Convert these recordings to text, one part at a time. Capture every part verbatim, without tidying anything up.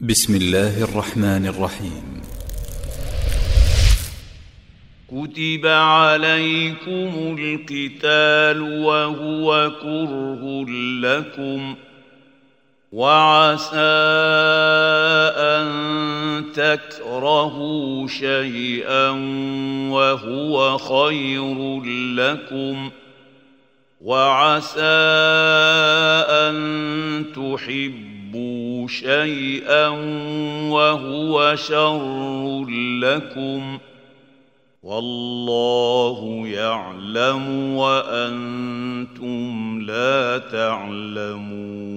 بسم الله الرحمن الرحيم. كتب عليكم القتال وهو كره لكم، وعسى أن تكرهوا شيئا وهو خير لكم، وعسى أن تحبوا شيئا وهو شر لكم، والله يعلم وأنتم لا تعلمون.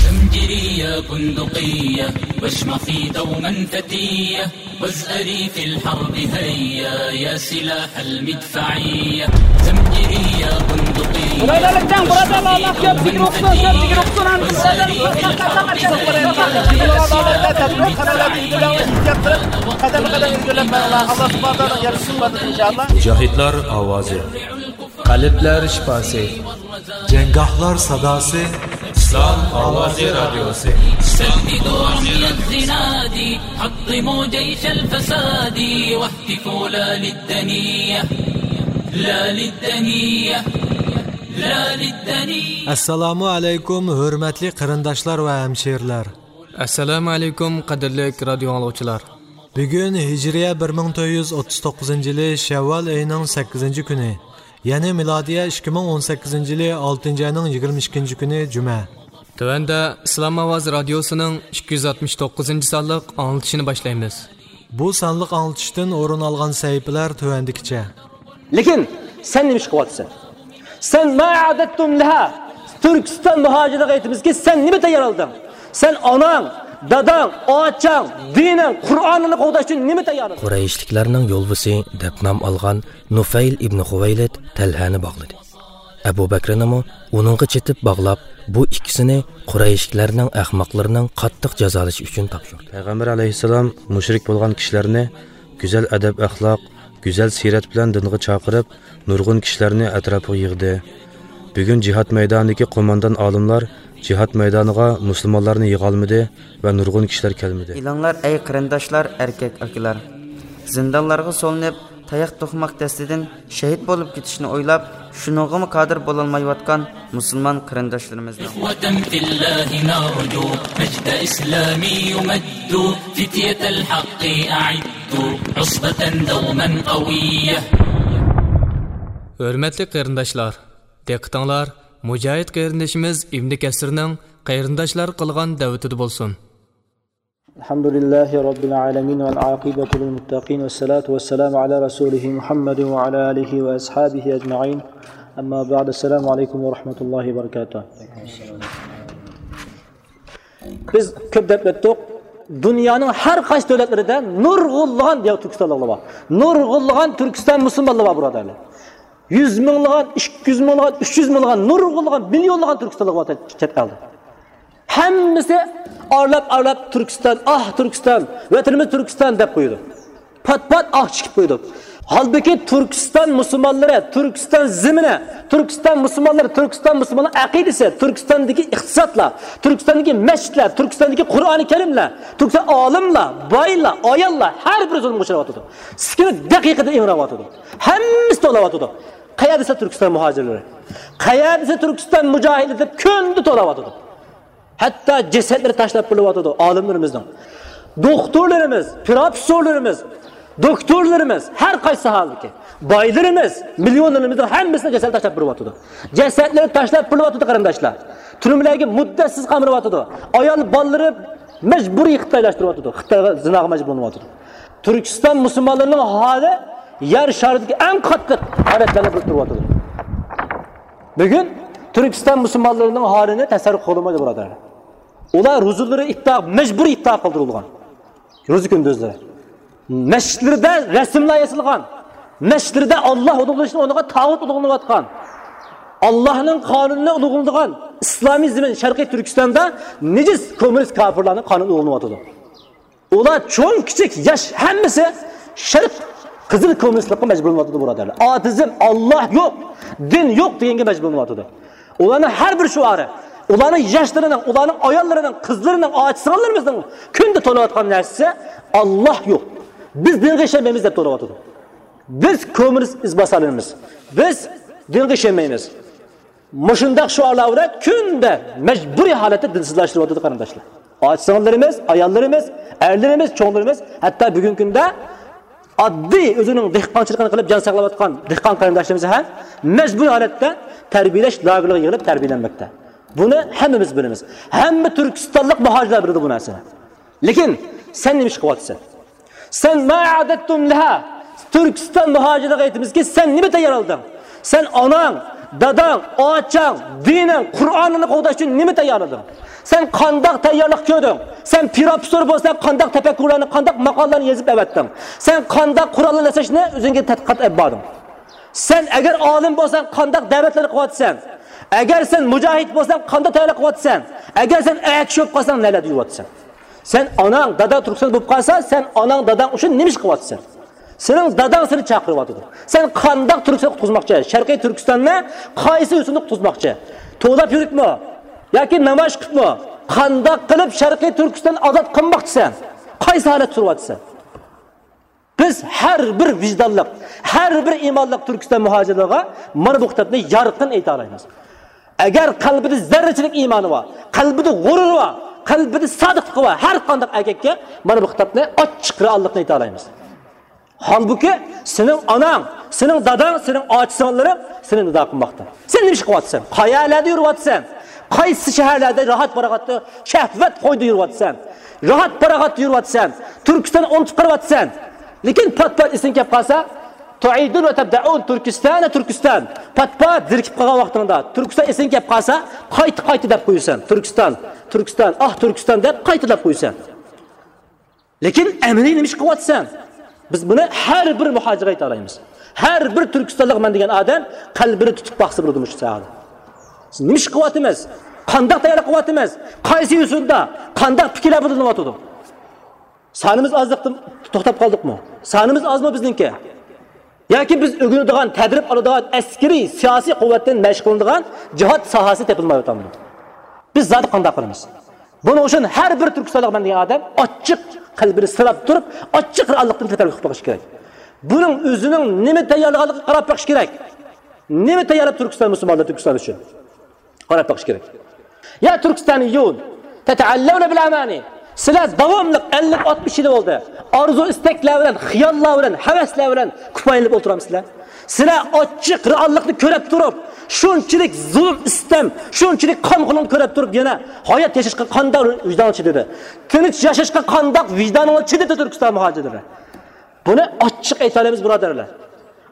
زمجرية بندقية، واشمخي دوما فتية، وازأري في الحرب هيا، يا سلاح المدفعية. زمجرية بندقية، Birodarlar, jang, birodarlar, Alloh ko'p zikr o'qisin, ko'p zikr o'qisin, hamda birodarlar, qadam qadam ilgirlab, qadam qadam ilgirlab, insof qilib, qadam qadam ilgirlab, Alloh subhanahu va taolo yarashsin, inshaalloh. مۇجاھىدلار ئاۋازى. قەلبلەر شىپاسى. جەڭگاھلار ساداسى. ئىسلام ئاۋازى رادىيوسى. سددوا رمي الزناد، حطموا جيش الفساد، واهتفوا لا للدنية، لا للدنية، لا للدنية. ئەسسالامۇ ئەلەيكۇم، ھۆرمەتلىك قېرىنداشلار ۋە ھەمشىرىلەر. ئەسسالامۇ ئەلەيكۇم، قەدىرلىك رادىيو ئاڭلىغۇچىلار. بۈگۈن ھىجرىيە بىر مىڭ تۆت يۈز ئوتتۇز توققۇزىنچى يىلى شەۋۋال ئېيىنىڭ سەككىزىنچى كۈنى، يەنى مىلادىيە ئىككى مىڭ ئون سەككىزىنچى يىلى ئالتىنچى ئاينىڭ يىگىرمە ئىككىنچى كۈنى جۈمە. تۆۋەندە ئىسلام ئاۋازى رادىيوسىنىڭ ئىككى يۈز ئاتمىش توققۇزىنچى سانلىق ئاڭلىتىشىنى باشلايمىز. بۇ سانلىق ئاڭلىتىشتىن ئورۇن ئالغان سەھىپىلەر تۆۋەندىكىچە. لېكىن سەن نېمە ئىش قىلىۋاتىسەن؟ سەن ما ئەئدەتتۇم لەھا، تۈركىستان مۇھاجىرلىرىغا ئېيتىمىزكى، سەن نېمە تەييارلىدىڭ؟ سەن ئاناڭ، داداڭ، ئاچاڭ، دىنىڭ، قۇرئانىڭنى قوغداش ئۈچۈن نېمە تەييارلىدىڭ؟ قۇرەيشلىكلەرنىڭ يولۋىسى دەپ نام ئالغان نۇفەيل ئىبنى خۇۋەيلىد تەلھەنى باغلىدى. ئەبۇ بەكرىنىمۇ ئۇنىڭغا چېتىپ باغلاپ، بۇ ئىككىسىنى قۇرەيشلىكلەرنىڭ ئەخمەقلىرىنىڭ قاتتىق جازالىشى ئۈچۈن تاپشۇردى. پەيغەمبەر ئەلەيھىسسالام مۇشرىك بولغان كىشىلەرنى گۈزەل ئەدەپ-ئەخلاق، گۈزەل سىرەت بىلەن دىنغا چاقىرىپ، نۇرغۇن كىشىلەرنى ئەتراپىغا يىغدى. بۈگۈن جىھاد مەيدانىدىكى قوماندان ئالىملار جىھاد مەيدانىغا مۇسۇلمانلارنى يىغالمىدى ۋە نۇرغۇن كىشىلەر كەلمىدى. ئېلىڭلار، ئەي قېرىنداشلار، ئەركەك ئاكىلار! زىندانلارغا سولىنىپ، تاياق توقماق دەستىدىن شېھىت بولۇپ كېتىشنى ئويلاپ، شۇنىڭغىمۇ قادىر بولالمايۋاتقان مۇسۇلمان قېرىنداشلىرىمىزنىڭ. إخوة في الله نرجو مجد إسلامي يمد، فتية الحق أعدوا عصبة دوما قوية. ھۆرمەتلىك قېرىنداشلار، دىققىتىڭلار مۇجاھىد قېرىندىشىمىز ئىبنى كەسىرنىڭ قېرىنداشلارغا قىلغان دەۋىتىدە بولسۇن. الحمد لله رب العالمين والعاقبة للمتقين والصلاة والسلام على رسوله محمد وعلى آله وأصحابه أجمعين. أما بعد، السلام عليكم ورحمة الله وبركاته. بىز كۆپ دەپ ئۆتتۇق. دۇنيانىڭ ھەر قايسى دۆلەتلىرىدە نۇرغۇنلىغان دىيار تۈركىستانلىقلار بار. نۇرغۇنلىغان تۈركىستان مۇسۇلمانلىرى بار، بۇرادەرلەر. يۈز مىڭلىغان، ئىككى يۈز مىڭلىغان، ئۈچ يۈز مىڭلىغان، نۇرغۇنلىغان، مىليونلىغان تۈركىستانلىق بار چەت ئەلدە. ھەممىسى ئارىلاپ-ئارىلاپ تۈركىستان، ئاھ تۈركىستان، ۋەتىنىمىز تۈركىستان دەپ قويىدۇ. پات-پات ئاھ چېكىپ قويىدۇ. ھالبۇكى تۈركىستان مۇسۇلمانلىرى، تۈركىستان زېمىنى، تۈركىستان مۇسۇلمانلىرى، تۈركىستان مۇسۇلمانلار ئەقىدىسى، تۈركىستاندىكى ئىقتىسادلار، تۈركىستاندىكى مەسچىتلەر، تۈركىستاندىكى قۇرئانى كەرىملەر، تۈركىستان ئالىملار، بايلار، ئاياللار، ھەر بىرى زۇلۇمغا ئۇچراۋاتىدۇ. سېكىنىپ دەقىقىدە ئىڭراۋاتىدۇ. ھەممىسى توۋلاۋاتىدۇ. قەيەردە دېسە تۈركىستان مۇھاجىرلىرى، قەيەردە دېسە تۈركىستان مۇجاھىدلىرى دەپ كۈندە توۋلاۋاتىدۇ. ھەتتا جەسەتلىرى تاشلاپ بېرىلىۋاتىدۇ ئالىملىرىمىزنىڭ. دوختۇرلىرىمىز، پروفېسسورلىرىمىز، دوكتورلىرىمىز، ھەر قايسى ساھەدىكى بايلىرىمىز، مىليونېرلىرىمىزنىڭ ھەممىسىنىڭ جەسەتلىرى تاشلاپ بېرىلىۋاتىدۇ. جەسەتلىرى تاشلاپ بېرىلىۋاتىدۇ، قېرىنداشلار. تۈرمىلەرگە مۇددەتسىز قامىلىۋاتىدۇ. ئايال بالىلىرى مەجبۇرىي خىتايلاشتۇرۇۋاتىدۇ. خىتايغا زىناغا مەجبۇرلىنىۋاتىدۇ. تۈركىستان مۇسۇلمانلىرىنىڭ ھالى يەر شارىدىكى ئەڭ قاتتىق ھالەتلەرنى بىرىكتۈرۈۋاتىدۇ. بۈگۈن تۈركىستان مۇسۇلمانلىرىنىڭ ھالىنى تەسەۋۋۇر قىلالمايدۇ، بۇرادەرلەر. ئۇلار روزىلىرى ئىپتار، مەجبۇرىي ئىپتار قىلدۇرۇلغان. روزا كۈندۈزلىرى. مەسچىتلىرىدە رەسىملەر ياسالغان. مەسچىتلىرىدە ئاللاھ ئۇلۇغلىنىشنىڭ ئورنىغا تاغۇت ئۇلۇغلىنىۋاتقان. ئاللاھنىڭ قانۇنىنى ئۇلۇغلىنىدىغان ئىسلامىي زېمىن شەرقىي تۈركىستاندا نىجىس كوممۇنىست كاپىرلارنىڭ قانۇنى ئۇلۇغلىنىۋاتىدۇ. ئۇلار چوڭ كىچىك ياش ھەممىسى شەرق قىزىل كوممۇنىستلىققا مەجبۇرلىنىۋاتىدۇ، بۇرادەرلەر. ئاتېئىزم، ئاللاھ يوق، دىن يوق دېگەنگە مەجبۇرلىنىۋاتىدۇ. ئۇلارنىڭ ھەر بىر شوئارى، ئۇلارنىڭ ياشلىرىنىڭ، ئۇلارنىڭ ئاياللىرىنىڭ، قىزلىرىنىڭ، ئاچا-سىڭىللىرىمىزنىڭ كۈندە توۋلاۋاتقان نەرسىسى، «ئاللاھ يوق. بىز دىنغا ئىشەنمەيمىز» دەپ توۋلاۋاتىدۇ. «بىز كوممۇنىست ئىزباسارلىرىمىز. بىز دىنغا ئىشەنمەيمىز.» مۇشۇنداق شوئارلار بىلەن كۈندە مەجبۇرىي ھالەتتە دىنسىزلاشتۇرۇۋاتىدۇ، قېرىنداشلار. ئاچا-سىڭىللىرىمىز، ئاياللىرىمىز، ئەرلىرىمىز، چوڭلىرىمىز، ھەتتا بۈگۈنكى كۈندە ئاددىي ئۆزىنىڭ دېھقانچىلىقىنى قىلىپ جان ساقلاۋاتقان دېھقان قېرىنداشلىرىمىز ھەم مەجبۇرىي ھالەتتە تەربىيەلەش لاگېرلىرىغا يىغىلىپ تەربىيەلەنمەكتە. بۇنى ھەممىمىز بىلىمىز. ھەممە تۈركىستانلىق مۇھاجىرلار بىلىدۇ بۇ نەرسىنى. لېكىن سەن نېمە ئىش قىلىۋاتىسەن؟ سەن ما ئەئدەتتۇم لەھا، تۈركىستان مۇھاجىرلىرىغا ئېيتىمىزكى، سەن نېمە تەييارلىدىڭ؟ سەن ئاناڭ، داداڭ، ئاچاڭ، دىنىڭ، قۇرئانىڭنى قوغداش ئۈچۈن نېمە تەييارلىدىڭ؟ سەن قانداق تەييارلىق كۆردۈڭ؟ سەن پروفېسسور بولساڭ، قانداق تەپەككۇرلارنى، قانداق ماقالىلەرنى يېزىپ ئەۋەتتىڭ؟ سەن قانداق قۇرئاننى ئەسلەشنى ئۆزۈڭگە تەتقىقات ئېلىپ باردىڭ؟ سەن ئەگەر ئالىم بولساڭ، قانداق دەۋەتلەرنى قىلىۋاتىسەن؟ ئەگەر سەن مۇجاھىد بولساڭ، قانداق تەييارلىق قىلىۋاتىسەن؟ ئەگەر سەن ئەگەر چۈشۈپ قالساڭ، نەلەردە يۈرۈۋاتىسەن؟ سەن ئاناڭ، داداڭ تۈركىستان بولۇپ قالسا، سەن ئاناڭ، داداڭ ئۈچۈن نېمە ئىش قىلىۋاتىسەن؟ سېنىڭ داداڭ سېنى چاقىرىۋاتىدۇ. سەن قانداق تۈركىستان قۇتقۇزماقچى؟ شەرقىي تۈركىستاننى قايسى يوسۇندا قۇتقۇزماقچى؟ توۋلاپ يۈرۈپمۇ؟ ياكى نامايىش قىلىپمۇ؟ قانداق قىلىپ شەرقىي تۈركىستان ئازاد قىلماقچىسەن؟ قايسى ھالەتتە تۇرۇۋاتىسەن؟ بىز ھەر بىر ۋىجدانلىق، ھەر بىر ئىمانلىق تۈركىستان مۇھاجىرلىرىغا مانا بۇ خىتابنى يارقىن ئېيتالايمىز. ئەگەر قەلبىدە زەررىچىلىك ئىمانى بار، قەلبىدە غۇرۇرى بار، قەلبىدە سادىقلىقى بار ھەر قانداق ئەركەككە مانا بۇ خىتابنى ئاچچىق رېئاللىقنى ئېيتالايمىز. ھالبۇكى، سېنىڭ ئاناڭ، سېنىڭ داداڭ، سېنىڭ ئاچا-سىڭىللىرىڭ سېنى نىدا قىلماقتا. سەن نېمە ئىش قىلىۋاتىسەن؟ قەيەرلەردە يۈرۈۋاتىسەن؟ قايسى شەھەرلەردە راھەت-پاراغەتتە، شەھۋەت قويدا يۈرۈۋاتىسەن؟ راھەت-پاراغەتتە يۈرۈۋاتىسەن؟ تۈركىستاننى ئۇنتۇپ قېلىۋاتىسەن؟ لېكىن پات-پات ئېسىڭگە كەپ قالسا، تۇئىدۇن ۋە تەبدەئۇن تۈركىستان، تۈركىستان. پات-پات زېرىكىپ قالغان ۋاقتىڭدا، تۈركىستان ئېسىڭگە كەپ قالسا، قايتا-قايتا دەپ قويىسەن. تۈركىستان، تۈركىستان، ئاھ، تۈركىستان دەپ قايتا دەپ قويىسەن. لېكىن ئەمەلىي نېمە ئىش قىلىۋاتىسەن؟ بىز بۇنى ھەر بىر مۇھاجىرغا ئېيتالايمىز. ھەر بىر تۈركىستانلىق مەن دېگەن ئادەم قەلبىنى تۇتۇپ باقسا بولىدۇ مۇشۇ ساھەدە. بىز نېمە ئىش قىلىۋاتىمىز؟ قانداق تەييارلىق قىلىۋاتىمىز؟ قايسى يوسۇندا؟ قانداق پىكىرلەر بىلدۈرۈلۈۋاتىدۇ؟ سانىمىز ئازلىقتىن توختاپ قالدۇقمۇ؟ سانىمىز ئازمۇ بىزنىڭكى؟ ياكى بىز ئۆگىنىدىغان، تەدرىب ئالىدىغان ئەسكىرىي، سىياسىي قۇۋۋەتتىن مەشىق قىلىنىدىغان جىھاد ساھەسى تېپىلمايۋاتامدۇ؟ بىز زادى قانداق قىلىمىز؟ بۇنىڭ ئۈچۈن ھەر بىر تۈركىستانلىق مەن دېگەن ئادەم ئاچچىق قەلبىنى سىلاپ تۇرۇپ، ئاچچىق رېئاللىقتىن تەتەررۇق قىلىش كېرەك. بۇنىڭ ئۆزىنىڭ نېمە تەييارلىغانلىقىغا قاراپ بېقىش كېرەك. نېمە تەييارلاپ تۈركىستان مۇسۇلمانلار تۈركىستان ئۈچۈن؟ قاراپ بېقىش كېرەك. يا تۈركىستانىيۇن، تەتەئەللەۋنە بىل ئامانى. سىلەر داۋاملىق ئەللىك ئاتمىش يىل بولدى. ئارزۇ ئىستەكلەر بىلەن، خىياللار بىلەن، ھەۋەسلەر بىلەن كۇپايىلىنىپ ئولتۇرامسىلەر؟ سىلەر ئاچچىق رېئاللىقنى كۆرۈپ تۇرۇپ، شۇنچىلىك زۇلۇم، ئىستەم، شۇنچىلىك قانخورلۇقنى كۆرۈپ تۇرۇپ يەنە ھايات ياشاشقا قانداق ۋىجدانىڭلار چىدىدى؟ تىنچ ياشاشقا قانداق ۋىجدانىڭلار چىدىدى تۈركىستان مۇھاجىرلىرى؟ بۇنى ئاچچىق ئېيتالايمىز، بۇرادەرلەر.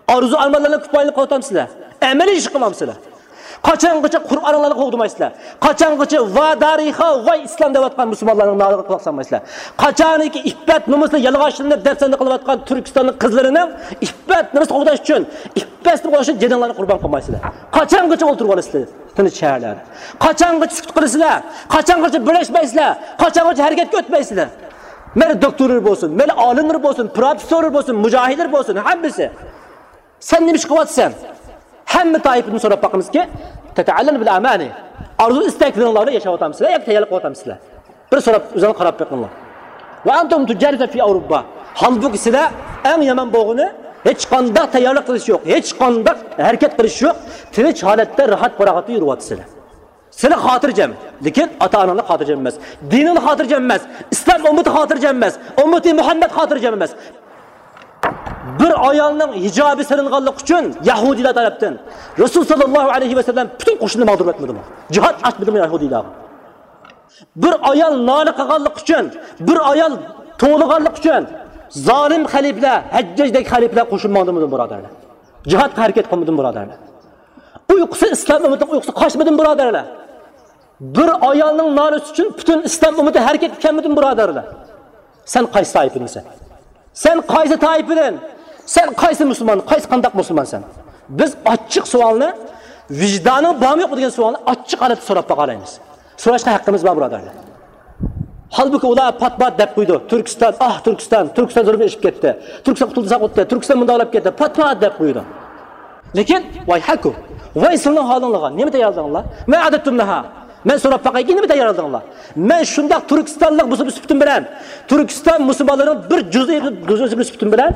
ئارزۇ-ئارمانلارنى كۇپايىلىق قىلىۋاتامسىلەر؟ ئەمەلىي ئىش قىلمامسىلەر؟ قاچانغىچە قۇرئانلارنى قوغدىمايسىلەر؟ قاچانغىچە «ۋا دارىخا، ۋاي ئىسلام» دەۋاتقان مۇسۇلمانلارنىڭ نالىغا قۇلاق سالمايسىلەر؟ قاچانكى ئىپپەت-نومۇسىنى يالغاچلىنىپ دەپسەندە قىلىۋاتقان تۈركىستاننىڭ قىزلىرىنىڭ ئىپپەت-نومۇسىنى قوغداش ئۈچۈن، ئىپپەتنى قوغداش ئۈچۈن جېنىڭلارنى قۇربان قىلمايسىلەر؟ قاچانغىچە ئولتۇرۇۋالىسىلەر تىنچ شەھەرلەردە؟ قاچانغىچە سۈكۈت قىلىسىلەر؟ قاچانغىچە بىرلەشمەيسىلەر؟ قاچانغىچە ھەرىكەتكە ئۆتمەيسىلەر؟ مەيلى دوكتورلار بولسۇن، مەيلى ئالىملار بولسۇن، پروفېسسورلار بولسۇن، مۇجاھىدلار بولسۇن، ھەممىسى. سەن نېمە ئىش قىلىۋاتىسەن؟ ھەممە تائىپىدىن سوراپ باقىمىزكى، تەتەئەللەن بىل ئامانى. ئارزۇ ئىستەكلىرىڭلاردا ياشاۋاتامسىلەر ياكى تەييارلىق قىلىۋاتامسىلەر؟ بىر سوراپ، ئۆزۈڭلار قاراپ بېقىڭلار. ۋە ئەنتۇم تۇجالىسە فى ئاۋروپا. ھالبۇكى سىلەر ئەڭ يامان بولغىنى، ھېچقانداق تەييارلىق قىلىش يوق، ھېچقانداق ھەرىكەت قىلىش يوق، تىنچ ھالەتتە راھەت-پاراغەتتە يۈرۈۋاتىسىلەر. سىلەر خاتىرجەم، لېكىن ئاتا-ئاناڭلار خاتىرجەم ئەمەس، دىنىڭلار خاتىرجەم ئەمەس، ئىسلام ئۈممىتى خاتىرجەم ئەمەس، ئۈممىتى مۇھەممەد خاتىرجەم ئەمەس. بىر ئايالنىڭ ھىجابى سېلىنغانلىقى ئۈچۈن يەھۇدىيلار تەرەپتىن رەسۇل ساللاللاھۇ ئەلەيھى ۋەسەللەم پۈتۈن قوشۇننى ماڭدۇرۇۋەتمىدىمۇ؟ جىھاد ئاچمىدىمۇ يەھۇدىيلارغا؟ بىر ئايال نالە قىلغانلىقى ئۈچۈن، بىر ئايال توۋلىغانلىقى ئۈچۈن زالىم خەلىپىلەر، ھەججاجدەك خەلىپىلەر قوشۇن ماڭدۇرمىدىمۇ، بۇرادەرلەر؟ جىھادقا ھەرىكەت قىلمىدىمۇ، بۇرادەرلەر؟ ئۇيقۇسى، ئىسلام ئۈممىتىنىڭ ئۇيقۇسى قاچمىدىمۇ، بۇرادەرلەر؟ بىر ئايالنىڭ نالىسى ئۈچۈن پۈتۈن ئىسلام ئۈممىتى ھەرىكەتكە كەلمىدىمۇ، بۇرادەرلەر؟ سەن قايسى تائىپىدىنسەن؟ سەن قايسى تائىپىدىن؟ سەن قايسى مۇسۇلمان؟ قايسى، قانداق مۇسۇلمانسەن؟ بىز ئاچچىق سوئالنى، ۋىجدانىڭ بارمۇ يوقمۇ دېگەن سوئالنى ئاچچىق ھالەتتە سوراپ باقالايمىز. سوراشقا ھەققىمىز بار، بۇرادەرلەر. ھالبۇكى، ئۇلار پات-پات دەپ قويىدۇ، «تۈركىستان، ئاھ، تۈركىستان، تۈركىستان زۇلۇم ئېشىپ كەتتى، تۈركىستان قۇتۇلدى، ساقىت كەتتى، تۈركىستان مۇنداق بولۇپ كەتتى»، پات-پات دەپ قويىدۇ. لېكىن، ۋايھەكۇم، ۋاي سىلىنىڭ ھالىڭلارغا، نېمە تەييارلىدىڭلار؟ ما ئەئدەتتۇم لەھا. مەن سوراپ باقايكى، نېمە تەييارلىدىڭلار؟ مەن شۇنداق تۈركىستانلىق بولسا سۈپىتىم بىلەن، تۈركىستان مۇسۇلمانلىرىنىڭ بىر جۇزئى، جۇزئى سۈپىتىم بىلەن،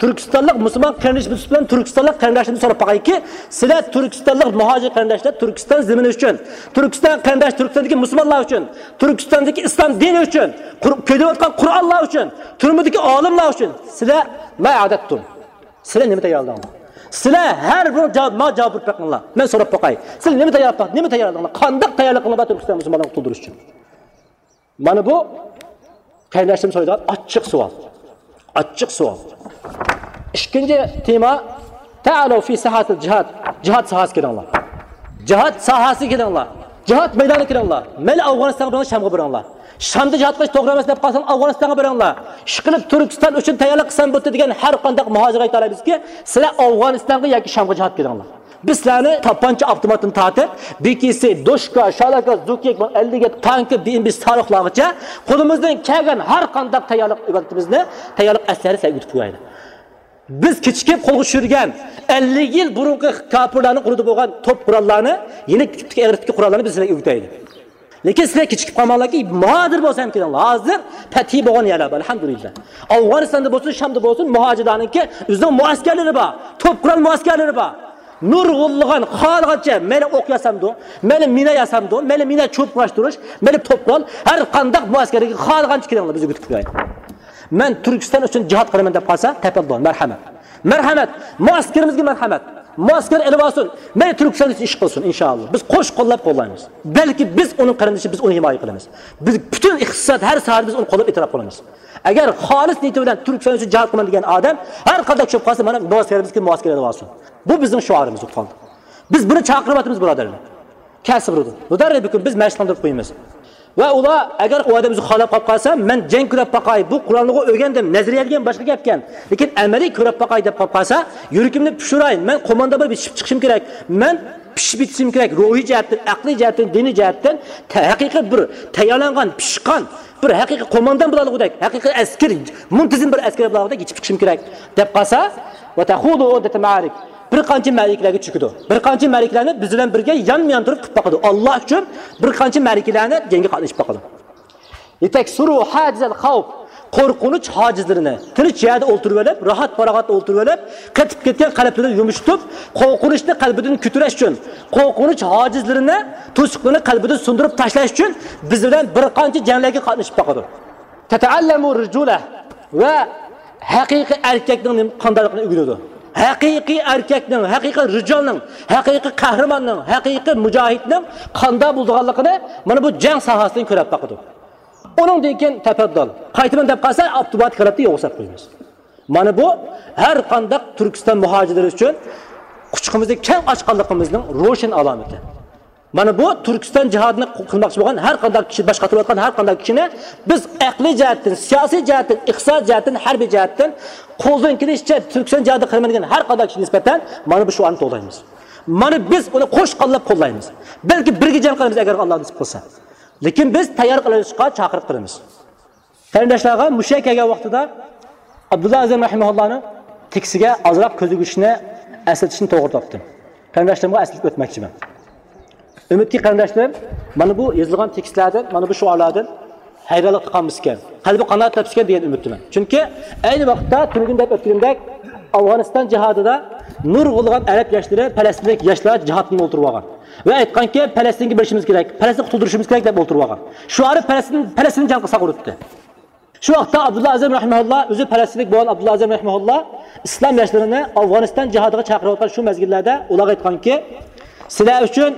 تۈركىستانلىق مۇسۇلمان قېرىندىشىم سۈپىتىم بىلەن، تۈركىستانلىق قېرىنداشلىرىمدىن سوراپ باقايكى، سىلەر تۈركىستانلىق مۇھاجىر قېرىنداشلار تۈركىستان زېمىنى ئۈچۈن، تۈركىستان قېرىنداش، تۈركىستاندىكى مۇسۇلمانلار ئۈچۈن، تۈركىستاندىكى ئىسلام دىنى ئۈچۈن، قۇر-، كۆيدۈرۈۋاتقان قۇرئانلار ئۈچۈن، تۈرمىدىكى ئالىملار ئۈچۈن سىلەر ما ئەدەتتۇم؟ سىلەر نېمە تەييارلىدىڭلار؟ سىلەر ھەر بىر جاۋاب، ما جاۋاب بېرىپ بېقىڭلار. مەن سوراپ باقاي. سىلەر نېمە تەييارلاپ، نېمە تەييارلىدىڭلار؟ قانداق تەييارلىق قىلىڭلار تۈركىستان مۇسۇلمانلارنى قۇتۇلدۇرۇش ئۈچۈن؟ مانا بۇ قېرىنداشلىرىم سورايدىغان ئاچچىق سوئال. ئاچچىق سوئال. ئىككىنچى تېما، تەئالەۋ فى ساھەتىل جىھاد. جىھاد ساھەسىگە كېلىڭلار. جىھاد ساھەسىگە كېلىڭلار. جىھاد مەيدانىغا كېلىڭلار. مەيلى ئافغانىستانغا بېرىڭلار، شامغا بېرىڭلار. شامدا جىھاد قىلىش توغرا ئەمەس دەپ قالساڭ، ئافغانىستانغا بېرىڭلار. ئىشقىلىپ تۈركىستان ئۈچۈن تەييارلىق قىلسام بولدى دېگەن ھەر قانداق مۇھاجىرغا ئېيتالايمىزكى، سىلەر ئافغانىستانغا ياكى شامغا جىھاد كېلىڭلار. بىز سىلەرنى تاپانچا، ئاپتوماتتىن تارتىپ، بى كې سى، دوشكا، شالاكا، زوكىيەك، ئەللىك يەتتە تانكا، بى ئېم بى ساروخلارغىچە قولىمىزدىن كەلگەن ھەر قانداق تەييارلىق ئىبادىتىمىزنى، تەييارلىق ئەسلىھەنى سىلەرگە ئۆتۈپ قويايلى. بىز كېچىكىپ قولغا چۈشۈرگەن ئەللىك يىل بۇرۇنقى كاپىرلارنىڭ قولىدا بولغان توپ قوراللارنى، يېنىك تىپتىكى ئېغىر تىپتىكى قوراللارنى بىز سىلەرگە ئۆگىتەيلى. لېكىن سىلەر كېچىكىپ قالماڭلاركى، ھازىر بولسا ھەم كېلىڭلار. ھازىر پەتھى بولغان يەرلەر بار، ئەلھەمدۇلىللا. ئافغانىستاندا بولسۇن، شامدا بولسۇن، مۇھاجىرلارنىڭكى ئۆزىنىڭ مۇئەسكەرلىرى بار، توپ قورال مۇئەسكەرلىرى بار. نۇرغۇنلىغان خالىغانچە مەيلى ئوق ياسامدۇ، مەيلى مىنا ياسامدۇ، مەيلى مىنا چوپلاشتۇرۇش، مەيلى توپ قورال، ھەر قانداق مۇئەسكەرگە خالىغانچە كېلىڭلار، بىز ئۆگىتىپ قويايلى. مەن تۈركىستان ئۈچۈن جىھاد قىلىمەن دەپ قالسا، تەپەددۇل، مەرھەمەت. مەرھەمەت. مۇئەسكىرىمىزگە مەرھەمەت. مۇئەسكەر ئېلىۋالسۇن. مەيلى تۈركىستان ئۈچۈن ئىش قىلسۇن، ئىنشائاللا. بىز قوش قوللاپ قوللايمىز. بەلكى بىز ئۇنىڭ قېرىندىشى، بىز ئۇنى ھىمايە قىلىمىز. بىز پۈتۈن ئىقتىساد، ھەر ساھەدە بىز ئۇنى قوللاپ ئېتىراپ قىلىمىز. ئەگەر خالىس نىيىتى بىلەن تۈركىستان ئۈچۈن جىھاد قىلىمەن دېگەن ئادەم ھەر قانداق چۈشۈپ قالسا، مانا مۇئەسكىرىمىزگە مۇئەسكەر ئېلىۋالسۇن. بۇ بىزنىڭ شوئارىمىز بولۇپ قالدى. بىز بۇنى چاقىرىۋاتىمىز، بۇرادەرلەر. كەلسە بولىدۇ. مۇدەررىبىكۇم، بىز مەشىق قىلدۇرۇپ قويىمىز. ۋە ئۇلار ئەگەر ئۇ ئادەم بىزگە خالاپ قاپ قالسا، مەن جەڭ كۆرۈپ باقاي، بۇ قورالنى ئۆگەندىم، نەزەرىيە دېگەن باشقا گەپكەن. لېكىن ئەمەلىي كۆرۈپ باقاي دەپ قاپ قالسا، يۈرىكىمنى پۇشۇراي، مەن قوماندا بولۇپ يېتىشىپ چىقىشىم كېرەك، مەن پىشىپ يېتىشىم كېرەك، روھىي جەھەتتىن، ئەقلىي جەھەتتىن، دىنىي جەتتىن، تە-، ھەقىقىي بىر تەييارلانغان، پىشقان، بىر ھەقىقىي قوماندان بولالىغۇدەك، ھەقىقىي ئەسكىرى، مۇنتىزىم بىر ئەسكىرى بولالىغۇدەك يېتىشىپ چىقىشىم كېرەك دەپ قالسا، ۋە تەخۇدۇ ئۇددەتە مەئارىك. بىر قانچە مەرىكىلەرگە چۆكىدۇ. بىر قانچە مەرىكىلەرنى بىز بىلەن بىرگە يانمۇ يان تۇرۇپ قىلىپ باقىدۇ. ئاللا ئۈچۈن بىر قانچە مەرىكىلەرنى جەڭگە قاتنىشىپ باقىدۇ. لىتەكسۇرۇ ھاجىزەل خەۋپ. قورقۇنچ ھاجىزلىرىنى، تىنچ يەردە ئولتۇرۇۋېلىپ، راھەت پاراغەتتە ئولتۇرۇۋېلىپ، قېتىپ كەتكەن قەلبلىرىنى يۇمشىتىپ، قورقۇنچنى قەلبىدىن كۆتۈرۈش ئۈچۈن، قورقۇنچ ھاجىزلىرىنى، توسۇقلىرىنى قەلبىدىن سۇندۇرۇپ تاشلاش ئۈچۈن بىز بىلەن بىر قانچە جەڭلەرگە قاتنىشىپ باقىدۇ. تەتەئەللەمۇ رىجۇلە ۋە ھەقىقىي ئەركەكنىڭ نېمە، قانداقلىقىنى ئۆگىنىدۇ. ھەقىقىي ئەركەكنىڭ، ھەقىقىي رىجالنىڭ، ھەقىقىي قەھرىماننىڭ، ھەقىقىي مۇجاھىدنىڭ قانداق بولىدىغانلىقىنى مانا بۇ جەڭ ساھەسىدىن كۆرۈپ باقىدۇ. ئۇنىڭدىن كېيىن تەپەددۇل. قايتىمەن دەپ قالسا، ئاپتوماتىك ھالەتتە يوقىتىپ قويىمىز. مانا بۇ ھەر قانداق تۈركىستان مۇھاجىرلىرى ئۈچۈن قۇچىقىمىزنى كەڭ ئاچقانلىقىمىزنىڭ روشەن ئالامىتى. مانا بۇ تۈركىستان جىھادىنى قىلماقچى بولغان ھەر قانداق كىشى، باش قاتۇرۇۋاتقان ھەر قانداق كىشىنى بىز ئەقلىي جەھەتتىن، سىياسىي جەھەتتىن، ئىقتىساد جەھەتتىن، ھەربىي جەھەتتىن قولدىن كېلىشىچە تۈركىستان جىھادىغا قىلىمەن دېگەن ھەر قانداق كىشىگە نىسبەتەن مانا بۇ شوئارنى توۋلايمىز. مانا بىز ئۇنى قوش قوللاپ قوللايمىز. بەلكى بىرگە جەڭ قىلىمىز، ئەگەر ئاللا نېسىپ قىلسا. لېكىن بىز تەييار قىلىشقا چاقىرىق قىلىمىز. قېرىنداشلارغا مۇشۇ يەرگە كەلگەن ۋاقتىدا ئابدۇللا ئەزىم رەھىمەھۇللانىڭ تېكىستىگە ئازراق كۆزگە ئىشنى ئەسلىتىشنى توغرا تاپتىم. قېرىنداشلىرىمغا ئەسلىتىپ ئۆتمەكچىمەن. ئۈمىدكى قېرىنداشلىرىم، مانا بۇ يېزىلغان تېكىستلەردىن، مانا بۇ شوئارلاردىن ھەيرانلىق تاپقان بولسىكەن، قەلبى قانائەت تاپسىكەن دېگەن ئۈمىدتىمەن. چۈنكى ئەينى ۋاقىتتا تۈنۈگۈن دەپ ئۆتكىنىمدەك ئافغانىستان جىھادىدا نۇرغۇنلىغان ئەرەب ياشلىرى، پەلەستىنلىك ياشلار جىھادتىن ئولتۇرۇۋالغان ۋە ئېيتقانكى، پەلەستىنگە بېرىشىمىز كېرەك، پەلەستىننى قۇتۇلدۇرۇشىمىز كېرەك دەپ ئولتۇرۇۋالغان. شوئارى پەلەستىن، پەلەستىن جەڭ قىلساق ئۇرۇتتى. شۇ ۋاقىتتا ئابدۇللا ئەزىم رەھىمەھۇللا، ئۆزى پەلەستىنلىك بولغان ئابدۇللا ئەزىم رەھىمەھۇللا ئىسلام ياشلىرىنى ئافغانىستان جىھادىغا چاقىرىۋاتقان شۇ مەزگىللەردە ئۇلارغا ئېيتقانكى، سىلەر ئۈچۈن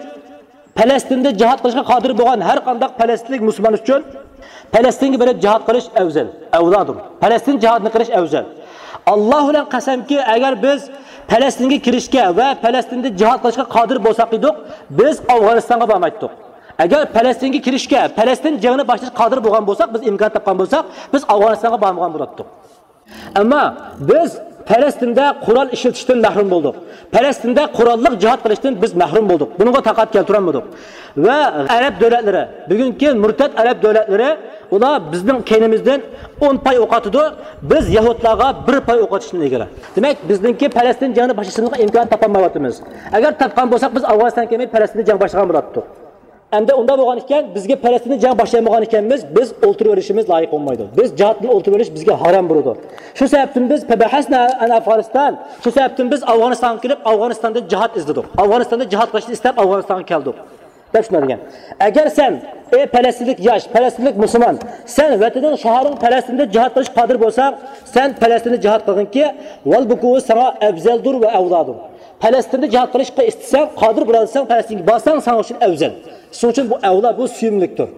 پەلەستىندە جىھاد قىلىشقا قادىر بولغان ھەر قانداق پەلەستىنلىك مۇسۇلمان ئۈچۈن پەلەستىنگە بېرىپ جىھاد قىلىش ئەۋزەل، ئەۋلادۇر. پەلەستىن جىھادىنى قىلىش ئەۋزەل. ئاللا بىلەن قەسەمكى، ئەگەر بىز پەلەستىنگە كىرىشكە ۋە پەلەستىندە جىھاد قىلىشقا قادىر بولساق ئىدۇق، بىز ئافغانىستانغا بارمايتتۇق. ئەگەر پەلەستىنگە كىرىشكە، پەلەستىن جېڭىنى باشلاشقا قادىر بولغان بولساق، بىز ئىمكان تاپقان بولساق، بىز ئافغانىستانغا بارمىغان بولاتتۇق. ئەمما بىز پەلەستىندە قورال ئىشلىتىشتىن مەھرۇم بولدۇق. پەلەستىندە قوراللىق جىھاد قىلىشتىن بىز مەھرۇم بولدۇق. بۇنىڭغا تاقەت كەلتۈرەلمىدۇق. ۋە ئەرەب دۆلەتلىرى، بۈگۈنكى مۇرتەت ئەرەب دۆلەتلىرى، ئۇلار بىزنىڭ كەينىمىزدىن ئون پاي ئوق ئاتىدۇ، بىز يەھۇدلارغا بىر پاي ئوق ئاتىشتىن ئىلگىرى. دېمەك، بىزنىڭكى پەلەستىن جېڭىنى باشلىشىمىزغا ئىمكان تاپالمايۋاتىمىز. ئەگەر تاپقان بولساق، بىز ئافغانىستانغا كەلمەي پەلەستىندە جەڭ باشلىغان بولاتتۇق. ئەمدى ئۇنداق بولغان ئىكەن، بىزگە پەلەستىندە جەڭ باشلىيالمىغان ئىكەنمىز، بىز ئولتۇرۇۋېلىشىمىز لايىق بولمايدۇ. بىز جىھادتىن ئولتۇرۇۋېلىش بىزگە ھارام بولىدۇ. شۇ سەۋەبتىن بىز فەبەھەسنا ئەن ئەفغانىستان، شۇ سەۋەبتىن بىز ئافغانىستانغا كېلىپ، ئافغانىستاندا جىھاد ئىزدىدۇق. ئافغانىستاندا جىھاد قىلىشنى ئىستەپ، ئافغانىستانغا كەلدۇق، دەپ شۇنداق دېگەن. ئەگەر سەن، ئەي پەلەستىنلىك ياش، پەلەستىنلىك مۇسۇلمان، سەن ۋەتىنىڭ، شەھىرىڭ پەلەستىندە جىھاد قىلىشقا قادىر بولساڭ، سەن پەلەستىندە جىھاد قىلغىنكى، ۋەل بۇ ساڭا ئەۋزەلدۇر ۋە ئەۋلادۇر. پەلەستىندە جىھاد قىلىشقا ئىستىسەڭ، قادىر بولالىساڭ، پەلەستىنگە بارساڭ، ساڭا ئۈچۈن ئەۋزەل. شۇنىڭ ئۈچۈن بۇ ئەۋلا، بۇ سۆيۈملۈكتۇر.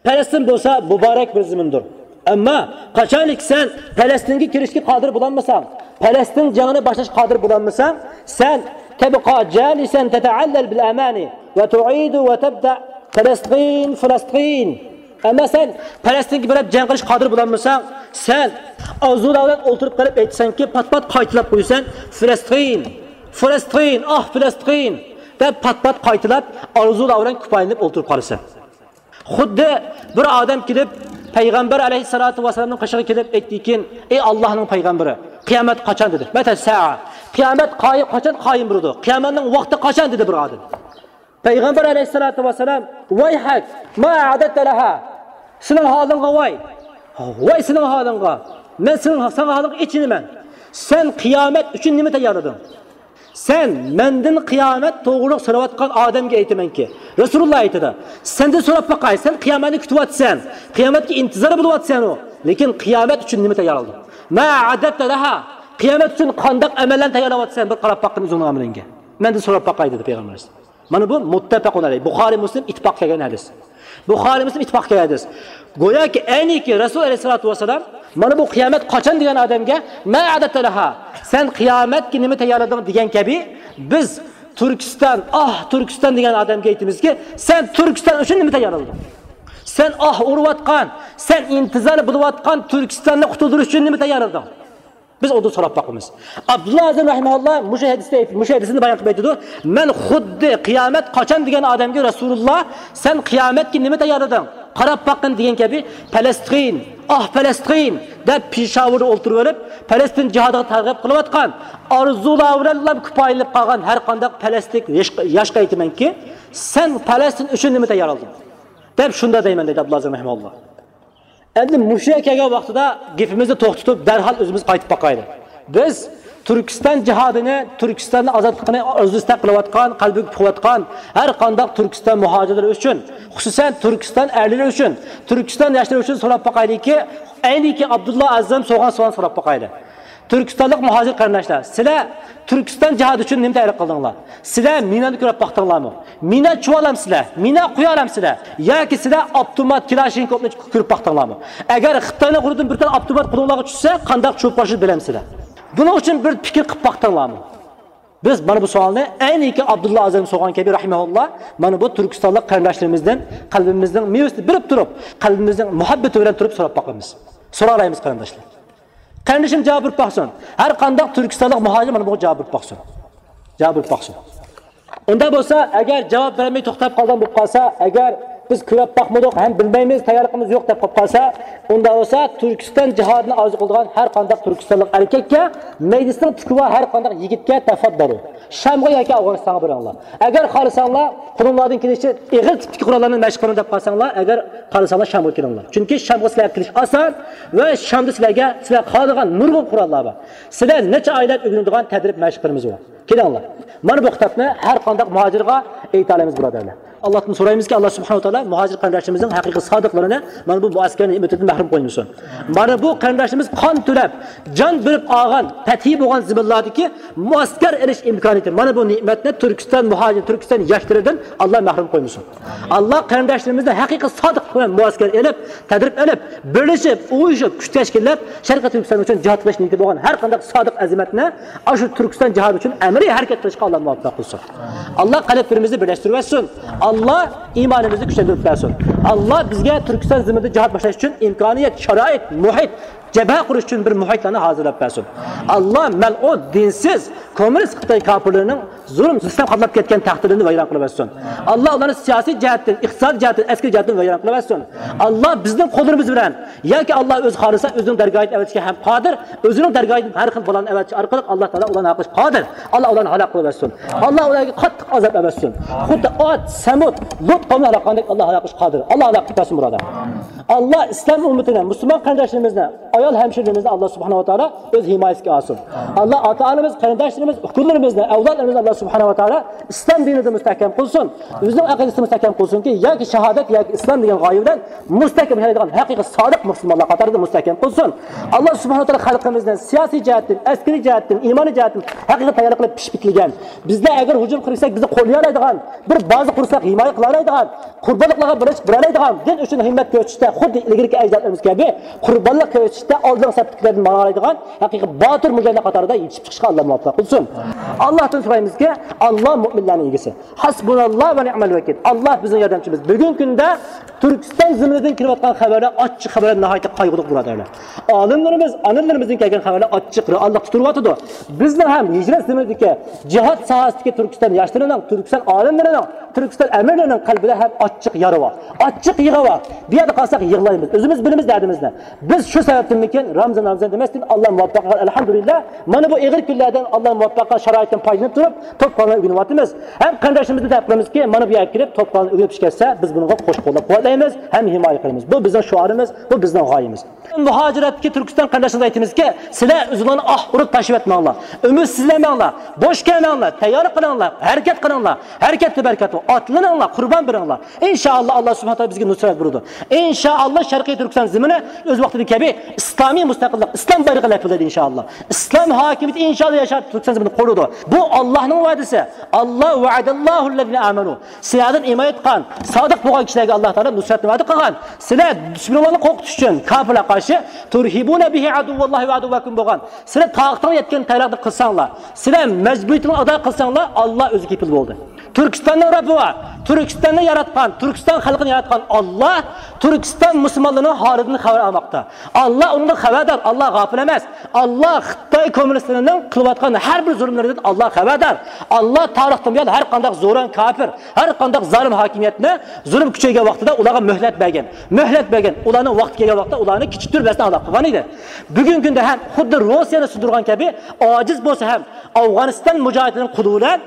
پەلەستىن بولسا مۇبارەك بىر زېمىندۇر. ئەمما قاچانكى سەن پەلەستىنگە كىرىشكە قادىر بولالمىساڭ، پەلەستىن جېڭىنى باشلاشقا قادىر بولالمىساڭ، سەن تەبقا جالىسەن تەتەئەللەل بىل ئەمانى ۋە تۇئىدۇ ۋە تەبدە فەلەستىن، فەلەستىن. ئەمما سەن پەلەستىنگە بېرىپ جەڭ قىلىشقا قادىر بولالمىساڭ، سەن ئارزۇلار بىلەن ئولتۇرۇپ قېلىپ ئېيتىسەنكى، پات-پات قايتىلاپ قويىسەن، فەلەستىن، فەلەستىن، ئاھ، فەلەستىن، دەپ پات-پات قايتىلاپ، ئارزۇلار بىلەن كۇپايىلىنىپ ئولتۇرۇپ قالىسەن. خۇددى بىر ئادەم كېلىپ، پەيغەمبەر ئەلەيھىسسالاتۇ ۋەسسالامنىڭ قېشىغا كېلىپ ئېيتتىكىن، ئەي ئاللاھنىڭ پەيغەمبىرى، قىيامەت قاچان؟ دېدى. مەتە سەئە، قىيامەت قايىم، قاچان قايىم بولىدۇ؟ قىيامەتنىڭ ۋاقتى قاچان؟ دېدى بىر ئادەم. پەيغەمبەر ئەلەيھىسسالاتۇ ۋەسسالام، ۋەيھەك، ما ئەئدەتتە لەھا، سېنىڭ ھالىڭغا ۋاي، ۋاي سېنىڭ ھالىڭغا، مەن سېنىڭ، ساڭا ھالىڭغا ئېچىنىمەن. سەن قىيامەت ئۈچۈن نېمە تەييارلىدىڭ؟ سەن مەندىن قىيامەت توغرۇلۇق سوراۋاتقان ئادەمگە ئېيتىمەنكى، رەسۇلۇللا ئېيتىدۇ، سەندىن سوراپ باقاي، سەن قىيامەتنى كۈتۈۋاتىسەن، قىيامەتكە ئىنتىزار بولۇۋاتىسەن، لېكىن قىيامەت ئۈچۈن نېمە تەييارلىدىڭ؟ ما ئەئدەتتە لەھا، قىيامەت ئۈچۈن قانداق ئەمەللەرنى تەييارلاۋاتىسەن، بىر قاراپ باققىن ئۆزۈڭنىڭ ئەمىلىڭگە. مەندىن سوراپ باقاي، دېدى پەيغەمبەر ئەلەيھىسسالام. مانا بۇ مۇتتەپەقۇن ئەلەيھ، بۇخارىي مۇسلىم ئىتتىپاق كەلگەن ھەدىس. بۇخارىي مۇسلىم ئىتتىپاق كەلگەن ھەدىس. گوياكى ئەينىكى رەسۇل ئەلەيھىسسالاتۇ ۋەسسالام مانا بۇ قىيامەت قاچان دېگەن ئادەمگە ما ئەئدەتتە لەھا، سەن قىيامەتكە نېمە تەييارلىدىڭ دېگەن كەبى، بىز تۈركىستان، ئاھ تۈركىستان دېگەن ئادەمگە ئېيتىمىزكى، سەن تۈركىستان ئۈچۈن نېمە تەييارلىدىڭ؟ سەن ئاھ ئۇرۇۋاتقان، سەن ئىنتىزار بولۇۋاتقان تۈركىستاننى قۇتۇلدۇرۇش ئۈچۈن نېمە تەييارلىدىڭ؟ بىز ئۇندىن سوراپ باقىمىز. ئابدۇللا ئازىم رەھىمەھۇللا مۇشۇ ھەدىستە، مۇشۇ ھەدىسىنى بايان قىلىپ ئېيتىدۇ، مەن خۇددى قىيامەت قاچان دېگەن ئادەمگە رەسۇلۇللا، سەن قىيامەتكە نېمە تەييارلىدىڭ؟ قاراپ باققىن دېگەن كەبى، پەلەستىن، ئاھ پەلەستىن دەپ پېشاۋۇردا ئولتۇرۇۋېلىپ، پەلەستىن جىھادىغا تەرغىب قىلىۋاتقان، ئارزۇلار بىلەنلا كۇپايىلىنىپ قالغان ھەر قانداق پەلەستىنلىك ياش-، ياشقا ئېيتىمەنكى، سەن پەلەستىن ئۈچۈن نېمە تەييارلىدىڭ؟ دەپ شۇنداق دەيمەن، دەيدۇ ئابدۇللا ئازىم رەھىمەھۇللا. ئەمدى مۇشۇ يەرگە كەلگەن ۋاقتىدا گېپىمىزنى توختىتىپ، دەرھال ئۆزىمىز قايتىپ باقايلى. بىز تۈركىستان جىھادىنى، تۈركىستاننىڭ ئازادلىقىنى ئارزۇ ئىستەك قىلىۋاتقان، قەلبىگە پۇقۇۋاتقان ھەر قانداق تۈركىستان مۇھاجىرلىرى ئۈچۈن، خۇسۇسەن تۈركىستان ئەرلىرى ئۈچۈن، تۈركىستان ياشلىرى ئۈچۈن سوراپ باقايلىكى، ئەينىكى ئابدۇللا ئازىم سورىغان سوئالنى سوراپ باقايلى. تۈركىستانلىق مۇھاجىر قېرىنداشلار، سىلەر تۈركىستان جىھادى ئۈچۈن نېمە تەييارلىق قىلدىڭلار؟ سىلەر مىنانى كۆرۈپ باقتىڭلارمۇ؟ مىنا چۈشۈرەلەمسىلەر؟ مىنا قويالامسىلەر؟ ياكى سىلەر ئاپتومات، كىلاشنىكوفنى كۆرۈپ باقتىڭلارمۇ؟ ئەگەر خىتاينىڭ قولىدىن بىر دانە ئاپتومات قولۇڭلارغا چۈشسە، قانداق چوپ باشلىشىنى بىلەمسىلەر؟ بۇنىڭ ئۈچۈن بىر پىكىر قىلىپ باقتىڭلارمۇ؟ بىز مانا بۇ سوئالنى ئەينىكى ئابدۇللا ئازىم سورىغان كەبى رەھىمەھۇللا، مانا بۇ تۈركىستانلىق قېرىنداشلىرىمىزدىن قەلبىمىزنىڭ مېۋىسىنى بىلىپ تۇرۇپ، قەلبىمىزنىڭ مۇھەببىتى بىلەن تۇرۇپ سوراپ باقىمىز. سورالايمىز قېرىنداشلار. قېرىندىشىم جاۋاب بېرىپ باقسۇن. ھەر قانداق تۈركىستانلىق مۇھاجىر مانا بۇغا جاۋاب بېرىپ باقسۇن. جاۋاب بېرىپ باقسۇن. ئۇنداق بولسا، ئەگەر جاۋاب بەرمەي توختاپ قالغان بولۇپ قالسا، ئەگەر بىز كۆرۈپ باقمىدۇق ھەم بىلمەيمىز، تەييارلىقىمىز يوق دەپ قېلىپ قالسا، ئۇنداق بولسا تۈركىستان جىھادىنى ئارزۇ قىلىدىغان ھەر قانداق تۈركىستانلىق ئەركەككە، مەيدىسىنىڭ تۈكى بار ھەر قانداق يىگىتكە تەفەددالۇ، شامغا ياكى ئافغانىستانغا بېرىڭلار. ئەگەر خالىساڭلار، قولۇملاردىن كېلىشىچە ئېغىر تىپتىكى قوراللارنى مەشىق قىلىمەن دەپ قالساڭلار، ئەگەر خالىساڭلار شامغا كېلىڭلار. چۈنكى شامغا سىلەرگە كېلىش ئاسان ۋە شامدا سىلەرگە، سىلەر خالىغان نۇرغۇن قوراللار بار. سىلەر نەچچە ئايلاپ ئۆگىنىدىغان تەدرىب مەشىقلىرىمىز بار. كېلىڭلار. مانا بۇ خىتابنى ھەر قانداق مۇھاجىرغا ئېيتالايمىز، بۇرادەرلەر. ئاللاھتىن سورايمىزكى، ئاللا سۇبھانەھۇ ۋە تائالا مۇھاجىر قېرىنداشلىرىمىزنىڭ ھەقىقىي سادىقلىرىنى مانا بۇ مۇئەسكەر نېمىتىدىن مەھرۇم قويمىسۇن. مانا بۇ قېرىنداشلىرىمىز قان تۆلەپ، جان بېرىپ ئالغان پەتھى بولغان زېمىنلاردىكى مۇئەسكەر ئېلىش ئىمكانىيىتى، مانا بۇ نېمەتنى تۈركىستان مۇھاجىر، تۈركىستان ياشلىرىدىن ئاللا مەھرۇم قويمىسۇن. ئاللا قېرىنداشلىرىمىزنى ھەقىقىي سادىق بىلەن مۇئەسكەر ئېلىپ، تەدرىب ئېلىپ، بىرلىشىپ، ئۇيۇشۇپ، كۈچ تەشكىللەپ، شەرقىي تۈركىستان ئۈچۈن جىھاد قىلىش نىيىتى بولغان ھەر قانداق سادىق ئەزىمەتنى ئاشۇ تۈركىستان جىھادى ئۈچۈن ئەمەلىي ھەرىكەت قىلىشقا ئاللا مۇۋەپپەق قىلسۇن. ئاللا قەلبلىرىمىزنى بىرلەشتۈرۈۋەتسۇن. ئاللا ئىمانىمىزنى كۈچلەندۈرۈپ بەرسۇن. ئاللا بىزگە تۈركىستان زېمىنىدا جىھاد باشلاش ئۈچۈن ئىمكانىيەت، شارائىت، مۇھىت، جەبھە قۇرۇش ئۈچۈن بىر مۇھىتلارنى ھازىرلاپ بەرسۇن. ئاللا مەلئۇن، دىنسىز، كوممۇنىست خىتاي كاپىرلىرىنىڭ زۇلۇم، زۇلۇم قاپلاپ كەتكەن تەختلىرىنى ۋەيران قىلىۋەتسۇن. ئاللا ئۇلارنى سىياسىي جەھەتتىن، ئىقتىسادىي جەھەتتىن، ئەسكىرىي جەھەتتىن ۋەيران قىلىۋەتسۇن. ئاللا بىزنىڭ قوللىرىمىز بىلەن ياكى ئاللا ئۆزى خالىسا ئۆزىنىڭ دەرگاھىدىن ئەۋەتىشكە ھەم قادىر، ئۆزىنىڭ دەرگاھىدىن ھەر خىل بالىلارنى ئەۋەتىش ئارقىلىق ئاللا تائالا ئۇلارنى ھالاك قىلىشقا قادىر. ئاللا ئۇلارنى ھالاك قىلىۋەتسۇن. ئاللا ئۇلارغا قاتتىق ئازاب ئەۋەتسۇن. خۇددى ئاد، سەمۇد، لۇت قومنى ھالاك قىلغاندەك ئاللا ھالاك قىلىشقا قادىر. ئاللا ھالاك قىلىپ بەرسۇن، بۇرادەر. ئاللا ئىسلام ئۈممىتىنى، مۇسۇلمان قېرىنداشلىرىمىزنى، ئايال ھەمشىرىلىرىمىزنى ئاللا سۇبھانەھۇ ۋە تائالا ئۆز ھىمايىسىگە ئالسۇن. ئاللا ئاتا-ئانىمىز، قېرىنداشلىرىمىز، ئۇكىلىرىمىزنى، ئەۋلادلىرىمىزنى ئاللا سۇبھانەھۇ ۋە تائالا ئىسلام دىنىدا مۇستەھكەم قىلسۇن. ئۆزىنىڭ ئەقىدىسىدە مۇستەھكەم قىلسۇنكى، ياكى شاھادەت، ياكى ئىسلام دېگەن غايە بىلەن مۇستەھكەم ياشايدىغان ھەقىقىي سادىق مۇسۇلمانلار قاتارىدا مۇستەھكەم قىلسۇن. ئاللا سۇبھانەھۇ ۋە تائالا خەلقىمىزنى سىياسىي جەھەتتىن، ئەسكىرىي جەھەتتىن، ئىمانىي جەھەتتىن ھەقىقىي تەييارلىق قىلىپ پىشىپ يېتىلگەن، بىزلەر ئەگەر ھۇجۇم قىلساق بىزنى قوللىيالايدىغان، بىر بازا قۇرساق ھىمايە قىلالايدىغان، قۇربانلىقلارغا بىرلىشىپ بېرەلەيدىغان، دىن ئۈچۈن ھىممەت كۆرسىتىشتە خۇددى ئىلگىرىكى ئەجدادلىرىمىز كەبى قۇربانلىق كۆرسىتىشتە ئالدىنقى سەپتىكىلەردىن ماڭالايدىغان ھەقىقىي باتۇر مۇجاھىدلار قاتارىدا يېتىشىپ چىقىشقا ئاللا مۇۋەپپەق قىلسۇن. ئاللاھتىن سورايمىزكى، ئاللا مۆمىنلەرنىڭ ئىگىسى. ھەسبۇناللا ۋە نىئمەل ۋەكىل. ئاللا بىزنىڭ ياردەمچىمىز. بۈگۈنكى كۈندە تۈركىستان زېمىنىدىن كېلىۋاتقان خەۋەرلەر، ئاچچىق خەۋەرلەر ناھايىتى قايغۇلۇق، بۇرادەرلەر. ئالىملىرىمىز، ئانىلىرىمىزدىن كەلگەن خەۋەرلەر ئاچچىق رېئاللىقتا تۇرۇۋاتىدۇ. بىزنىڭ ھەم ھىجرەت زېمىنىدىكى جىھاد ساھەسىدىكى تۈركىستان ياشلىرىنىڭ، تۈركىستان ئالىملىرىنىڭ، تۈركىستان ئەمىرلىرىنىڭ قەلبىدە ھەم ئاچچىق يارا بار، ئاچچىق يىغا بار. بۇ يەردە قالساق يىغلايمىز. ئۆزىمىز بىلىمىز دەردىمىزنى. بىز شۇ سەۋەبتىنمىكىن رامزان، رامزان دېمەستىن ئاللا مۇۋەپپەق قىلغان، ئەلھەمدۇلىللا. مانا بۇ ئېغىر كۈنلەردىن ئاللا مۇۋەپپەق قىلغان شارائىتتىن پايدىلىنىپ تۇرۇپ، توپ قۇرئاننى ئۆگىنىۋاتىمىز. ھەم قېرىنداشلىرىمىزنى دەپ قىلىمىزكى، مانا بۇ يەرگە كېلىپ توپ قۇرئاننى ئۆگىنىپ چىقىپ كەتسە، بىز بۇنىڭغا قوش قوللاپ قۇۋۋەتلەيمىز ھەم ھىمايە قىلىمىز. بۇ بىزنىڭ شوئارىمىز، بۇ بىزنىڭ غايىمىز. مۇھاجىرەتتىكى تۈركىستان قېرىنداشلىرىمىزغا ئېيتىمىزكى، سىلەر ئۆزۈڭلارنى ئاھ ئۇرۇپ تاشلىۋەتمەڭلار. ئۈمىدسىزلەنمەڭلار. بوش كەلمەڭلار. تەييارلىق قىلىڭلار. ھەرىكەت قىلىڭلار. ھەرىكەتتە بەرىكەت بار. ئاتلىنىڭلار. قۇربان بېرىڭلار. ئىنشائاللا، ئاللا سۇبھانەھۇ ۋە تائالا بىزگە نۇسرەت بېرىدۇ. ئىنشائاللا، شەرقىي تۈركىستان زېمىنى ئۆز ۋاقتىدا كەبى ئىسلامىي مۇستەقىللىق، ئىسلام بايرىقى لەپىلدەيدۇ ئىنشائاللا. ئىسلام ھاكىمىيىتى ئىنشائاللا ياشاپ تۈركىستان زېمىنى قۇرۇلىدۇ. بۇ ئاللانىڭ ۋەدىسى. ئاللا، ۋەئەدەللاھۇللەزىنە ئامەنۇ. سىلەردىن ئىمان ئېيتقان، سادىق بولغان كىشىلەرگە ئاللا تائالا نۇسرەتنى ۋەدە قىلغان. سىلەر دۈشمىنىڭلارنى قورقۇتۇش ئۈچۈن، كاپىرلارغا قارشى، تۇرھىبۇنە بىھى ئەدۇۋۋاللاھى ۋە ئەدۇۋۋەكۇم بولغان. سىلەر تاقىتىڭلار يەتكەن تەييارلىقنى قىلساڭلار، سىلەر مەجبۇرىيىتىڭلارنى ئادا قىلساڭلار، ئاللا ئۆزى كېپىل بولدى. تۈركىستاننىڭ رەببى بار. تۈركىستاننى ياراتقان، تۈركىستان خەلقىنى ياراتقان ئاللا تۈركىستان مۇسۇلمانلىرىنىڭ ھالىدىن خەۋەر ئالماقتا. ئاللا ئۇنىڭدىن خەۋەردار، ئاللا غاپىل ئەمەس. ئاللا خىتاي كوممۇنىستلىرىنىڭ قىلىۋاتقان ھەر بىر زۇلۇملىرىدىن ئاللا خەۋەردار. ئاللا تارىختىن بۇيان ھەر قانداق زوران كاپىر، ھەر قانداق زالىم ھاكىمىيەتنى زۇلۇم كۈچەيگەن ۋاقتىدا ئۇلارغا مۆھلەت بەرگەن. مۆھلەت بەرگەن. ئۇلارنىڭ ۋاقتى كەلگەن ۋاقىتتا ئۇلارنى كېچىكتۈرمەستىن ھالاك قىلغان ئىدى. بۈگۈنكى كۈندە ھەم خۇددى روسىيەنى سۇندۇرغان كەبى ئاجىز بولسا ھەم ئافغانىستان مۇجاھىدلىرىنىڭ قولى بىلەن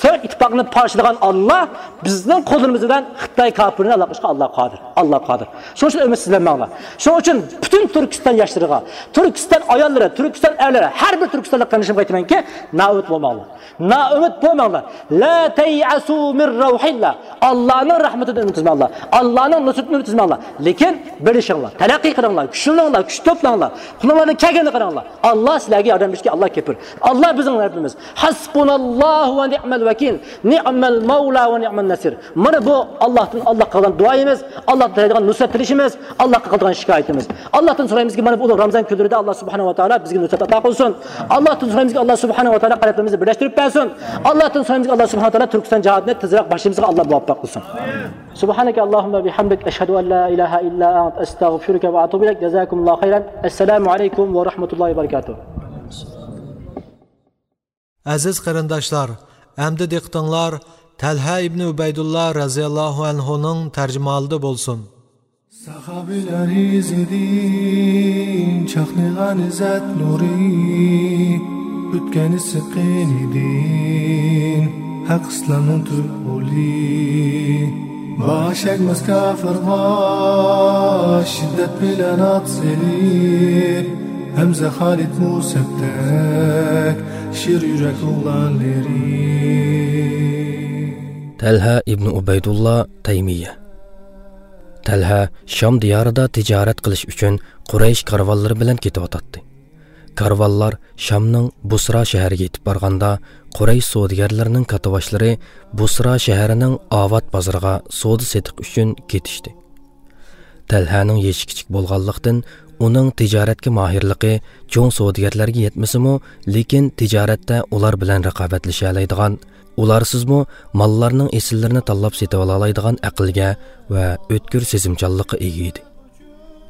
سوۋېت ئىتتىپاقىنى پارچىلىغان ئاللا بىزنىڭ قولىمىز بىلەن خىتاي كاپىرىنى ھالاك قىلىشقا ئاللا قادىر. ئاللا قادىر. شۇنىڭ ئۈچۈن ئۈمىدسىزلەنمەڭلار. شۇنىڭ ئۈچۈن پۈتۈن تۈركىستان ياشلىرىغا، تۈركىستان ئاياللىرى، تۈركىستان ئەرلىرى، ھەر بىر تۈركىستانلىق قېرىندىشىمغا ئېيتىمەنكى، نائۈمىد بولماڭلار. نائۈمىد بولماڭلار. لا تيأسوا من روح الله. ئاللانىڭ رەھمىتىدىن ئۈمىد ئۈزمەڭلار. ئاللانىڭ نۇسرىتىدىن ئۈمىد ئۈزمەڭلار. لېكىن بىرلىشىڭلار، تەرەققىي قىلىڭلار، كۈچلىنىڭلار، كۈچ توپلاڭلار، قولۇڭلاردىن كەلگىنىنى قىلىڭلار. ئاللا سىلەرگە ياردەم بېرىشكە ئاللا كېپىل. ئاللا بىزنىڭ رەببىمىز. ھەسبۇناللاھۇ ۋە نىئمەل ۋەكىل، نىئمەل مەۋلا ۋە نىئمەن نەسىر. مانا بۇ ئاللاھتىن، ئاللاھقا قىلغان دۇئايىمىز، ئاللاھتىن تىلەيدىغان نۇسرەت تىلىشىمىز، ئاللاھقا قىلىدىغان شىكايىتىمىز. ئاللاھتىن سورايمىزكى، مانا بۇ ئۇلۇغ رامزان كۈنلىرىدە ئاللا سۇبھانەھۇ ۋە تائالا بىزگە نۇسرەت ئاتا قىلسۇن. ئاللاھتىن سورايمىزكى، ئاللا سۇبھانەھۇ ۋە تائالا قەلبلىرىمىزنى بىرلەشتۈرۈپ بەرسۇن. ئاللاھتىن سورايمىزكى، ئاللا سۇبھانەھۇ ۋە تائالا تۈركىستان جىھادىنى تېزرەك باشلىمىزغا ئاللا مۇۋەپپەق قىلسۇن. سبحانك اللهم بحمدك، أشهد أن لا إله إلا أنت، أستغفرك وأتوب إليك. جزاكم الله خيرا. السلام عليكم ورحمة الله وبركاته. ئەزىز قېرىنداشلار، ئەمدى دىققىتىڭلار تەلھە ئىبنى ئۇبەيدۇللا رەزىياللاھۇ ئەنھۇنىڭ تەرجىمىھالىدا بولسۇن. ساخابىلەر ئىزىدىن چاقنىغان ئىززەت نۇرى، ئۆتكەن ئىسسىق قېنىدىن ھەق ئىسلامنىڭ تۈپ غولى. باش ئەگمەس كاپىرغا شىددەت بىلەن ئات سېلىپ، ھەمزە خالىد مۇسەبدەك شىر يۈرەك ئوغلانلىرى. تەلھە ئىبنى ئۇبەيدۇللا تەيمىيە. تەلھە شام دىيارىدا تىجارەت قىلىش ئۈچۈن قۇرەيش كارۋانلىرى بىلەن كېتىۋاتاتتى. كارۋانلار شامنىڭ بۇسرا شەھىرىگە يېتىپ بارغاندا، قۇرەيش سودىگەرلىرىنىڭ كاتتىباشلىرى بۇسرا شەھىرىنىڭ ئاۋات بازىرىغا سودا سېتىق ئۈچۈن كېتىشتى. تەلھەنىڭ يېشى كىچىك بولغانلىقتىن، ئۇنىڭ تىجارەتكە ماھىرلىقى چوڭ سودىگەرلەرگە يەتمىسىمۇ، لېكىن تىجارەتتە ئۇلار بىلەن رىقابەتلىشەلەيدىغان، ئۇلارسىزمۇ ماللارنىڭ ئېسىللىرىنى تاللاپ سېتىۋالالايدىغان ئەقىلگە ۋە ئۆتكۈر سېزىمچانلىققا ئىگە ئىدى.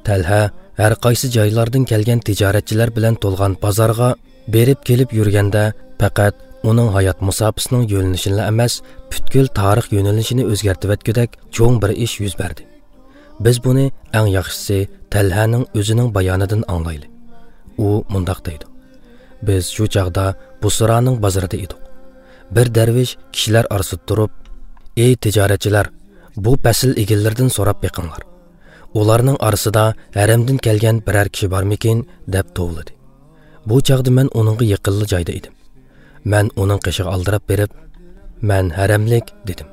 تەلھە ھەر قايسى جايلاردىن كەلگەن تىجارەتچىلەر بىلەن تولغان بازارغا بېرىپ كېلىپ يۈرگەندە، پەقەت ئۇنىڭ ھايات مۇساپىسىنىڭ يۆنىلىشىنىلا ئەمەس، پۈتكۈل تارىخ يۆنىلىشىنى ئۆزگەرتىۋەتكۈدەك چوڭ بىر ئىش يۈز بەردى. بىز بۇنى ئەڭ ياخشىسى تەلھەنىڭ ئۆزىنىڭ بايانىدىن ئاڭلايلى. ئۇ مۇنداق دەيدۇ: بىز شۇ چاغدا بۇسرانىڭ بازىرىدا ئىدۇق. بىر دەرۋىش كىشىلەر ئارىسىدا تۇرۇپ، «ئەي تىجارەتچىلەر، بۇ پەسىل ئىگىلىرىدىن سوراپ بېقىڭلار. ئۇلارنىڭ ئارىسىدا ھەرەمدىن كەلگەن بىرەر كىشى بارمىكىن؟» دەپ توۋلىدى. بۇ چاغدا مەن ئۇنىڭغا يېقىنلا جايدا ئىدىم. مەن ئۇنىڭ قېشىغا ئالدىراپ بېرىپ، «مەن ھەرەملىك» دېدىم.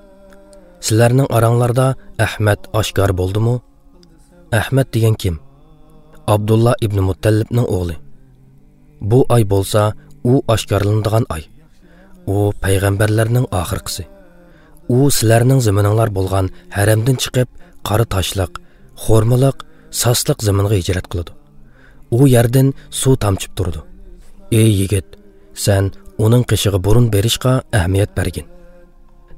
«سىلەرنىڭ ئاراڭلاردا ئەھمەد ئاشكارا بولدىمۇ؟» «ئەھمەد دېگەن كىم؟» «ئابدۇللا ئىبنى مۇتتەلىپنىڭ ئوغلى. بۇ ئاي بولسا ئۇ ئاشكارىلىنىدىغان ئاي. ئۇ پەيغەمبەرلەرنىڭ ئاخىرقىسى. ئۇ سىلەرنىڭ زېمىنىڭلار بولغان ھەرەمدىن چىقىپ، قارا تاشلىق، خورمىلىق، ساسلىق زېمىنغا ھىجرەت قىلىدۇ. ئۇ يەردىن سۇ تامچىپ تۇرىدۇ. ئەي يىگىت، سەن ئۇنىڭ قېشىغا بۇرۇن بېرىشقا ئەھمىيەت بەرگىن.»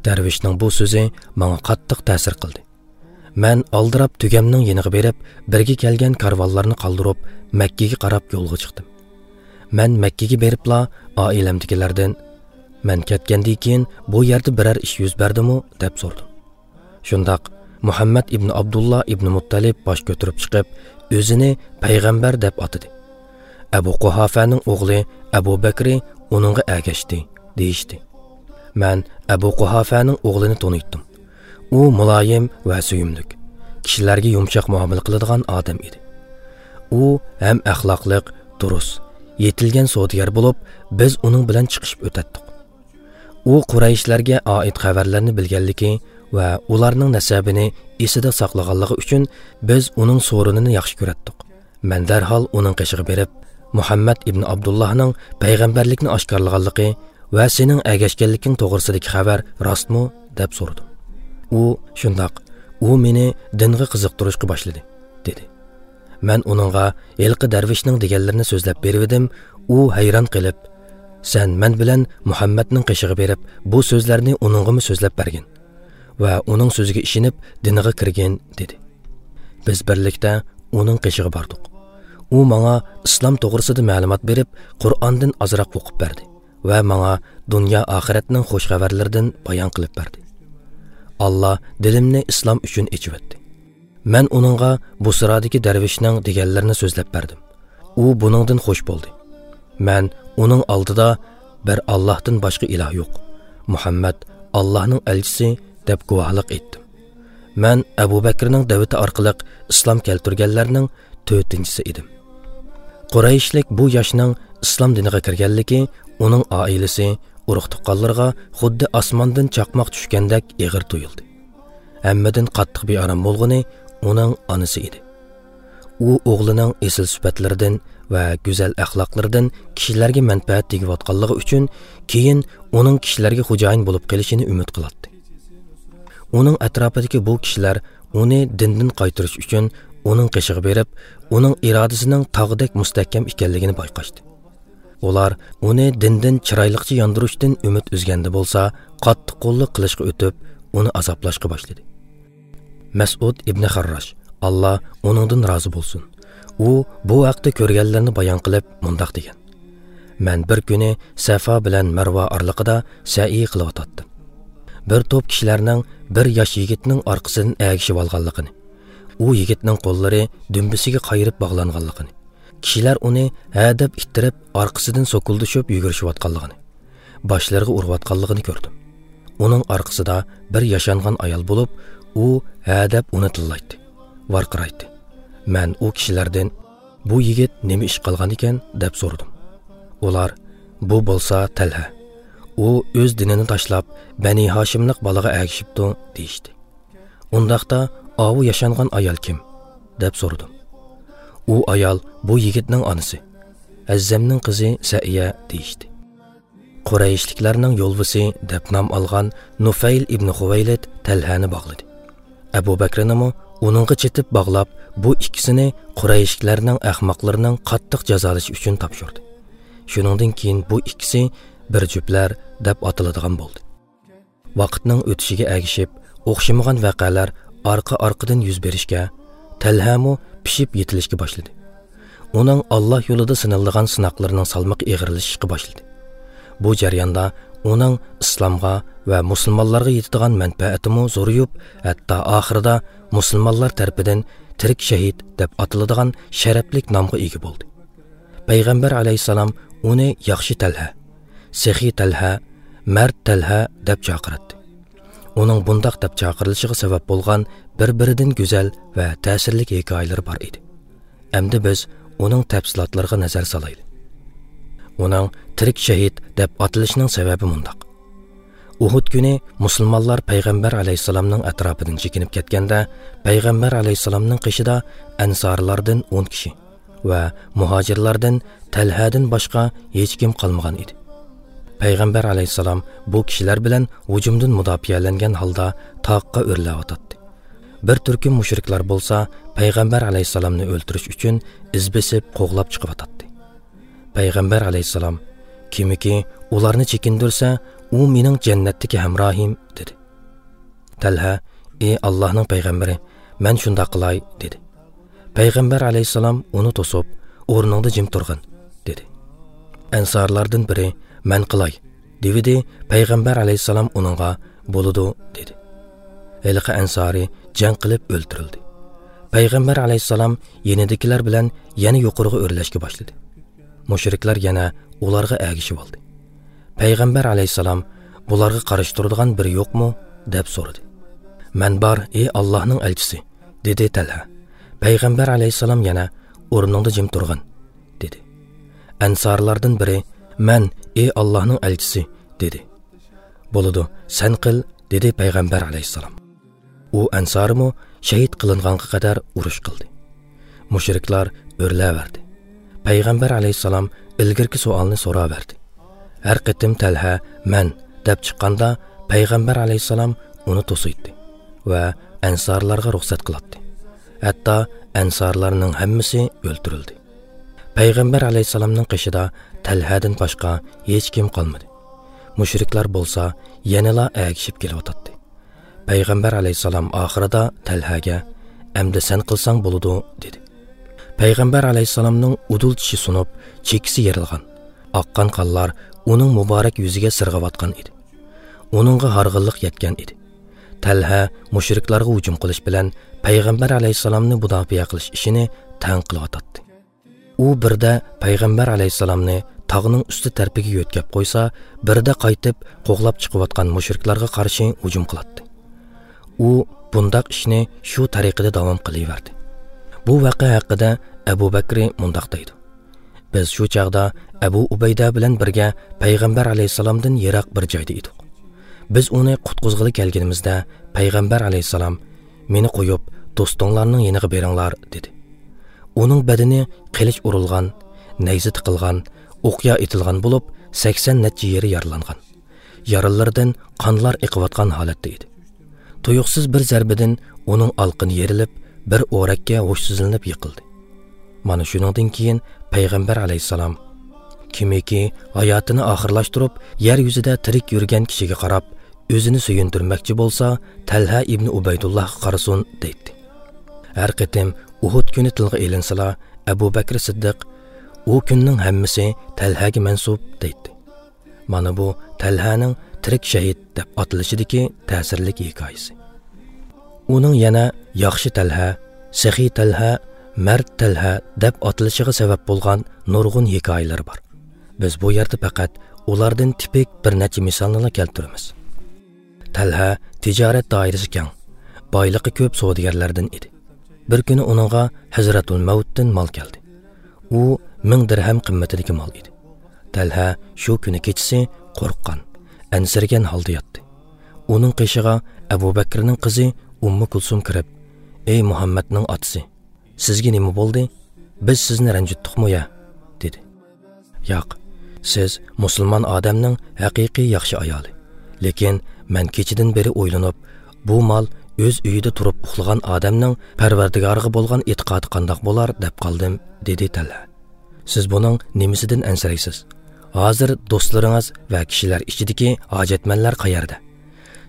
دەرۋىشنىڭ بۇ سۆزى ماڭا قاتتىق تەسىر قىلدى. مەن ئالدىراپ تۆگەمنىڭ يېنىغا بېرىپ، بىرگە كەلگەن كارۋانلارنى قالدۇرۇپ، مەككىگە قاراپ يولغا چىقتىم. مەن مەككىگە بېرىپلا ئائىلەمدىكىلەردىن، «مەن كەتكەندىن كېيىن بۇ يەردە بىرەر ئىش يۈز بەردىمۇ؟» دەپ سورىدىم. شۇنداق، مۇھەممەد ئىبن ئابدۇللا ئىبن مۇتتەلىپ باش كۆتۈرۈپ چىقىپ، ئۆزىنى پەيغەمبەر دەپ ئاتىدى. «ئەبۇ قۇھافەنىڭ ئوغلى ئەبۇ بەكرى ئۇنىڭغا ئەگەشتى» دېيىشتى. مەن ئەبۇ قۇھافەنىڭ ئوغلىنى تونۇيتتۇم. ئۇ مۇلايىم ۋە سۆيۈملۈك، كىشىلەرگە يۇمشاق مۇئامىلە قىلىدىغان ئادەم ئىدى. ئۇ ھەم ئەخلاقلىق، دۇرۇس، يېتىلگەن سودىگەر بولۇپ، بىز ئۇنىڭ بىلەن چىقىشىپ ئۆتەتتۇق. ئۇ قۇرەيشلەرگە ئائىت خەۋەرلەرنى بىلگەنلىكى ۋە ئۇلارنىڭ نەسەبىنى ئېسىدە ساقلىغانلىقى ئۈچۈن بىز ئۇنىڭ سورۇنىنى ياخشى كۆرەتتۇق. مەن دەرھال ئۇنىڭ قېشىغا بېرىپ، «مۇھەممەد ئىبن ئابدۇللاھنىڭ پەيغەمبەرلىكنى ئاشكارىلىغانلىقى ۋە سېنىڭ ئەگەشكەنلىكىڭ توغرىسىدىكى خەۋەر راستمۇ؟» دەپ سورىدىم. ئۇ، «شۇنداق، ئۇ مېنى دىنغا قىزىقتۇرۇشقا باشلىدى» دېدى. مەن ئۇنىڭغا ھېلىقى دەرۋىشنىڭ دېگەنلىرىنى سۆزلەپ بېرىۋىدىم، ئۇ ھەيران قېلىپ، «سەن مەن بىلەن مۇھەممەدنىڭ قېشىغا بېرىپ، بۇ سۆزلەرنى ئۇنىڭغىمۇ سۆزلەپ بەرگىن ۋە ئۇنىڭ سۆزىگە ئىشىنىپ دىنىغا كىرگىن» دېدى. بىز بىرلىكتە ئۇنىڭ قېشىغا باردۇق. ئۇ ماڭا ئىسلام توغرىسىدا مەلۇمات بېرىپ، قۇرئاندىن ئازراق ئوقۇپ بەردى ۋە ماڭا دۇنيا ئاخىرەتنىڭ خۇش خەۋەرلىرىدىن بايان قىلىپ بەردى. ئاللا دىلىمنى ئىسلام ئۈچۈن ئېچىۋەتتى. مەن ئۇنىڭغا بۇسرادىكى دەرۋىشنىڭ دېگەنلىرىنى سۆزلەپ بەردىم. ئۇ بۇنىڭدىن خۇش بولدى. مەن ئۇنىڭ ئالدىدا «بىر ئاللاھتىن باشقا ئىلاھ يوق، مۇھەممەد ئاللاھنىڭ ئەلچىسى» دەپ گۇۋاھلىق ئېيتتىم. مەن ئەبۇ بەكرىنىڭ دەۋىتى ئارقىلىق ئىسلام كەلتۈرگەنلەرنىڭ تۆتىنچىسى ئىدىم. قۇرەيشلىك بۇ ياشنىڭ ئىسلام دىنىغا كىرگەنلىكى ئۇنىڭ ئائىلىسى، ئۇرۇق-تۇغقانلىرىغا خۇددى ئاسماندىن چاقماق چۈشكەندەك ئېغىر تۇيۇلدى. ھەممىدىن قاتتىق بىئارام بولغىنى ئۇنىڭ ئانىسى ئىدى. ئۇ ئوغلىنىڭ ئېسىل سۈپەتلىرىدىن ۋە گۈزەل ئەخلاقلىرىدىن كىشىلەرگە مەنپەئەت تېگىۋاتقانلىقى ئۈچۈن، كېيىن ئۇنىڭ كىشىلەرگە خوجايىن بولۇپ قېلىشىنى ئۈمىد قىلاتتى. ئۇنىڭ ئەتراپىدىكى بۇ كىشىلەر ئۇنى دىندىن قايتۇرۇش ئۈچۈن ئۇنىڭ قېشىغا بېرىپ، ئۇنىڭ ئىرادىسىنىڭ تاغدەك مۇستەھكەم ئىكەنلىكىنى بايقاشتى. ئۇلار ئۇنى دىندىن چىرايلىقچە ياندۇرۇشتىن ئۈمىد ئۈزگەندە بولسا، قاتتىق قوللۇق قىلىشقا ئۆتۈپ، ئۇنى ئازابلاشقا باشلىدى. مەسئۇد ئىبنى خارراش، ئاللا ئۇنىڭدىن رازى بولسۇن، ئۇ بۇ ھەقتە كۆرگەنلىرىنى بايان قىلىپ مۇنداق دېگەن: مەن بىر كۈنى سەفا بىلەن مەرۋا ئارىلىقىدا سەئيى قىلىۋاتاتتىم. بىر توپ كىشىلەرنىڭ بىر ياش يىگىتنىڭ ئارقىسىدىن ئەگىشىۋالغانلىقىنى، ئۇ يىگىتنىڭ قوللىرى دۈمبىسىگە قايرىپ باغلانغانلىقىنى، كىشىلەر ئۇنى ھە دەپ ئىتتىرىپ، ئارقىسىدىن سوكۇلدىشىپ يۈگۈرۈشۈۋاتقانلىقىنى، باشلىرىغا ئۇرۇۋاتقانلىقىنى كۆردۈم. ئۇنىڭ ئارقىسىدا بىر ياشانغان ئايال بولۇپ، ئۇ ھە دەپ ئۇنى تىللايتتى، ۋارقىرايتتى. مەن ئۇ كىشىلەردىن، «بۇ يىگىت نېمە ئىش قىلغان ئىكەن؟» دەپ سورىدىم. ئۇلار، «بۇ بولسا تەلھە. ئۇ ئۆز دىنىنى تاشلاپ، بەنى ھاشىملىق بالىغا ئەگىشىپتۇ» دېيىشتى. «ئۇنداقتا ئاۋۇ ياشانغان ئايال كىم؟» دەپ سورىدىم. ئۇ ئايال بۇ يىگىتنىڭ ئانىسى، ھەززەمنىڭ قىزى سەئىيە دېيىشتى. قۇرەيشلىكلەرنىڭ يولۋىسى دەپ نام ئالغان نۇفەيل ئىبنى خۇۋەيلىد تەلھەنى باغلىدى. ئەبۇ بەكرىنىمۇ ئۇنىڭغا چېتىپ باغلاپ، بۇ ئىككىسىنى قۇرەيشلىكلەرنىڭ ئەخمەقلىرىنىڭ قاتتىق جازالىشى ئۈچۈن تاپشۇردى. شۇنىڭدىن كېيىن بۇ ئىككىسى بىر جۈپلەر دەپ ئاتىلىدىغان بولدى. ۋاقىتنىڭ ئۆتۈشىگە ئەگىشىپ، ئوخشىمىغان ۋەقەلەر ئارقا-ئارقىدىن يۈز بېرىشكە، تەلھەمۇ پىشىپ يېتىلىشكە باشلىدى. ئۇنىڭ ئاللا يولىدا سىنىلىدىغان سىناقلىرىنىڭ سالمىقى ئېغىرلىشىشقا باشلىدى. بۇ جەرياندا ئۇنىڭ ئىسلامغا ۋە مۇسۇلمانلارغا يېتىدىغان مەنپەئەتىمۇ زورىيىپ، ھەتتا ئاخىرىدا مۇسۇلمانلار تەرىپىدىن تىرىك شەھىد دەپ ئاتىلىدىغان شەرەپلىك نامغا ئىگە بولدى. پەيغەمبەر ئەلەيھىسسالام ئۇنى ياخشى تەلھە، سېخىي تەلھە، مەرد تەلھە دەپ چاقىراتتى. ئۇنىڭ بۇنداق دەپ چاقىرىلىشىغا سەۋەب بولغان بىر-بىرىدىن گۈزەل ۋە تەسىرلىك ھېكايىلىرى بار ئىدى. ئەمدى بىز ئۇنىڭ تەپسىلاتلىرىغا نەزەر سالايلى. ئۇنىڭ تىرىك شەھىد دەپ ئاتىلىشىنىڭ سەۋەبى مۇنداق. ئۇھۇد كۈنى مۇسۇلمانلار پەيغەمبەر ئەلەيھىسسالامنىڭ ئەتراپىدىن چېكىنىپ كەتكەندە، پەيغەمبەر ئەلەيھىسسالامنىڭ قېشىدا ئەنسارلاردىن ئون كىشى ۋە مۇھاجىرلاردىن تەلھەدىن باشقا ھېچكىم قالمىغان ئىدى. پەيغەمبەر ئەلەيھىسسالام بۇ كىشىلەر بىلەن ھۇجۇمدىن مۇداپىئەلەنگەن ھالدا تاغقا ئۆرلەۋاتاتتى. بىر تۈركۈم مۇشرىكلار بولسا پەيغەمبەر ئەلەيھىسسالامنى ئۆلتۈرۈش ئۈچۈن ئىز بېسىپ قوغلاپ چىقىۋاتاتتى. پەيغەمبەر ئەلەيھىسسالام، «كىمكى ئۇلارنى چېكىندۈرسە، ئۇ مېنىڭ جەننەتتىكى ھەمراھىم» دېدى. تەلھە، «ئى ئاللاھنىڭ پەيغەمبىرى، مەن شۇنداق قىلاي» دېدى. پەيغەمبەر ئەلەيھىسسالام ئۇنى توسۇپ، «ئورنۇڭدا جىم تۇرغىن» دېدى. ئەنسارلاردىن بىرى، «مەن قىلاي» دېۋىدى، پەيغەمبەر ئەلەيھىسسالام ئۇنىڭغا، «بولىدۇ» دېدى. ھېلىقى ئەنسارى جەڭ قىلىپ ئۆلتۈرۈلدى. پەيغەمبەر ئەلەيھىسسالام يېنىدىكىلەر بىلەن يەنە يۇقىرىغا ئۆرلەشكە باشلىدى. مۇشرىكلار يەنە ئۇلارغا ئەگىشىۋالدى. پەيغەمبەر ئەلەيھىسسالام، «بۇلارغا قارشى تۇرىدىغان بىرى يوقمۇ؟» دەپ سورىدى. «مەن بار، ئى ئاللاھنىڭ ئەلچىسى» دېدى تەلھە. پەيغەمبەر ئەلەيھىسسالام يەنە، «ئورنۇڭدا جىم تۇرغىن» دېدى. ئەنسارلاردىن بىرى، «مەن، ئى ئاللاھنىڭ ئەلچىسى» دېدى. «بولىدۇ، سەن قىل» دېدى پەيغەمبەر ئەلەيھىسسالام. ئۇ ئەنسارىمۇ شەھىد قىلىنغانغا قەدەر ئۇرۇش قىلدى. مۇشرىكلار ئۆرلەۋەردى. پەيغەمبەر ئەلەيھىسسالام ئىلگىرىكى سوئالنى سوراۋەردى. ھەر قېتىم تەلھە «مەن» دەپ چىققاندا، پەيغەمبەر ئەلەيھىسسالام ئۇنى توسۇيتتى ۋە ئەنسارلارغا رۇخسەت قىلاتتى. ھەتتا ئەنسارلارنىڭ ھەممىسى ئۆلتۈرۈلدى. پەيغەمبەر ئەلەيھىسسالامنىڭ قېشىدا تەلھەدىن باشقا ھېچكىم قالمىدى. مۇشرىكلار بولسا يەنىلا ئەگىشىپ كېلىۋاتاتتى. پەيغەمبەر ئەلەيھىسسالام ئاخىرىدا تەلھەگە، «ئەمدى سەن قىلساڭ بولىدۇ» دېدى. پەيغەمبەر ئەلەيھىسسالامنىڭ ئۇدۇل چىشى سۇنۇپ، چېكىسى يېرىلغان. ئاققان قانلار ئۇنىڭ مۇبارەك يۈزىگە سىرغىۋاتقان ئىدى. ئۇنىڭغا ھارغىنلىق يەتكەن ئىدى. تەلھە مۇشرىكلارغا ھۇجۇم قىلىش بىلەن پەيغەمبەر ئەلەيھىسسالامنى مۇداپىئە قىلىش ئىشىنى تەڭ قىلىۋاتاتتى. ئۇ بىردە پەيغەمبەر ئەلەيھىسسالامنى تاغنىڭ ئۈستى تەرىپىگە يۆتكەپ قويسا، بىردە قايتىپ قوغلاپ چىقىۋاتقان مۇشرىكلارغا قارشى ھۇجۇم قىلاتتى. ئۇ بۇنداق ئىشنى شۇ تەرىقىدە داۋام قىلىۋەردى. بۇ ۋەقە ھەققىدە ئەبۇ بەكرى مۇنداق دەيدۇ: «بىز شۇ چاغدا ئەبۇ ئۇبەيدە بىلەن بىرگە پەيغەمبەر ئەلەيھىسسالامدىن يىراق بىر جايدا ئىدۇق. بىز ئۇنى قۇتقۇزغىلى كەلگىنىمىزدە، پەيغەمبەر ئەلەيھىسسالام، 'مېنى قويۇپ، دوستۇڭلارنىڭ يېنىغا بېرىڭلار' دېدى. ئۇنىڭ بەدىنى قىلىچ ئۇرۇلغان، نەيزە تىقىلغان، ئوقيا ئېتىلغان بولۇپ، سەكسەن نەچچە يېرى يارىلانغان. يارىلىرىدىن قانلار ئېقىۋاتقان ھالەتتە ئىدى. تۇيۇقسىز بىر زەربىدىن ئۇنىڭ ئالقىنى يېرىلىپ، بىر ئورەككە ھوشسىزلىنىپ يىقىلدى. مانا شۇنىڭدىن كېيىن پەيغەمبەر ئەلەيھىسسالام، كىمكى ھاياتىنى ئاخىرلاشتۇرۇپ، يەر يۈزىدە تىرىك يۈرگەن كىشىگە قاراپ، ئۆزىنى سۆيۈندۈرمەكچى بولسا، تەلھە ئىبنى ئۇبەيدۇللاھقا قارىسۇن» دەيتتى. ھەر قېتىم ئۇھۇد كۈنى تىلغا ئېلىنسىلا، ئەبۇ بەكرى سىددىق، «ئۇ كۈننىڭ ھەممىسى تەلھەگە مەنسۇپ» دەيتتى. مانا بۇ تەلھەنىڭ تىرىك شەھىد دەپ ئاتىلىشىدىكى تەسىرلىك ھېكايىسى. ئۇنىڭ يەنە ياخشى تەلھە، سېخىي تەلھە، مەرد تەلھە دەپ ئاتىلىشىغا سەۋەب بولغان نۇرغۇن ھېكايىلىرى بار. بىز بۇ يەردە پەقەت ئۇلاردىن تىپىك بىر نەچچە مىسالنىلا كەلتۈرىمىز. تەلھە تىجارەت دائىرىسى كەڭ، بايلىقى كۆپ سودىگەرلەردىن ئىدى. بىر كۈنى ئۇنىڭغا ھەزرەتۇل مەۋتتىن مال كەلدى. ئۇ مىڭ دىرھەم قىممىتىدىكى مال ئىدى. تەلھە شۇ كۈنى كېچىسى قورققان، ئەنسىرىگەن ھالدا ياتتى. ئۇنىڭ قېشىغا ئەبۇ بەكرىنىڭ قىزى ئۇممۇ كۇلسۇم كىرىپ، «ئەي مۇھەممەدنىڭ ئاتىسى، سىزگە نېمە بولدى؟ بىز سىزنى رەنجىتتۇقمۇ يا؟» دېدى. «ياق، سىز مۇسۇلمان ئادەمنىڭ ھەقىقىي ياخشى ئايالى. لېكىن مەن كېچىدىن بېرى ئويلىنىپ، بۇ مال ئۆز ئۆيىدە تۇرۇپ ئۇخلىغان ئادەمنىڭ پەرۋەردىگارىغا بولغان ئېتىقادى قانداق بولار دەپ قالدىم» دېدى تەلھە. «سىز بۇنىڭ نېمىسىدىن ئەنسىرەيسىز؟ ھازىر دوستلىرىڭىز ۋە كىشىلەر ئىچىدىكى ھاجەتمەنلەر قەيەردە؟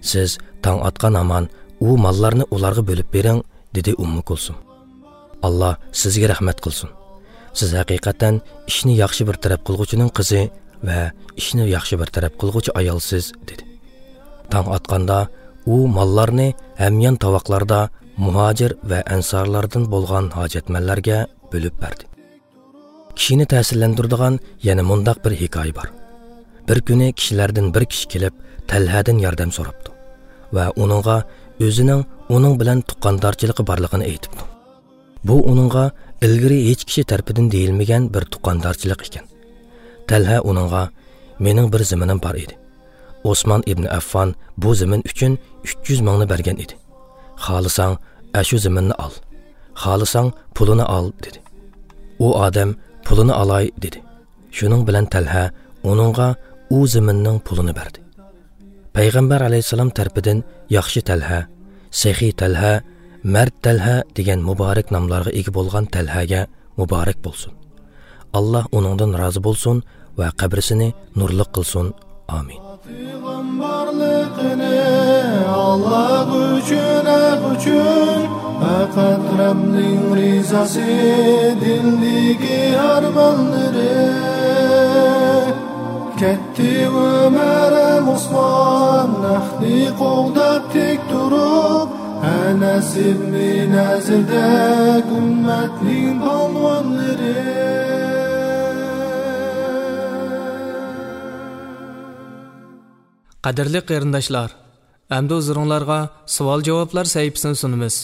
سىز تاڭ ئاتقان ھامان ئۇ ماللارنى ئۇلارغا بۆلۈپ بېرىڭ» دېدى ئۇممۇ كۇلسۇم. «ئاللا سىزگە رەھمەت قىلسۇن. سىز ھەقىقەتەن ئىشنى ياخشى بىر تەرەپ قىلغۇچىنىڭ قىزى ۋە ئىشنى ياخشى بىر تەرەپ قىلغۇچى ئايالسىز، دېدى. تاڭ ئاتقاندا ئۇ ماللارنى ھەميان تاۋاقلاردا مۇھاجىر ۋە ئەنسارلاردىن بولغان ھاجەتمەنلەرگە بۆلۈپ بەردى. كىشىنى تەسىرلەندۈرىدىغان يەنە مۇنداق بىر ھېكايە بار. بىر كۈنى كىشىلەردىن بىر كىشى كېلىپ، تەلھەدىن ياردەم سوراپتۇ ۋە ئۇنىڭغا ئۆزىنىڭ ئۇنىڭ بىلەن تۇغقاندارچىلىقى بارلىقىنى ئېيتىپتۇ. بۇ ئۇنىڭغا ئىلگىرى ھېچ كىشى تەرىپىدىن دېيىلمىگەن بىر تۇغقاندارچىلىق ئىكەن. تەلھە ئۇنىڭغا، مېنىڭ بىر زېمىنىم بار ئىدى. ئوسمان ئىبن ئەففان بۇ زېمىن ئۈچۈن ئۈچ يۈز مىڭنى بەرگەن ئىدى. خالىساڭ، ئەشۇ زېمىننى ئال. خالىساڭ، پۇلىنى ئال، دېدى. ئۇ ئادەم، پۇلىنى ئالاي، دېدى. شۇنىڭ بىلەن تەلھە ئۇنىڭغا ئۇ زېمىننىڭ پۇلىنى بەردى. پەيغەمبەر ئەلەيھىسسالام تەرىپىدىن ياخشى تەلھە، سېخىي تەلھە، مەرد تەلھە دېگەن مۇبارەك ناملارغا ئىگە بولغان تەلھەگە مۇبارەك بولسۇن. ئاللا ئۇنىڭدىن رازى بولسۇن ۋە قەبرىسىنى نۇرلۇق قىلسۇن. ئامىن. پەيغەمبەرلىكىنى ئاللا ئۈچۈن، ھەق ئۈچۈن، پەقەت رەبنىڭ رىزاسى دىلدىكى ئارمانلىرى. كەتتى ئۆمەر ھەم ئوسمان، ھەقنى قوغداپ تىك تۇرۇپ، ئەنەس ئىبنى نەزىردەك ئۈممەتنىڭ پالۋانلىرى. قەدىرلىك قېرىنداشلار، ئەمدى ھۇزۇرۇڭلارغا سوئال-جاۋابلار سەھىپىسىنى سۇنىمىز.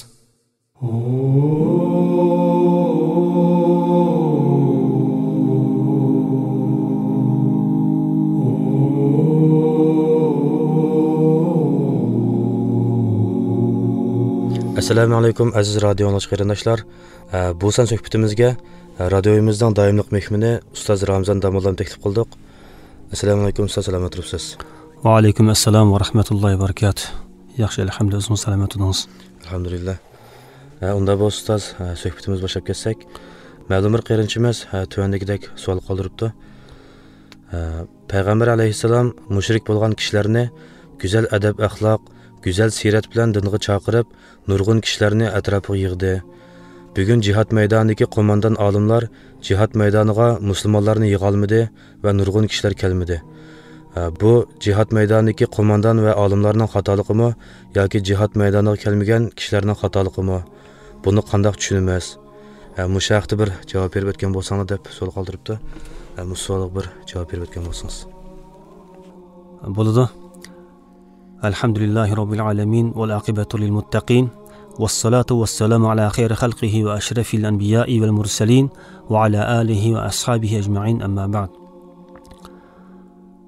ئەسسالامۇ ئەلەيكۇم، ئەزىز رادىيو ئاڭلىغۇچى قېرىنداشلار. ئە، بۇ سان سۆھبىتىمىزگە، ئە، رادىيومىزنىڭ دائىملىق مېھمىنى ئۇستاز رامزان داموللامنى تەكلىپ قىلدۇق. ئەسسالامۇ ئەلەيكۇم ئۇستاز، سالامەت تۇرۇپسىز؟ ۋەئەلەيكۇم ئەسسالام ۋە رەھمەتۇللاھى ۋە بەرىكاتۇھ. ياخشى، ئەلھەمدۇلىللاھ، ئۆزىڭىز سالامەت تۇردىڭىز. ئەلھەمدۇلىللاھ. ئە، ئۇندا بولسا ئۇستاز، ئە، سۆھبىتىمىزگە باشلاپ كەتسەك، مەلۇم بىر قېرىندىشىمىز، ئە، تۆۋەندىكىدەك سوئال قالدۇرۇپتۇ. ئە، پەيغەمبەر ئەلەيھىسسالام مۇشرىك بولغان كىشىلەرنى گۈزەل ئەدەپ-ئەخلاق، گۈزەل سىرەت بىلەن دىنغا چاقىرىپ، نۇرغۇن كىشىلەرنى ئەتراپىغا يىغدى. بۈگۈن جىھاد مەيدانىدىكى قوماندان ئالىملار جىھاد مەيدانىغا مۇسۇلمانلارنى يىغالمىدى ۋە نۇرغۇن كىشىلەر كەلمىدى. ئە، بۇ جىھاد مەيدانىدىكى قوماندان ۋە ئالىملارنىڭ خاتالىقىمۇ ياكى جىھاد مەيدانىغا كەلمىگەن كىشىلەرنىڭ خاتالىقىمۇ؟ بۇنى قانداق چۈشىنىمىز؟ ئە، مۇشۇ ھەقتە بىر جاۋاب بېرىپ ئۆتكەن بولساڭلار دەپ سوئال قالدۇرۇپتۇ. ئە، مۇشۇ سوئالغا بىر جاۋاب بېرىپ ئۆتكەن بولسىڭىز. بولىدۇ. الحمد لله رب العالمين والعاقبة للمتقين والصلاة والسلام على خير خلقه وأشرف الأنبياء والمرسلين وعلى آله وأصحابه أجمعين، أما بعد.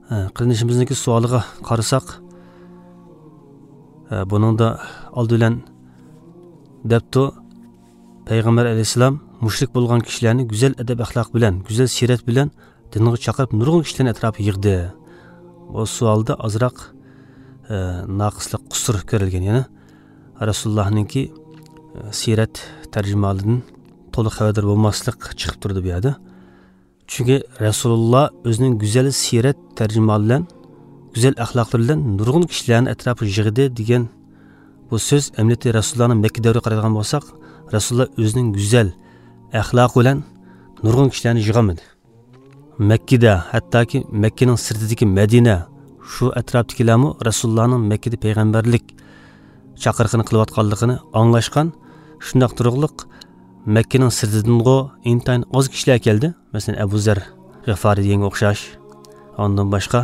ھە، قېرىندىشىمىزنىڭكى سوئالىغا قارىساق، ھە، بۇنىڭدا ئالدى بىلەن دەپتۇ، پەيغەمبەر ئەلەيھىسسالام مۇشرىك بولغان كىشىلەرنى گۈزەل ئەدەپ-ئەخلاق بىلەن، گۈزەل سىرەت بىلەن دىنغا چاقىرىپ، نۇرغۇن كىشىلەرنى ئەتراپىغا يىغدى. بۇ سوئالدا ئازراق، ئە، ناقىسلىق، قۇسۇر كۆرۈلگەن. يەنى رەسۇلۇللاھنىڭكى، ئە، سىرەت تەرجىمىھالىدىن تولۇق خەۋەردار بولماسلىق چىقىپ تۇرىدۇ بۇ يەردە. چۈنكى رەسۇلۇللا ئۆزىنىڭ گۈزەل سىرەت تەرجىمىھالى بىلەن، گۈزەل ئەخلاقلىرى بىلەن نۇرغۇن كىشىلەرنى ئەتراپىغا يىغدى دېگەن بۇ سۆز، ئەمەلىيەتتە رەسۇلۇللانىڭ مەككە دەۋرىگە قارايدىغان بولساق، رەسۇلۇللا ئۆزىنىڭ گۈزەل ئەخلاقى بىلەن نۇرغۇن كىشىلەرنى يىغالمىدى. مەككىدە، ھەتتاكى مەككىنىڭ سىرتىدىكى مەدىنە، شۇ ئەتراپتىكىلەرمۇ رەسۇلۇللانىڭ مەككىدە پەيغەمبەرلىك چاقىرىقىنى قىلىۋاتقانلىقىنى ئاڭلاشقان. شۇنداق تۇرۇقلۇق مەككىنىڭ سىرتىدىنغۇ ئىنتايىن ئاز كىشىلەر كەلدى. مەسىلەن، ئەبۇ زەر غىفارى دېگەنگە ئوخشاش، ئاندىن باشقا،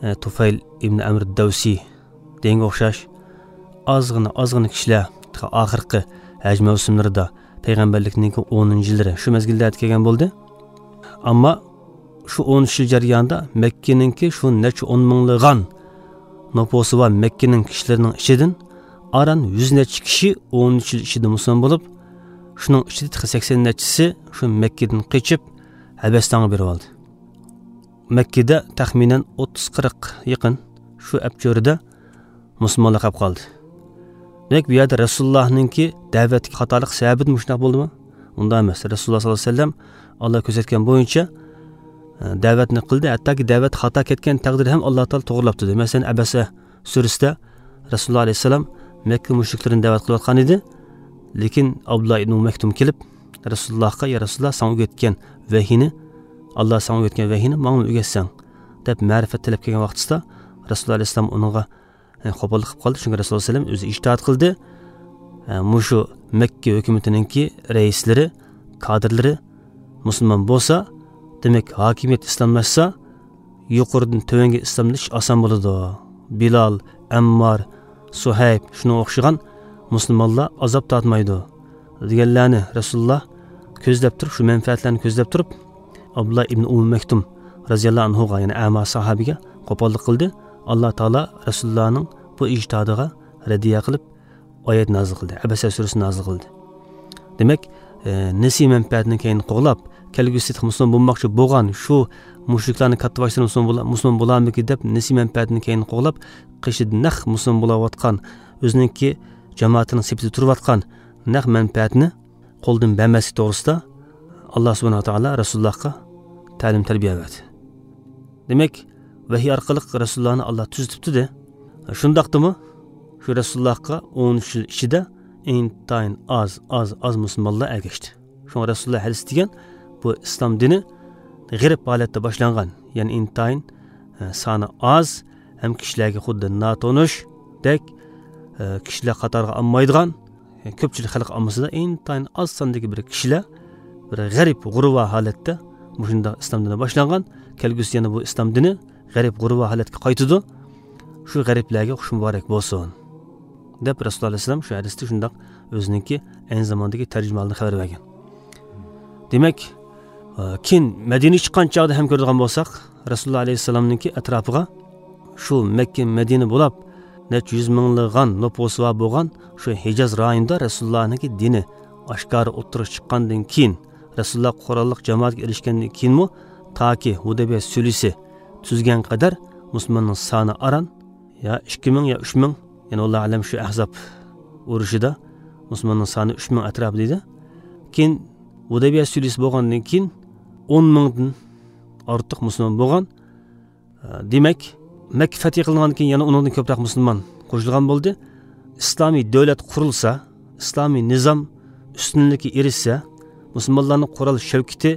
ئە، تۇفەيل ئىبن ئەمر دەۋسى دېگەنگە ئوخشاش ئازغىنا، ئازغىنا كىشىلەر تېخى ئاخىرقى ھەج مەۋسۇملىرىدا، پەيغەمبەرلىكنىڭكى ئونىنچى يىللىرى شۇ مەزگىللەردە كەلگەن بولدى. ئەمما شۇ ئون ئۈچ يىل جەريانىدا مەككىنىڭكى شۇ نەچچە ئون مىڭلىغان نوپۇسى بار مەككىنىڭ كىشىلىرىنىڭ ئىچىدىن ئاران يۈز نەچچە كىشى ئون ئۈچ يىل ئىچىدە مۇسۇلمان بولۇپ، شۇنىڭ ئىچىدە تېخى سەكسەن نەچچىسى شۇ مەككىدىن قېچىپ ھەبەستانغا بېرىۋالدى. مەككىدە تەخمىنەن ئوتتۇز قىرىق يېقىن شۇ ئەپچۆرىدە مۇسۇلمانلار قېلىپ قالدى. دېمەك، بۇ يەردە رەسۇلۇللاھنىڭكى دەۋەتتىكى خاتالىق سەۋەبىدىن مۇشۇنداق بولدىمۇ؟ ئۇنداق ئەمەس. رەسۇلۇللاھ سەللەللاھۇ ئەلەيھى ۋەسەللەم ئاللا كۆرسەتكەن بويىچە، ئە، دەۋەتنى قىلدى. ھەتتاكى دەۋەت خاتا كەتكەن تەقدىردە ھەم ئاللا تائالا توغرىلاپتۇ. مەسىلەن، ئەبەسە سۈرىسىدە رەسۇلۇللاھ ئەلەيھىسسالام مەككە مۇشرىكلىرىنى دەۋەت قىلىۋاتقان ئىدى. لېكىن ئابدۇللاھ ئىبنى ئۇم مەكتۇم كېلىپ، رەسۇلۇللاھقا، يا رەسۇلۇللاھ، ساڭا ئۆگەتكەن ۋەھىينى، ئاللا ساڭا ئۆگەتكەن ۋەھىينى ماڭىمۇ ئۆگەتسەڭ، دەپ مەرىپەت تىلەپ كەلگەن ۋاقتىسىدا، رەسۇلۇللا ئەلەيھىسسالام ئۇنىڭغا، يەنى، قوپاللىق قىلىپ قالدى. چۈنكى رەسۇلۇللا ئەلەيھىسسالام ئۆزى ئىجتىھات قىلدى. ئە، مۇشۇ مەككە ھۆكۈمىتىنىڭكى رەئىسلىرى، كادىرلىرى مۇسۇلمان بولسا، دېمەك، ھاكىمىيەت ئىسلاملاشسا، يۇقىرىدىن تۆۋەنگە ئىسلاملىشىش ئاسان بولىدۇ. بىلال، ئەممار، سۇھەيب، شۇنىڭغا ئوخشىغان مۇسۇلمانلار ئازاب تارتمايدۇ، دېگەنلەرنى رەسۇلۇللا كۆزلەپ تۇرۇپ، شۇ مەنپەئەتلەرنى كۆزلەپ تۇرۇپ، ئابدۇللا ئىبن ئۇممۇ مەكتۇم رەزىياللاھۇ ئەنھۇغا، يەنى ئەما ساھابىگە قوپاللىق قىلدى. ئاللا تائالا رەسۇلۇللانىڭ بۇ ئىجتىھادىغا رەددىيە قىلىپ، ئايەت نازىل قىلدى، ئەبەسە سۈرىسىنى نازىل قىلدى. دېمەك، ئە، نەپسىي مەنپەئەتنى كەينىگە قوغلاپ، كەلگۈسىدە مۇسۇلمان بولماقچى بولغان شۇ مۇشرىكلارنىڭ كاتتىباشلىرى مۇسۇلمان بولا-، مۇسۇلمان بولارمىكىن دەپ نەپسىي مەنپەئەتنى كەينىگە قوغلاپ، قېشىدا نەق مۇسۇلمان بولاۋاتقان، ئۆزىنىڭكى جامائىتىنىڭ سېپىدە تۇرۇۋاتقان نەق مەنپەئەتنى قولدىن بەرمەسلىك توغرىسىدا ئاللا سۇبھانەھۇ ۋە تائالا رەسۇلۇللاھقا تەلىم تەربىيە بەردى. دېمەك، ۋەھىي ئارقىلىق رەسۇلۇللاھنى ئاللا تۈزىتىپتۇ-دە. شۇنداقتىمۇ شۇ رەسۇلۇللاھقا ئون ئۈچ يىل ئىچىدە ئىنتايىن ئاز، ئاز، ئاز مۇسۇلمانلار ئەگەشتى. شۇڭا رەسۇلۇللا ھەدىس دېگەن بۇ ئىسلام دىنى غېرىب ھالەتتە باشلانغان، يەنى ئىنتايىن، ئە، سانى ئاز ھەم كىشىلەرگە خۇددى ناتونۇشدەك، ئە، كىشىلەر قاتارىغا ئالمايدىغان، كۆپچىلىك خەلق ئاممىسىدا ئىنتايىن ئاز ساندىكى بىر كىشىلەر بىر غەرىب، غۇرۋا ھالەتتە مۇشۇنداق ئىسلام دىنى باشلانغان، كەلگۈسىدە يەنە بۇ ئىسلام دىنى غەرىب، غۇرۋا ھالەتكە قايتىدۇ. شۇ غەرىبلەرگە خۇش مۇبارەك بولسۇن، دەپ رەسۇلۇللا ئەلەيھىسسالام شۇ ھەدىستە شۇنداق ئۆزىنىڭكى ئەينى زاماندىكى تەرجىمىھالىدىن خەۋەر بەرگەن. دېمەك، ئە، كېيىن مەدىنىگە چىققان چاغدا ھەم كۆرىدىغان بولساق، رەسۇلۇللا ئەلەيھىسسالامنىڭكى ئەتراپىغا شۇ مەككە، مەدىنە بولاپ، نەچچە يۈز مىڭلىغان نوپۇسى بار بولغان شۇ ھىجاز رايونىدا رەسۇلۇللانىڭكى دىنى ئاشكارا ئوتتۇرىغا چىققاندىن كېيىن، رەسۇلۇللا قوراللىق جامائەتكە ئېرىشكەندىن كېيىنمۇ تاكى ھۇدەيبىيە سۈلھىسى تۈزگەن قەدەر مۇسۇلماننىڭ سانى ئاران يا ئىككى مىڭ يا ئۈچ مىڭ، يەنى، ۋاللاھۇ ئەلەم، شۇ ئەھزاب ئۇرۇشىدا مۇسۇلماننىڭ سانى ئۈچ مىڭ ئەتراپىدا ئىدى. كېيىن ھۇدەيبىيە سۈلھىسى بولغاندىن كېيىن ئون مىڭدىن ئارتۇق مۇسۇلمان بولغان. دېمەك، مەككە فەتھى قىلىنغاندىن كېيىن يەنە ئۇنىڭدىن كۆپرەك مۇسۇلمان قوشۇلغان بولدى. ئىسلامىي دۆلەت قۇرۇلسا، ئىسلامىي نىزام ئۈستۈنلۈككە ئېرىشسە، مۇسۇلمانلارنىڭ قورال شەۋكىتى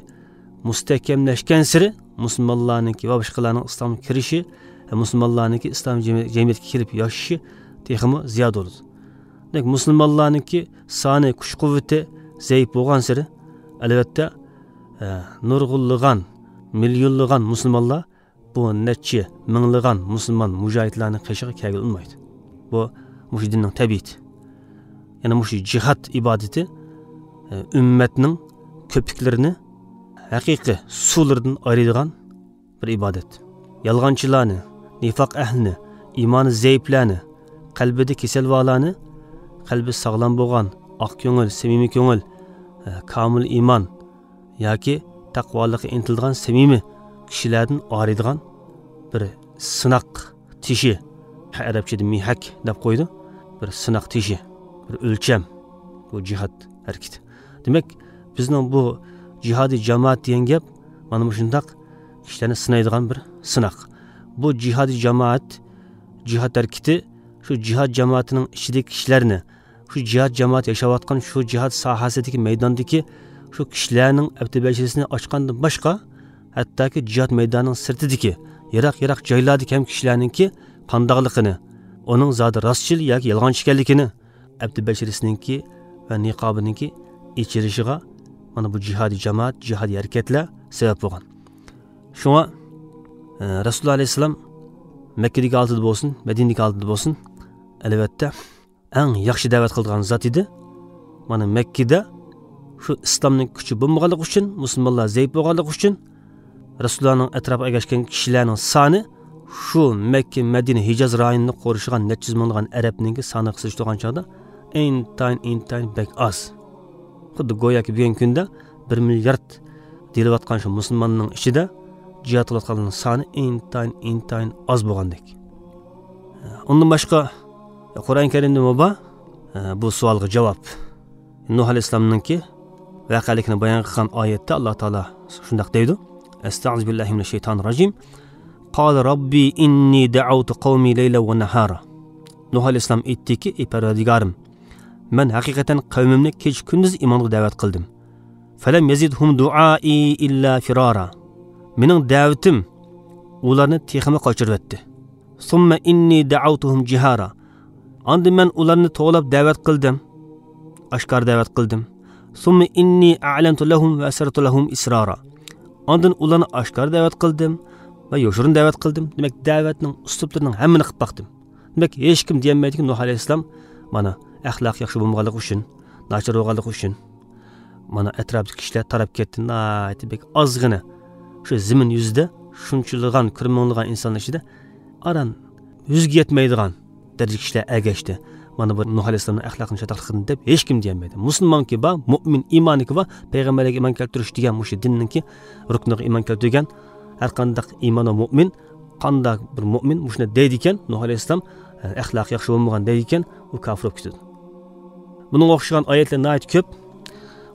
مۇستەھكەملەشكەنسېرى، مۇسۇلمانلارنىڭكى ۋە باشقىلارنىڭ ئىسلامغا كىرىشى ۋە مۇسۇلمانلارنىڭكى ئىسلام جەمئىيەتكە كېلىپ ياشىشى تېخىمۇ زىيادە بولىدۇ. دېمەك، مۇسۇلمانلارنىڭكى سانى، كۈچ قۇۋۋىتى زەئىپ بولغانسېرى، ئەلۋەتتە، ئە، نۇرغۇنلىغان، مىليونلىغان مۇسۇلمانلار بۇ نەچچە مىڭلىغان مۇسۇلمان مۇجاھىدلارنىڭ قېشىغا كەلگىلى ئۇنىمايدۇ. بۇ مۇشۇ دىننىڭ تەبىئىتى. يەنى مۇشۇ جىھاد ئىبادىتى، ئە، ئۈممەتنىڭ كۆپۈكلىرىنى ھەقىقىي سۇلىرىدىن ئايرىيدىغان بىر ئىبادەت. يالغانچىلارنى، نىفاق ئەھلىنى، ئىمانى زەئىپلەرنى، قەلبىدە كېسەل بارلارنى، قەلبى ساغلام بولغان، ئاق كۆڭۈل، سەمىمىي كۆڭۈل، ئە، كامىل ئىمان، ياكى تەقۋالىققا ئىنتىلىدىغان سەمىمىي كىشىلەردىن ئايرىيدىغان بىر سىناق تېشى، ئەرەبچىدە مىھەك دەپ قويىدۇ، بىر سىناق تېشى، بىر ئۆلچەم بۇ جىھاد ھەرىكىتى. دېمەك، بىزنىڭ بۇ جىھادىي جامائەت دېگەن گەپ مانا مۇشۇنداق كىشىلەرنى سىنايدىغان بىر سىناق. بۇ جىھادىي جامائەت، جىھاد ھەرىكىتى شۇ جىھاد جامائىتىنىڭ ئىچىدىكى كىشىلەرنى، شۇ جىھاد جامائەت ياشاۋاتقان شۇ جىھاد ساھەسىدىكى مەيداندىكى شۇ كىشىلەرنىڭ ئەپتى بەشىرىسىنى ئاچقاندىن باشقا، ھەتتاكى جىھاد مەيدانىنىڭ سىرتىدىكى يىراق-يىراق جايلاردىكى ھەم كىشىلەرنىڭكى قانداقلىقىنى، ئۇنىڭ زادى راستچىل ياكى يالغانچى ئىكەنلىكىنى، ئەپتى بەشىرىسىنىڭكى ۋە نىقابىنىڭكى ئېچىلىشىغا مانا بۇ جىھادىي جامائەت، جىھادىي ھەرىكەتلەر سەۋەب بولغان. شۇڭا، ئە، رەسۇلۇللا ئەلەيھىسسالام مەككىدىكى ھالىتىدە بولسۇن، مەدىنىدىكى ھالىتىدە بولسۇن، ئەلۋەتتە، ئەڭ ياخشى دەۋەت قىلىدىغان زات ئىدى. مانا مەككىدە شۇ ئىسلامنىڭ كۈچى بولمىغانلىقى ئۈچۈن، مۇسۇلمانلار زەئىپ بولغانلىقى ئۈچۈن، رەسۇلۇللانىڭ ئەتراپىغا ئەگەشكەن كىشىلەرنىڭ سانى شۇ مەككە، مەدىنە، ھىجاز رايونىنى قورشىغان نەچچە يۈز مىڭلىغان ئەرەبنىڭكى سانىغا سېلىشتۇرغان چاغدا ئىنتايىن، ئىنتايىن بەك ئاز. خۇددى گوياكى بۈگۈنكى كۈندە بىر مىليارد دېيىلىۋاتقان شۇ مۇسۇلماننىڭ ئىچىدە جىھاد قىلىۋاتقانلارنىڭ سانى ئىنتايىن، ئىنتايىن ئاز بولغاندەك. ئۇندىن باشقا، قۇرئان كەرىمدىمۇ بار، بۇ سوئالغا جاۋاب. نۇھ ئەلەيھىسسالامنىڭكى ۋەقەلىكىنى بايان قىلغان ئايەتتە ئاللا تائالا شۇنداق دەيدۇ: ئەستەئىزۇ بىللاھى مىنەششەيتانىر راجىم. قال ربي إني دعوت قومي ليلا ونهارا. نۇھ ئەلەيھىسسالام ئېيتتىكى: ئى پەرۋەردىگارىم، مەن ھەقىقەتەن قەۋمىمنى كېچە كۈندۈز ئىمانغا دەۋەت قىلدىم. فلم يزدهم دعائي إلا فرارا. مېنىڭ دەۋىتىم ئۇلارنى تېخىمۇ قاچۇرۇۋەتتى. ثم إني دعوتهم جهارا. ئاندىن مەن ئۇلارنى توۋلاپ دەۋەت قىلدىم. ئاشكارا دەۋەت قىلدىم. ثم إني أعلنت لهم وأسررت لهم إسرارا. ئاندىن ئۇلارنى ئاشكارا دەۋەت قىلدىم ۋە يوشۇرۇن دەۋەت قىلدىم. دېمەك، دەۋەتنىڭ ئۇسلۇبلىرىنىڭ ھەممىنى قىلىپ باقتىم. دېمەك، ھېچكىم دېيەلمەيدىكى، نۇھ ئەلەيھىسسالام مانا ئەخلاقى ياخشى بولمىغانلىقى ئۈچۈن، ناچار بولغانلىقى ئۈچۈن، مانا ئەتراپتىكى كىشىلەر تاراپ كەتتى، ناھايىتى بەك ئازغىنە. شۇ زېمىن يۈزىدە شۇنچىلىغان، كۆرمىڭلىغان ئىنسانلار ئىچىدە ئاران يۈزگە يەتمەيدىغان دەرىجىدە كىشىلەر ئەگەشتى. مانا بۇ نۇھ ئەلەيھىسسالامنىڭ ئەخلاقىنى چاتاقلىق قىلدى دەپ ھېچكىم دېيەلمەيدۇ. مۇسۇلمانكى بار، مۇئمىن، ئىمانىكى بار، پەيغەمبەرلەرگە ئىمان كەلتۈرۈش دېگەن مۇشۇ دىننىڭكى رۇكنىغا ئىمان كەلتۈرگەن ھەر قانداق ئىمان ۋە مۇئمىن، قانداق بىر مۇئمىن مۇشۇنداق دەيدىكەن، نۇھ ئەلەيھىسسالام، ئە، ئەخلاقى ياخشى بولمىغان دەيدىكەن، ئۇ كاپىر بولۇپ كېتىدۇ. بۇنىڭغا ئوخشىغان ئايەتلەر ناھايىتى كۆپ.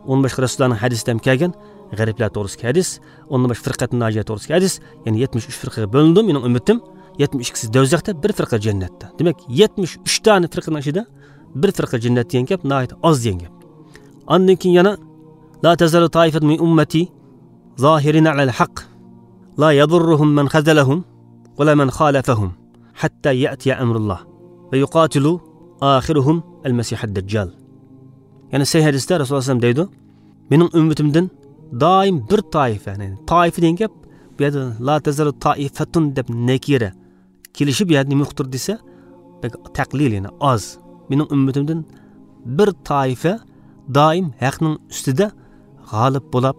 ئۇنىڭ باشقا رەسۇللارنىڭ ھەدىسىدە ھەم كەلگەن، غەرىبلەر توغرىسىدىكى ھەدىس، ئۇنىڭ باشقا فىرقەتۇن ناجىيە توغرىسىدىكى ھەدىس، يەنى يەتمىش ئۈچ فىرقىگە بۆلۈندى مېنىڭ ئۈممىتىم، يەتمىش ئىككىسى دوزاختا، بىر فىرقە جەننەتتە. دېمەك، يەتمىش ئۈچ دانە فىرقىنىڭ ئىچىدە بىر فىرقە جەننەت دېگەن گەپ ناھايىتى ئاز دېگەن گەپ. ئاندىن كېيىن يەنە، لا تزال طائفة من أمتي ظاهرين على الحق لا يضرهم من خذلهم ولا من خالفهم حتى يأتي أمر الله ويقاتل آخرهم المسيح الدجال. يەنى سەھىھ ھەدىستە رەسۇلۇللاھ ئەلەيھىسسالام دەيدۇ، مېنىڭ ئۈممىتىمدىن دائىم بىر تائىپە، يەنى تائىپە دېگەن گەپ، بۇ يەردە لا تزال طائفة دەپ نەكىرە كېلىشى بۇ يەردە نېمە ئۇقتۇرىدۇ دېسە، بەك تەقلىل، يەنى ئاز. مېنىڭ ئۈممىتىمدىن بىر تائىپە دائىم ھەقنىڭ ئۈستىدە غالىب بولاپ،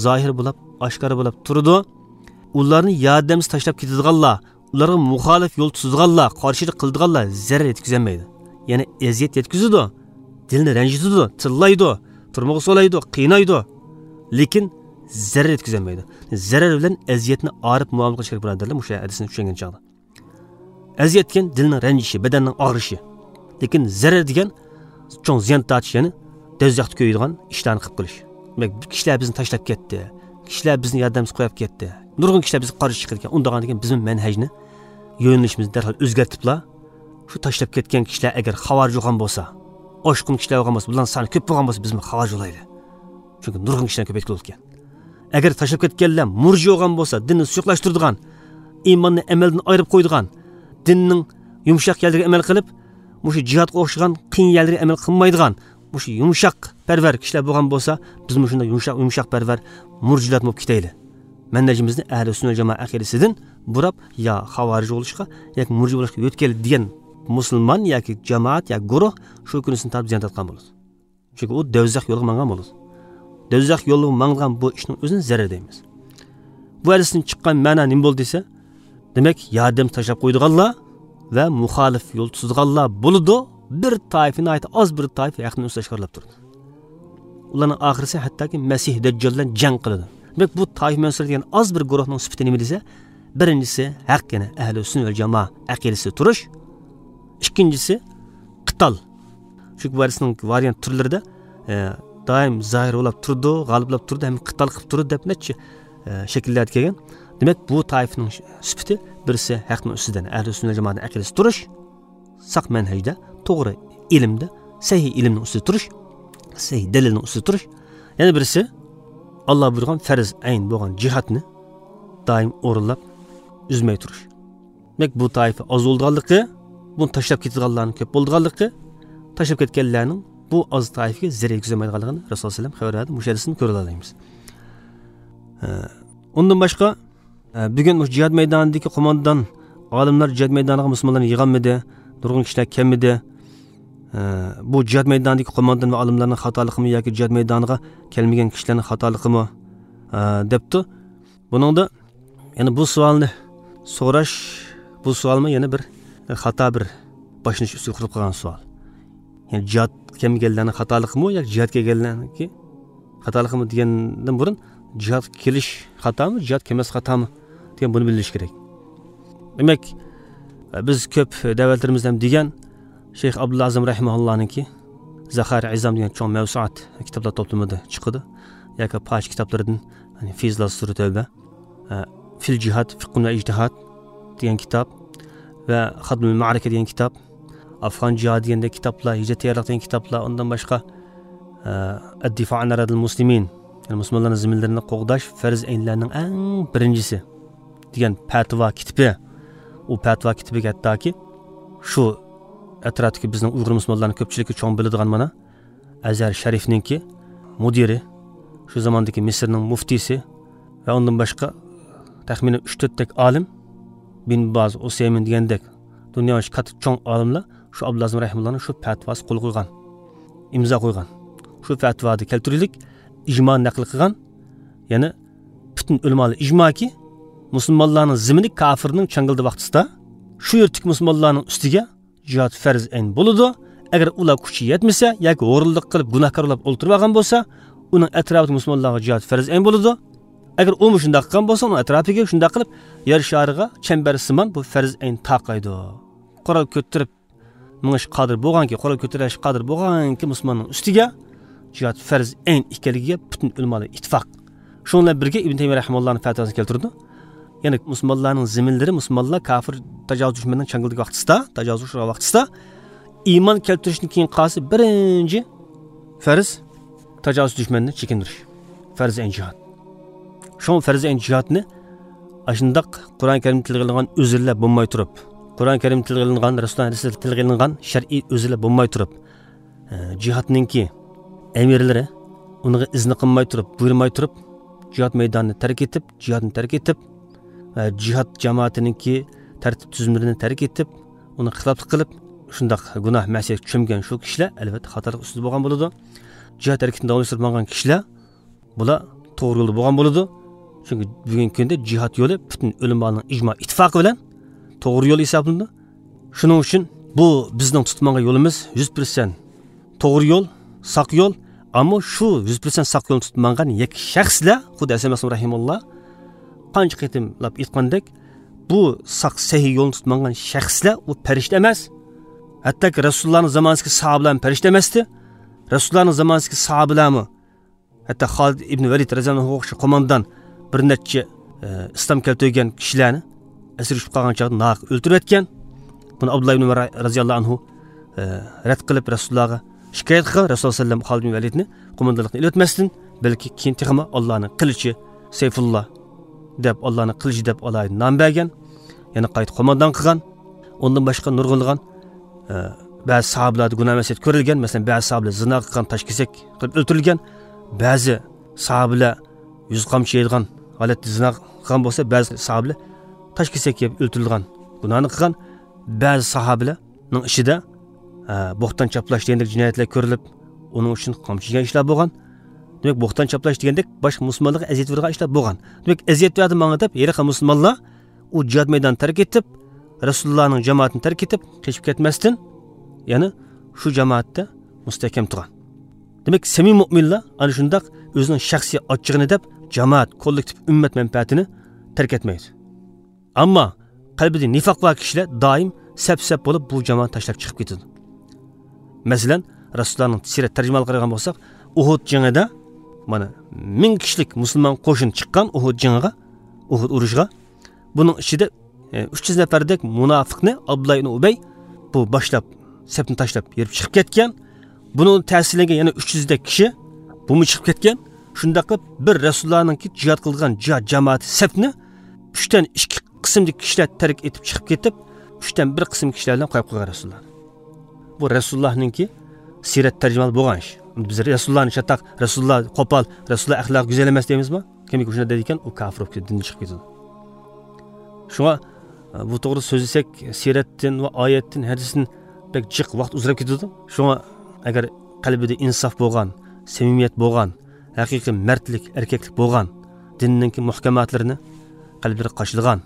زاھىر بولاپ، ئاشكارا بولاپ تۇرىدۇ. ئۇلارنى ياردەمسىز تاشلاپ كېتىدىغانلار، ئۇلارغا مۇخالىپ يول تۇتىدىغانلار، قارشىلىق قىلىدىغانلار زەرەر يەتكۈزەلمەيدۇ. يەنى ئەزىيەت يەتكۈزىدۇ، دىلنى رەنجىتىدۇ، تىللايدۇ، تۈرمىگە سولايدۇ، قىينايدۇ. لېكىن زەرەر يەتكۈزەلمەيدۇ. زەرەر بىلەن ئەزىيەتنى ئايرىپ مۇئامىلە قىلىش كېرەك، بۇرادەرلەر، مۇشۇ ھەدىسنى چۈشەنگەن چاغدا. ئەزىيەت دېگەن دىلنىڭ رەنجىشى، بەدەننىڭ ئاغرىشى. لېكىن زەرەر دېگەن چوڭ زىيان تارتىش، يەنى دوزاختا كۆيىدىغان ئىشلارنى قىلىپ قېلىش. دېمەك، كىشىلەر بىزنى تاشلاپ كەتتى. كىشىلەر بىزنى ياردەمسىز قويۇپ كەتتى. نۇرغۇن كىشىلەر بىزگە قارشى چىقىدىكەن. ئۇنداقتىكەن بىزمۇ مەنھەجنى، يۆنىلىشىمىزنى دەرھال ئۆزگەرتىپلا، شۇ تاشلاپ كەتكەن كىشىلەر ئەگەر خاۋارىج بولغان بولسا، ئاشقۇن كىشىلەر بولغان بولسا، بۇلارنىڭ سانى كۆپ بولغان بولسا، بىزمۇ خاۋارىج بولايلى. چۈنكى نۇرغۇن كىشىلەرنى كۆپەيتكىلى بولىدىكەن. ئەگەر تاشلاپ كەتكەنلەر مۇرجى بولغان بولسا، دىننى سۇيۇقلاشتۇرىدىغان، ئىماننى ئەمەلدىن ئايرىپ قويىدىغان، دىننىڭ يۇمشاق يەرلىرىگە ئەمەل قىلىپ، مۇشۇ جىھادقا ئوخشىغان قىيىن يەرلىرىگە ئەمەل قىلمايدىغان، مۇشۇ يۇمشاق پەرۋەر كىشىلەر بولغان بولسا، بىزمۇ شۇنداق يۇمشاق، يۇمشاق پەرۋەر مۇرجىلار بولۇپ كېتەيلى. مەنھەجىمىزنى ئەھلى سۈننە جامائە ئەقىدىسىدىن بۇراپ، يا خاۋارىج بولۇشقا، ياكى مۇرجى بولۇشقا يۆتكەيلى دېگەن مۇسۇلمان ياكى جامائەت يا گۇرۇھ شۇ كۈنىسىنى تارتىپ زىيان تارتقان بولىدۇ. چۈنكى ئۇ دوزاخ يولىغا ماڭغان بولىدۇ. دوزاخ يولىغا ماڭغان بۇ ئىشنىڭ ئۆزىنى زەرەر دەيمىز. بۇ ھەدىستىن چىققان مەنا نېمە بولدى دېسە، دېمەك، ياردەم تاشلاپ قويىدىغانلار ۋە مۇخالىپ يول تۇتىدىغانلار بولىدۇ. بىر تائىپە، ناھايىتى ئاز بىر تائىپە ھەقنى ئۆزى ئاشكارىلاپ تۇرىدۇ. ئۇلارنىڭ ئاخىرىسى ھەتتاكى مەسىھ دەججال بىلەن جەڭ قىلىدۇ. دېمەك، بۇ تائىپە مەنسۇرى دېگەن ئاز بىر گۇرۇھنىڭ سۈپىتى نېمە دېسە، بىرىنچىسى ھەق، يەنى ئەھلى سۈننە ۋەل جامائە ئەقىدىسىدە تۇرۇش. ئىككىنچىسى قىتال. چۈنكى بۇ ھەدىسنىڭ ۋارىيانت تۈرلىرىدە، ئە، دائىم زاھىر بولاپ تۇرىدۇ، غالىبلاپ تۇرىدۇ، ھەم قىتال قىلىپ تۇرىدۇ دەپ نەچچە، ئە، شەكىللەردە كەلگەن. دېمەك، بۇ تائىپىنىڭ سۈپىتى بىرسى ھەقنىڭ ئۈستىدە، ئەھلى سۈننە جامائەتنىڭ ئەقىدىسىدە تۇرۇش، ساق مەنھەجدە، توغرا ئىلىمدە، سەھىھ ئىلىمنىڭ ئۈستىدە تۇرۇش، سەھىھ دەلىلنىڭ ئۈستىدە تۇرۇش. يەنە بىرسى، ئاللا بۇيرۇغان پەرز ئەين بولغان جىھادنى دائىم ئورۇنلاپ، ئۈزمەي تۇرۇش. دېمەك، بۇ تائىپە ئاز بولىدىغانلىقى، بۇنى تاشلاپ كېتىدىغانلارنىڭ كۆپ بولىدىغانلىقى، تاشلاپ كەتكەنلەرنىڭ بۇ ئاز تائىپىگە زەرەر يەتكۈزەلمەيدىغانلىقىنى رەسۇلۇللاھ سەللەللاھۇ ئەلەيھى ۋەسەللەم خەۋەر بەردى. مۇشۇ ھەدىستىن كۆرۈۋالالايمىز. ئە، ئۇندىن باشقا، ئە، بۈگۈن مۇشۇ جىھاد مەيدانىدىكى قوماندان، ئالىملار جىھاد مەيدانىغا مۇسۇلمانلارنى يىغالمىدى، نۇرغۇن كىشىلەر كەلمىدى. ئە، بۇ جىھاد مەيدانىدىكى قوماندان ۋە ئالىملارنىڭ خاتالىقىمۇ ياكى جىھاد مەيدانىغا كەلمىگەن كىشىلەرنىڭ خاتالىقىمۇ، ئە، دەپتۇ. بۇنىڭدا يەنە بۇ سوئالنى سوراش، بۇ سوئالمۇ يەنە بىر خاتا، بىر باشلىنىش ئۈستىگە قۇرۇلۇپ قالغان سوئال. يەنى جىھاد كەلمىگەنلەرنىڭ خاتالىقىمۇ ياكى جىھاد كەلگەنلەرنىڭكى خاتالىقىمۇ دېگەندىن بۇرۇن، جىھاد كېلىش خاتامۇ، جىھاد كەلمەس خاتامۇ دېگەن، بۇنى بىلىش كېرەك. دېمەك، بىز كۆپ دەۋەتلىرىمىزدە ھەم دېگەن، شەيخ ئابدۇللا ئەزەم رەھىمەھۇللانىڭكى زاخائىر ئىزام دېگەن چوڭ مەۋسۇئات كىتابلار توپلىمىدا چىقىدۇ. ياكى پاچ كىتابلىرىدىن، يەنى فىيزلار سۈرى تەۋبە، ئە، فىل جىھاد، فىقھۇن ۋە ئىجتىھاد دېگەن كىتاب ۋە خادىمۇل مەئرىكە دېگەن كىتاب، ئافغان جىھادى دېگەندەك كىتابلار، ھىجرەت تەييارلىق دېگەن كىتابلار، ئۇندىن باشقا، ئە، ئەددىفائۇ ئەن ئەرادىل مۇسلىمىن، يەنى مۇسۇلمانلارنىڭ زېمىنلىرىنى قوغداش پەرز ئەينلەرنىڭ ئەڭ بىرىنچىسى. دېگەن پەتىۋا كىتىپى، ئۇ پەتىۋا كىتىپىگە ھەتتاكى شۇ ئەتراپتىكى بىزنىڭ ئۇيغۇر مۇسۇلمانلارنىڭ كۆپچىلىكى چوڭ بىلىدىغان مانا ئەزھەر شەرىفنىڭكى مۇدىرى، شۇ زاماندىكى مىسىرنىڭ مۇفتىسى ۋە ئۇندىن باشقا تەخمىنەن ئۈچ تۆتتەك ئالىم، بىن باز، ئۇسەيمىن دېگەندەك دۇنيا بويىچە كاتتا چوڭ ئالىملار شۇ ئابدۇللازىم رەھىمۇللانىڭ شۇ پەتىۋاسى قول قويغان، ئىمزا قويغان. شۇ پەتىۋادا كەلتۈرۈلۈك ئىجمانى نەقىل قىلغان، يەنى پۈتۈن ئۆلىمالار ئىجماكى، مۇسۇلمانلارنىڭ زېمىنى كاپىرنىڭ چاڭگىلىدا ۋاقتىسىدا شۇ يەردىكى مۇسۇلمانلارنىڭ ئۈستىگە جىھاد پەرز ئەين بولىدۇ. ئەگەر ئۇلار كۈچى يەتمىسە ياكى ھورۇنلۇق قىلىپ گۇناھكار بولۇپ ئولتۇرۇپ ئالغان بولسا، ئۇنىڭ ئەتراپىدىكى مۇسۇلمانلارغا جىھاد پەرز ئەين بولىدۇ. ئەگەر ئۇمۇ شۇنداق قىلغان بولسا، ئۇنىڭ ئەتراپىگە شۇنداق قىلىپ يەر شارىغا چەمبەر سىمان بۇ پەرز ئەين تارقايدۇ. قورال كۆتۈرۈپ مېڭىش قادىر بولغانكى، قورال كۆتۈرۈش قادىر بولغانكى مۇسۇلماننىڭ ئۈستىگە جىھاد پەرز ئەين ئىكەنلىكىگە پۈتۈن ئۆلىمالار ئىتتىپاق. شۇنىڭ بىلەن بىرگە ئىبن تەيمىيە رەھىمەھۇللانىڭ پەتىۋاسىنى كەلتۈرىدۇ. يەنى مۇسۇلمانلارنىڭ زېمىنلىرى، مۇسۇلمانلار كاپىر تاجاۋۇز دۈشمەننىڭ چاڭگىلىدىكى ۋاقتىسىدا، تاجاۋۇز ئۇچرىغان ۋاقتىسىدا ئىمان كەلتۈرۈشتىن كېيىن قالسا بىرىنچى پەرز تاجاۋۇز دۈشمەننى چېكىندۈرۈش. پەرز ئەين جىھاد. شۇڭا پەرز ئەين جىھادنى ئاشۇنداق قۇرئان كەرىمدە تىلغا ئېلىنغان ئۆزرىلەر بولماي تۇرۇپ، قۇرئان كەرىمدە تىلغا ئېلىنغان، رەسۇلۇللا ھەدىسىدە تىلغا ئېلىنغان شەرئىي ئۆزرىلەر بولماي تۇرۇپ، ئە، جىھادنىڭكى ئەمىرلىرى ئۇنىڭغا ئىزنى قىلماي تۇرۇپ، بۇيرۇماي تۇرۇپ، جىھاد مەيدانىنى تەرك ئېتىپ، جىھادنى تەرك ئېتىپ، ئە، جىھاد جامائىتىنىڭكى تەرتىپ تۈزۈملىرىنى تەرك ئېتىپ، ئۇنىڭ خىلاپلىق قىلىپ، شۇنداق گۇناھ مەسىيەتكە چۆمگەن شۇ كىشىلەر، ئەلۋەتتە، خاتالىق ئۈستىدە بولغان بولىدۇ. جىھاد ھەرىكىتىنى داۋاملاشتۇرۇپ ماڭغان كىشىلەر، بۇلار توغرا يولدا بولغان بولىدۇ. چۈنكى بۈگۈنكى كۈندە جىھاد يولى پۈتۈن ئۆلىمانىڭ ئىجما ئىتتىپاقى بىلەن توغرا يول ھېسابلىنىدۇ. شۇنىڭ ئۈچۈن بۇ بىزنىڭ تۇتۇپ ماڭغان يولىمىز يۈز پىرسەنت توغرا يول، ساق يول. ئەمما شۇ يۈز پىرسەنت ساق يولنى تۇتۇپ ماڭغان يەككە شەخسلەر، خۇددى ھەسەن مەسۇم رەھىمۇللا قانچە قېتىملاپ ئېيتقاندەك، بۇ ساق سەھىھ يولنى تۇتۇپ ماڭغان شەخسلەر ئۇ پەرىشتە ئەمەس. ھەتتاكى رەسۇلۇللانىڭ زامانىسىدىكى ساھابىلارمۇ پەرىشتە ئەمەستى. رەسۇلۇللانىڭ زامانىسىدىكى ساھابىلارمۇ، ھەتتا خالىد ئىبن ۋەلىد رەزىياللاھۇ ئەنھۇغا ئوخشاش قوماندان بىر نەچچە، ئە، ئىسلام كەلتۈرگەن كىشىلەرنى ئەسىر چۈشۈپ قالغان چاغدا ناھەق ئۆلتۈرۈۋەتكەن. بۇنى ئابدۇللا ئىبن ئۆمەر رەزىياللاھۇ ئەنھۇ، ئە، رەت قىلىپ رەسۇلۇللاغا شىكايەت قىلغان. رەسۇلۇللا سەللەم خالىد ئىبن ۋەلىدنى قوماندانلىقتىن ئېلىۋەتمەستىن، بەلكى كېيىن تېخىمۇ ئاللانىڭ قىلىچى سەيفۇللا دەپ، ئاللانىڭ قىلىچى دەپ ئالاھىدە نام بەرگەن. يەنە قايتا قوماندان قىلغان. ئۇندىن باشقا نۇرغۇنلىغان، ئە، بەزى ساھابىلەردە گۇناھ مەسىيەت كۆرۈلگەن. مەسىلەن، بەزى ساھابىلەر زىنا قىلغان، تاشكېسەك قىلىپ ئۆلتۈرۈلگەن. بەزى ساھابىلەر يۈز قامچا يەيدىغان ھالەتتە زىنا قىلغان بولسا، بەزى ساھابىلەر تاشكېسەك يەپ ئۆلتۈرۈلگەن، گۇناھنى قىلغان. بەزى ساھابىلەرنىڭ ئىچىدە، ئە، بوھتان چاپلاش دېگەندەك جىنايەتلەر كۆرۈلۈپ، ئۇنىڭ ئۈچۈن قامچا يېگەن ئىشلار بولغان. دېمەك، بوھتان چاپلاش دېگەندەك باشقا مۇسۇلمانلارغا ئەزىيەت بېرىدىغان ئىشلار بولغان. دېمەك، ئەزىيەت بەردى ماڭا دەپ ھېلىقى مۇسۇلمانلار ئۇ جىھاد مەيدانىنى تەرك ئېتىپ، رەسۇلۇللانىڭ جامائىتىنى تەرك ئېتىپ قېچىپ كەتمەستىن، يەنە شۇ جامائەتتە مۇستەھكەم تۇرغان. دېمەك، سەمىمىي مۆمىنلار ئەنە شۇنداق ئۆزىنىڭ شەخسىي ئاچچىقىنى دەپ، جامائەت، كوللېكتىپ، ئۈممەت مەنپەئەتىنى تەرك ئەتمەيدۇ. ئەمما قەلبىدە نىفاق بار كىشىلەر دائىم سەپ-سەپ بولۇپ بۇ جامائەتنى تاشلاپ چىقىپ كېتىدۇ. مەسىلەن، رەسۇلۇللانىڭ سىرەت تەرجىمىھالىغا قارىغان بولساق، ئۇھۇد جېڭىدە، مانا، مىڭ كىشىلىك مۇسۇلمان قوشۇن چىققان ئۇھۇد جېڭىغا، ئۇھۇد ئۇرۇشىغا. بۇنىڭ ئىچىدە، ئە، ئۈچ يۈز نەپەردەك مۇناپىقنى ئابدۇللا ئىبن ئۇبەي بۇ باشلاپ، سەپنى تاشلاپ، يېرىپ چىقىپ كەتكەن. بۇنىڭ تەسىرلەنگەن يەنە ئۈچ يۈزدەك كىشى بۇمۇ چىقىپ كەتكەن. شۇنداق قىلىپ، بىر رەسۇلۇللانىڭكى جىھاد قىلغان جىھاد جامائىتى سەپنى ئۈچتىن ئىككى قىسىمدىكى كىشىلەر تەرك ئېتىپ چىقىپ كېتىپ، ئۈچتىن بىر قىسىم كىشىلەر بىلەن قويۇپ قويغان رەسۇلۇللا. بۇ رەسۇلۇللانىڭكى سىرەت تەرجىمىھالى بولغان ئىش. بىز رەسۇلۇللانى چاتاق، رەسۇلۇللا قوپال، رەسۇلۇللا ئەخلاقى گۈزەل ئەمەس دەيمىزمۇ؟ كىمكى شۇنداق دەيدىكەن، ئۇ كاپىر بولۇپ كېتىدۇ، دىندىن چىقىپ كېتىدۇ. شۇڭا، بۇ توغرىدا سۆزلىسەك، سىرەتتىن ۋە ئايەتتىن، ھەدىستىن بەك جىق ۋاقىت ئۇزىراپ كېتىدۇ. شۇڭا، ئەگەر قەلبىدە ئىنساپ بولغان، سەمىمىيەت بولغان، ھەقىقىي مەردلىك، ئەركەكلىك بولغان، دىننىڭكى مۇھكەماتلىرىنى قەلبلىرىگە قاچىلىغان،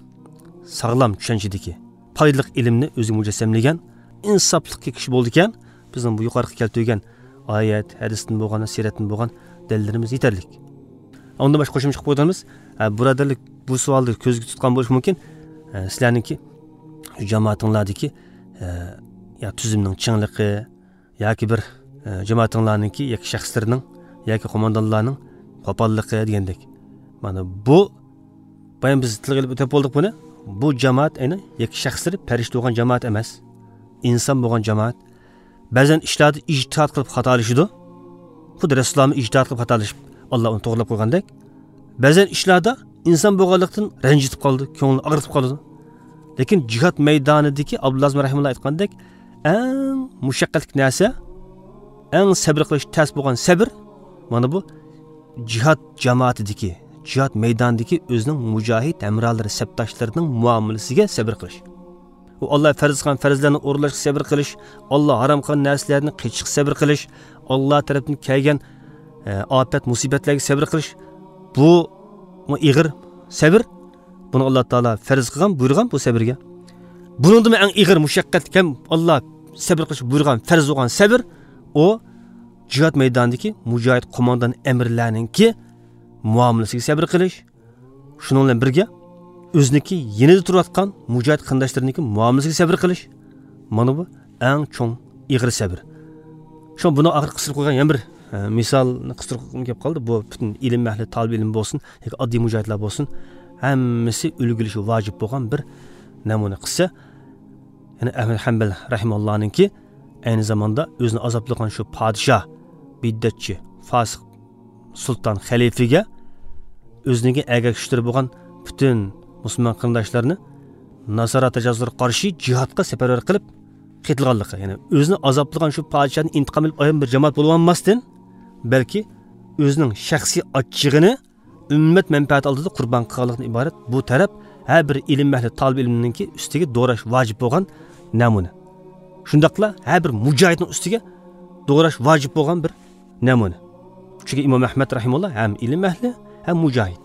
ساغلام چۈشەنچىدىكى، پايدىلىق ئىلىمنى ئۆزىگە مۇجەسسەملىگەن، ئىنساپلىققا كىشى بولىدىكەن، بىزنىڭ بۇ يۇقىرىقى كەلتۈرگەن ئايەت، ھەدىستىن بولغان، سىرەتتىن بولغان دەلىللىرىمىز يېتەرلىك. ئۇندىن باشقا قوشۇمچە قىلىپ ئويلىدىمىز. ھە، بۇرادەرلىك بۇ سوئالنى كۆزگە تۇتقان بولۇشى مۇمكىن. ھە، سىلەرنىڭكى جامائىتىڭلاردىكى، ھە، يا تۈزۈمنىڭ چىڭلىقى، ياكى بىر، ئە، جامائىتىڭلارنىڭكى ياكى شەخسلىرىنىڭ ياكى قوماندانلارنىڭ قوپاللىقى دېگەندەك. مانا بۇ، بايام بىز تىلغا ئېلىپ ئۆتۈپ بولدۇق بۇنى. بۇ جامائەت ئەينى ياكى شەخسلىرى پەرىشتە بولغان جامائەت ئەمەس. ئىنسان بولغان جامائەت. بەزەن ئىشلاردا ئىجتىھات قىلىپ خاتالىشىدۇ. خۇددى رەسۇلۇللامۇ ئىجتىھات قىلىپ خاتالىشىپ، ئاللا ئۇنى توغرىلاپ قويغاندەك. بەزەن ئىشلاردا ئىنسان بولغانلىقتىن رەنجىتىپ قالىدۇ، كۆڭلىنى ئاغرىتىپ قالىدۇ. لېكىن جىھاد مەيدانىدىكى ئابدۇللا ئەزىم رەھىمۇللا ئېيتقاندەك، ئەڭ مۇشەققەتلىك نەرسە، ئەڭ سەبرى قىلىش تەس بولغان سەبر، مانا بۇ جىھاد جامائىتىدىكى، جىھاد مەيدانىدىكى ئۆزىنىڭ مۇجاھىد ھەمراھلىرى، سەپداشلىرىنىڭ مۇئامىلىسىگە سەبرى قىلىش. ئۇ ئاللا پەرز قىلغان پەرزلەرنى ئورۇنلاشقا سەبر قىلىش، ئاللا ھارام قىلغان نەرسىلەردىن قېچىشقا سەبر قىلىش، ئاللا تەرەپتىن كەلگەن، ئە، ئاپەت، مۇسىبەتلەرگە سەبر قىلىش، بۇ، بۇ ئېغىر سەبر. بۇنى ئاللا تائالا پەرز قىلغان، بۇيرۇغان بۇ سەبرگە. بۇنىڭدىنمۇ ئەڭ ئېغىر مۇشەققەتلىك ھەم ئاللا سەبر قىلىش بۇيرۇغان، پەرز بولغان سەبر، ئۇ جىھاد مەيدانىدىكى مۇجاھىد قوماندان ئەمىرلەرنىڭكى مۇئامىلىسىگە سەبر قىلىش. شۇنىڭ بىلەن بىرگە، ئۆزىنىڭكى يېنىدا تۇرۇۋاتقان مۇجاھىد قېرىنداشلىرىنىڭكى مۇئامىلىسىگە سەبر قىلىش. مانا بۇ ئەڭ چوڭ ئېغىر سەبر. شۇڭا بۇنىڭ ئاخىرى قىستۇرۇپ قويغان يەنە بىر، ئە، مىسالنى قىستۇرۇپ قويغۇم كېلىپ قالدى. بۇ پۈتۈن ئىلىم ئەھلى، تالىب ئىلىم بولسۇن ياكى ئاددىي مۇجاھىدلار بولسۇن، ھەممىسى ئۈلگىلىشى ۋاجىپ بولغان بىر نەمۇنە قىسسە. يەنى ئەھمەد ھەمبەل رەھىمەھۇللانىڭكى ئەينى زاماندا ئۆزىنى ئازابلىغان شۇ پادىشاھ، بىدئەتچى، فاسىق سۇلتان خەلىپىگە ئۆزىنىڭكى ئەگەر كۈچلىرى بولغان پۈتۈن مۇسۇلمان قېرىنداشلارنى ناسارا تاجاۋۇزلىرىغا قارشى جىھادقا سەپەرۋەر قىلىپ قېتىلغانلىقى، يەنى ئۆزىنى ئازابلىغان شۇ پادىشاھنى ئىنتىقام ئېلىپ ئايرىم بىر جامائەت بولۇۋالماستىن، بەلكى ئۆزىنىڭ شەخسىي ئاچچىقىنى ئۈممەت مەنپەئەتى ئالدىدا قۇربان قىلغانلىقتىن ئىبارەت بۇ تەرەپ ھەر بىر ئىلىم ئەھلى، تالىب ئىلىمنىڭكى ئۈستىگە دوراش ۋاجىپ بولغان نەمۇنە. شۇنداقلا ھەر بىر مۇجاھىدنىڭ ئۈستىگە دوراش ۋاجىپ بولغان بىر نەمۇنە. چۈنكى ئىمام ئەھمەد رەھىمۇللا ھەم ئىلىم ئەھلى، ھەم مۇجاھىد.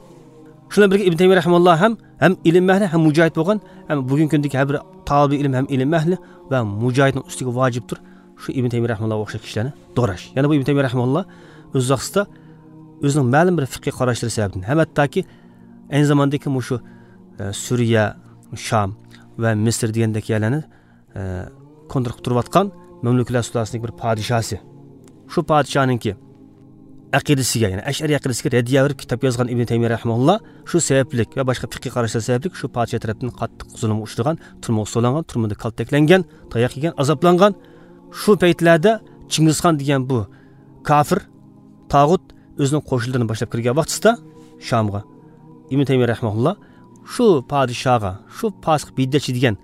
شۇنىڭ بىلەن بىرگە ئىبن تەيمىيە رەھىمۇللا ھەم، ھەم ئىلىم ئەھلى، ھەم مۇجاھىد بولغان، ھەم بۈگۈنكى كۈندىكى ھەر بىر تالىبى ئىلىم ھەم ئىلىم ئەھلى ۋە مۇجاھىدنىڭ ئۈستىگە ۋاجىپتۇر شۇ ئىبن تەيمىيە رەھىمۇللاغا ئوخشاش كىشىلەرنى دوراش. يەنە بۇ ئىبن تەيمىيە رەھىمۇللا ئۆز ۋاقتىدا ئۆزىنىڭ مەلۇم بىر فىقھىي قاراشلىرى سەۋەبىدىن ھەم ھەتتاكى ئەينى زاماندىكى مۇشۇ، ئە، سۈرىيە، شام ۋە مىسىر دېگەندەك يەرلەرنى، ئە، كونترول قىلىپ تۇرۇۋاتقان مەملۇكلەر سۇلالىسىنىڭ بىر پادىشاھى. شۇ پادىشاھنىڭكى ئەقىدىسىگە، يەنى ئەشئەرىي ئەقىدىسىگە رەددىيە بېرىپ كىتاب يازغان ئىبن تەيمىيە رەھىمەھۇللا شۇ سەۋەبلىك ۋە باشقا پىقھىي قاراشلار سەۋەبلىك شۇ پادىشاھ تەرەپتىن قاتتىق زۇلۇمغا ئۇچرىغان، تۈرمىگە سولانغان، تۈرمىدە كالتەكلەنگەن، تاياق يېگەن، ئازابلانغان. شۇ پەيتلەردە چىڭگىزخان دېگەن بۇ كاپىر، تاغۇت ئۆزىنىڭ قوشۇنلىرىنى باشلاپ كىرگەن ۋاقتىدا شامغا ئىبن تەيمىيە رەھىمەھۇللا شۇ پادىشاھغا، شۇ پاسىق بىدئەتچى دېگەن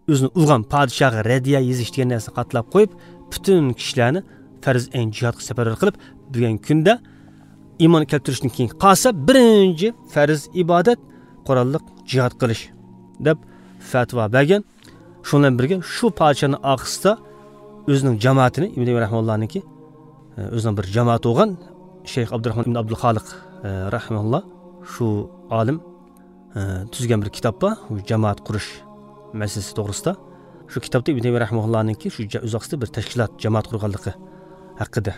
ئۆزىنى ئۇرغان پادىشاھقا رەددىيە يېزىش دېگەن نەرسىنى قاتلاپ قويۇپ، پۈتۈن كىشىلەرنى پەرز ئەين جىھادقا سەپەرۋەر قىلىپ، بۈگۈنكى كۈندە ئىمان كەلتۈرۈشتىن كېيىن قالسا، بىرىنچى پەرز ئىبادەت قوراللىق جىھاد قىلىش، دەپ پەتىۋا بەرگەن. شۇنىڭ بىلەن بىرگە، شۇ پادىشاھنىڭ ئارقىسىدا ئۆزىنىڭ جامائىتىنى، ئىبن تەيمىيە رەھىمەھۇللانىڭكى، ئۆزىنىڭ بىر جامائىتى بولغان شەيخ ئابدۇراھمان ئىبن ئابدۇلخالىق، رەھىمەھۇللا، شۇ ئالىم ئە، تۈزگەن بىر كىتاب بار، بۇ جامائەت قۇرۇش مەسىلىسى توغرىسىدا. شۇ كىتابتا ئىبن تەيمىيە رەھىمەھۇللانىڭكى شۇ جا-، ئۆز ۋاقتىدا بىر تەشكىلات، جامائەت قۇرغانلىقى ھەققىدە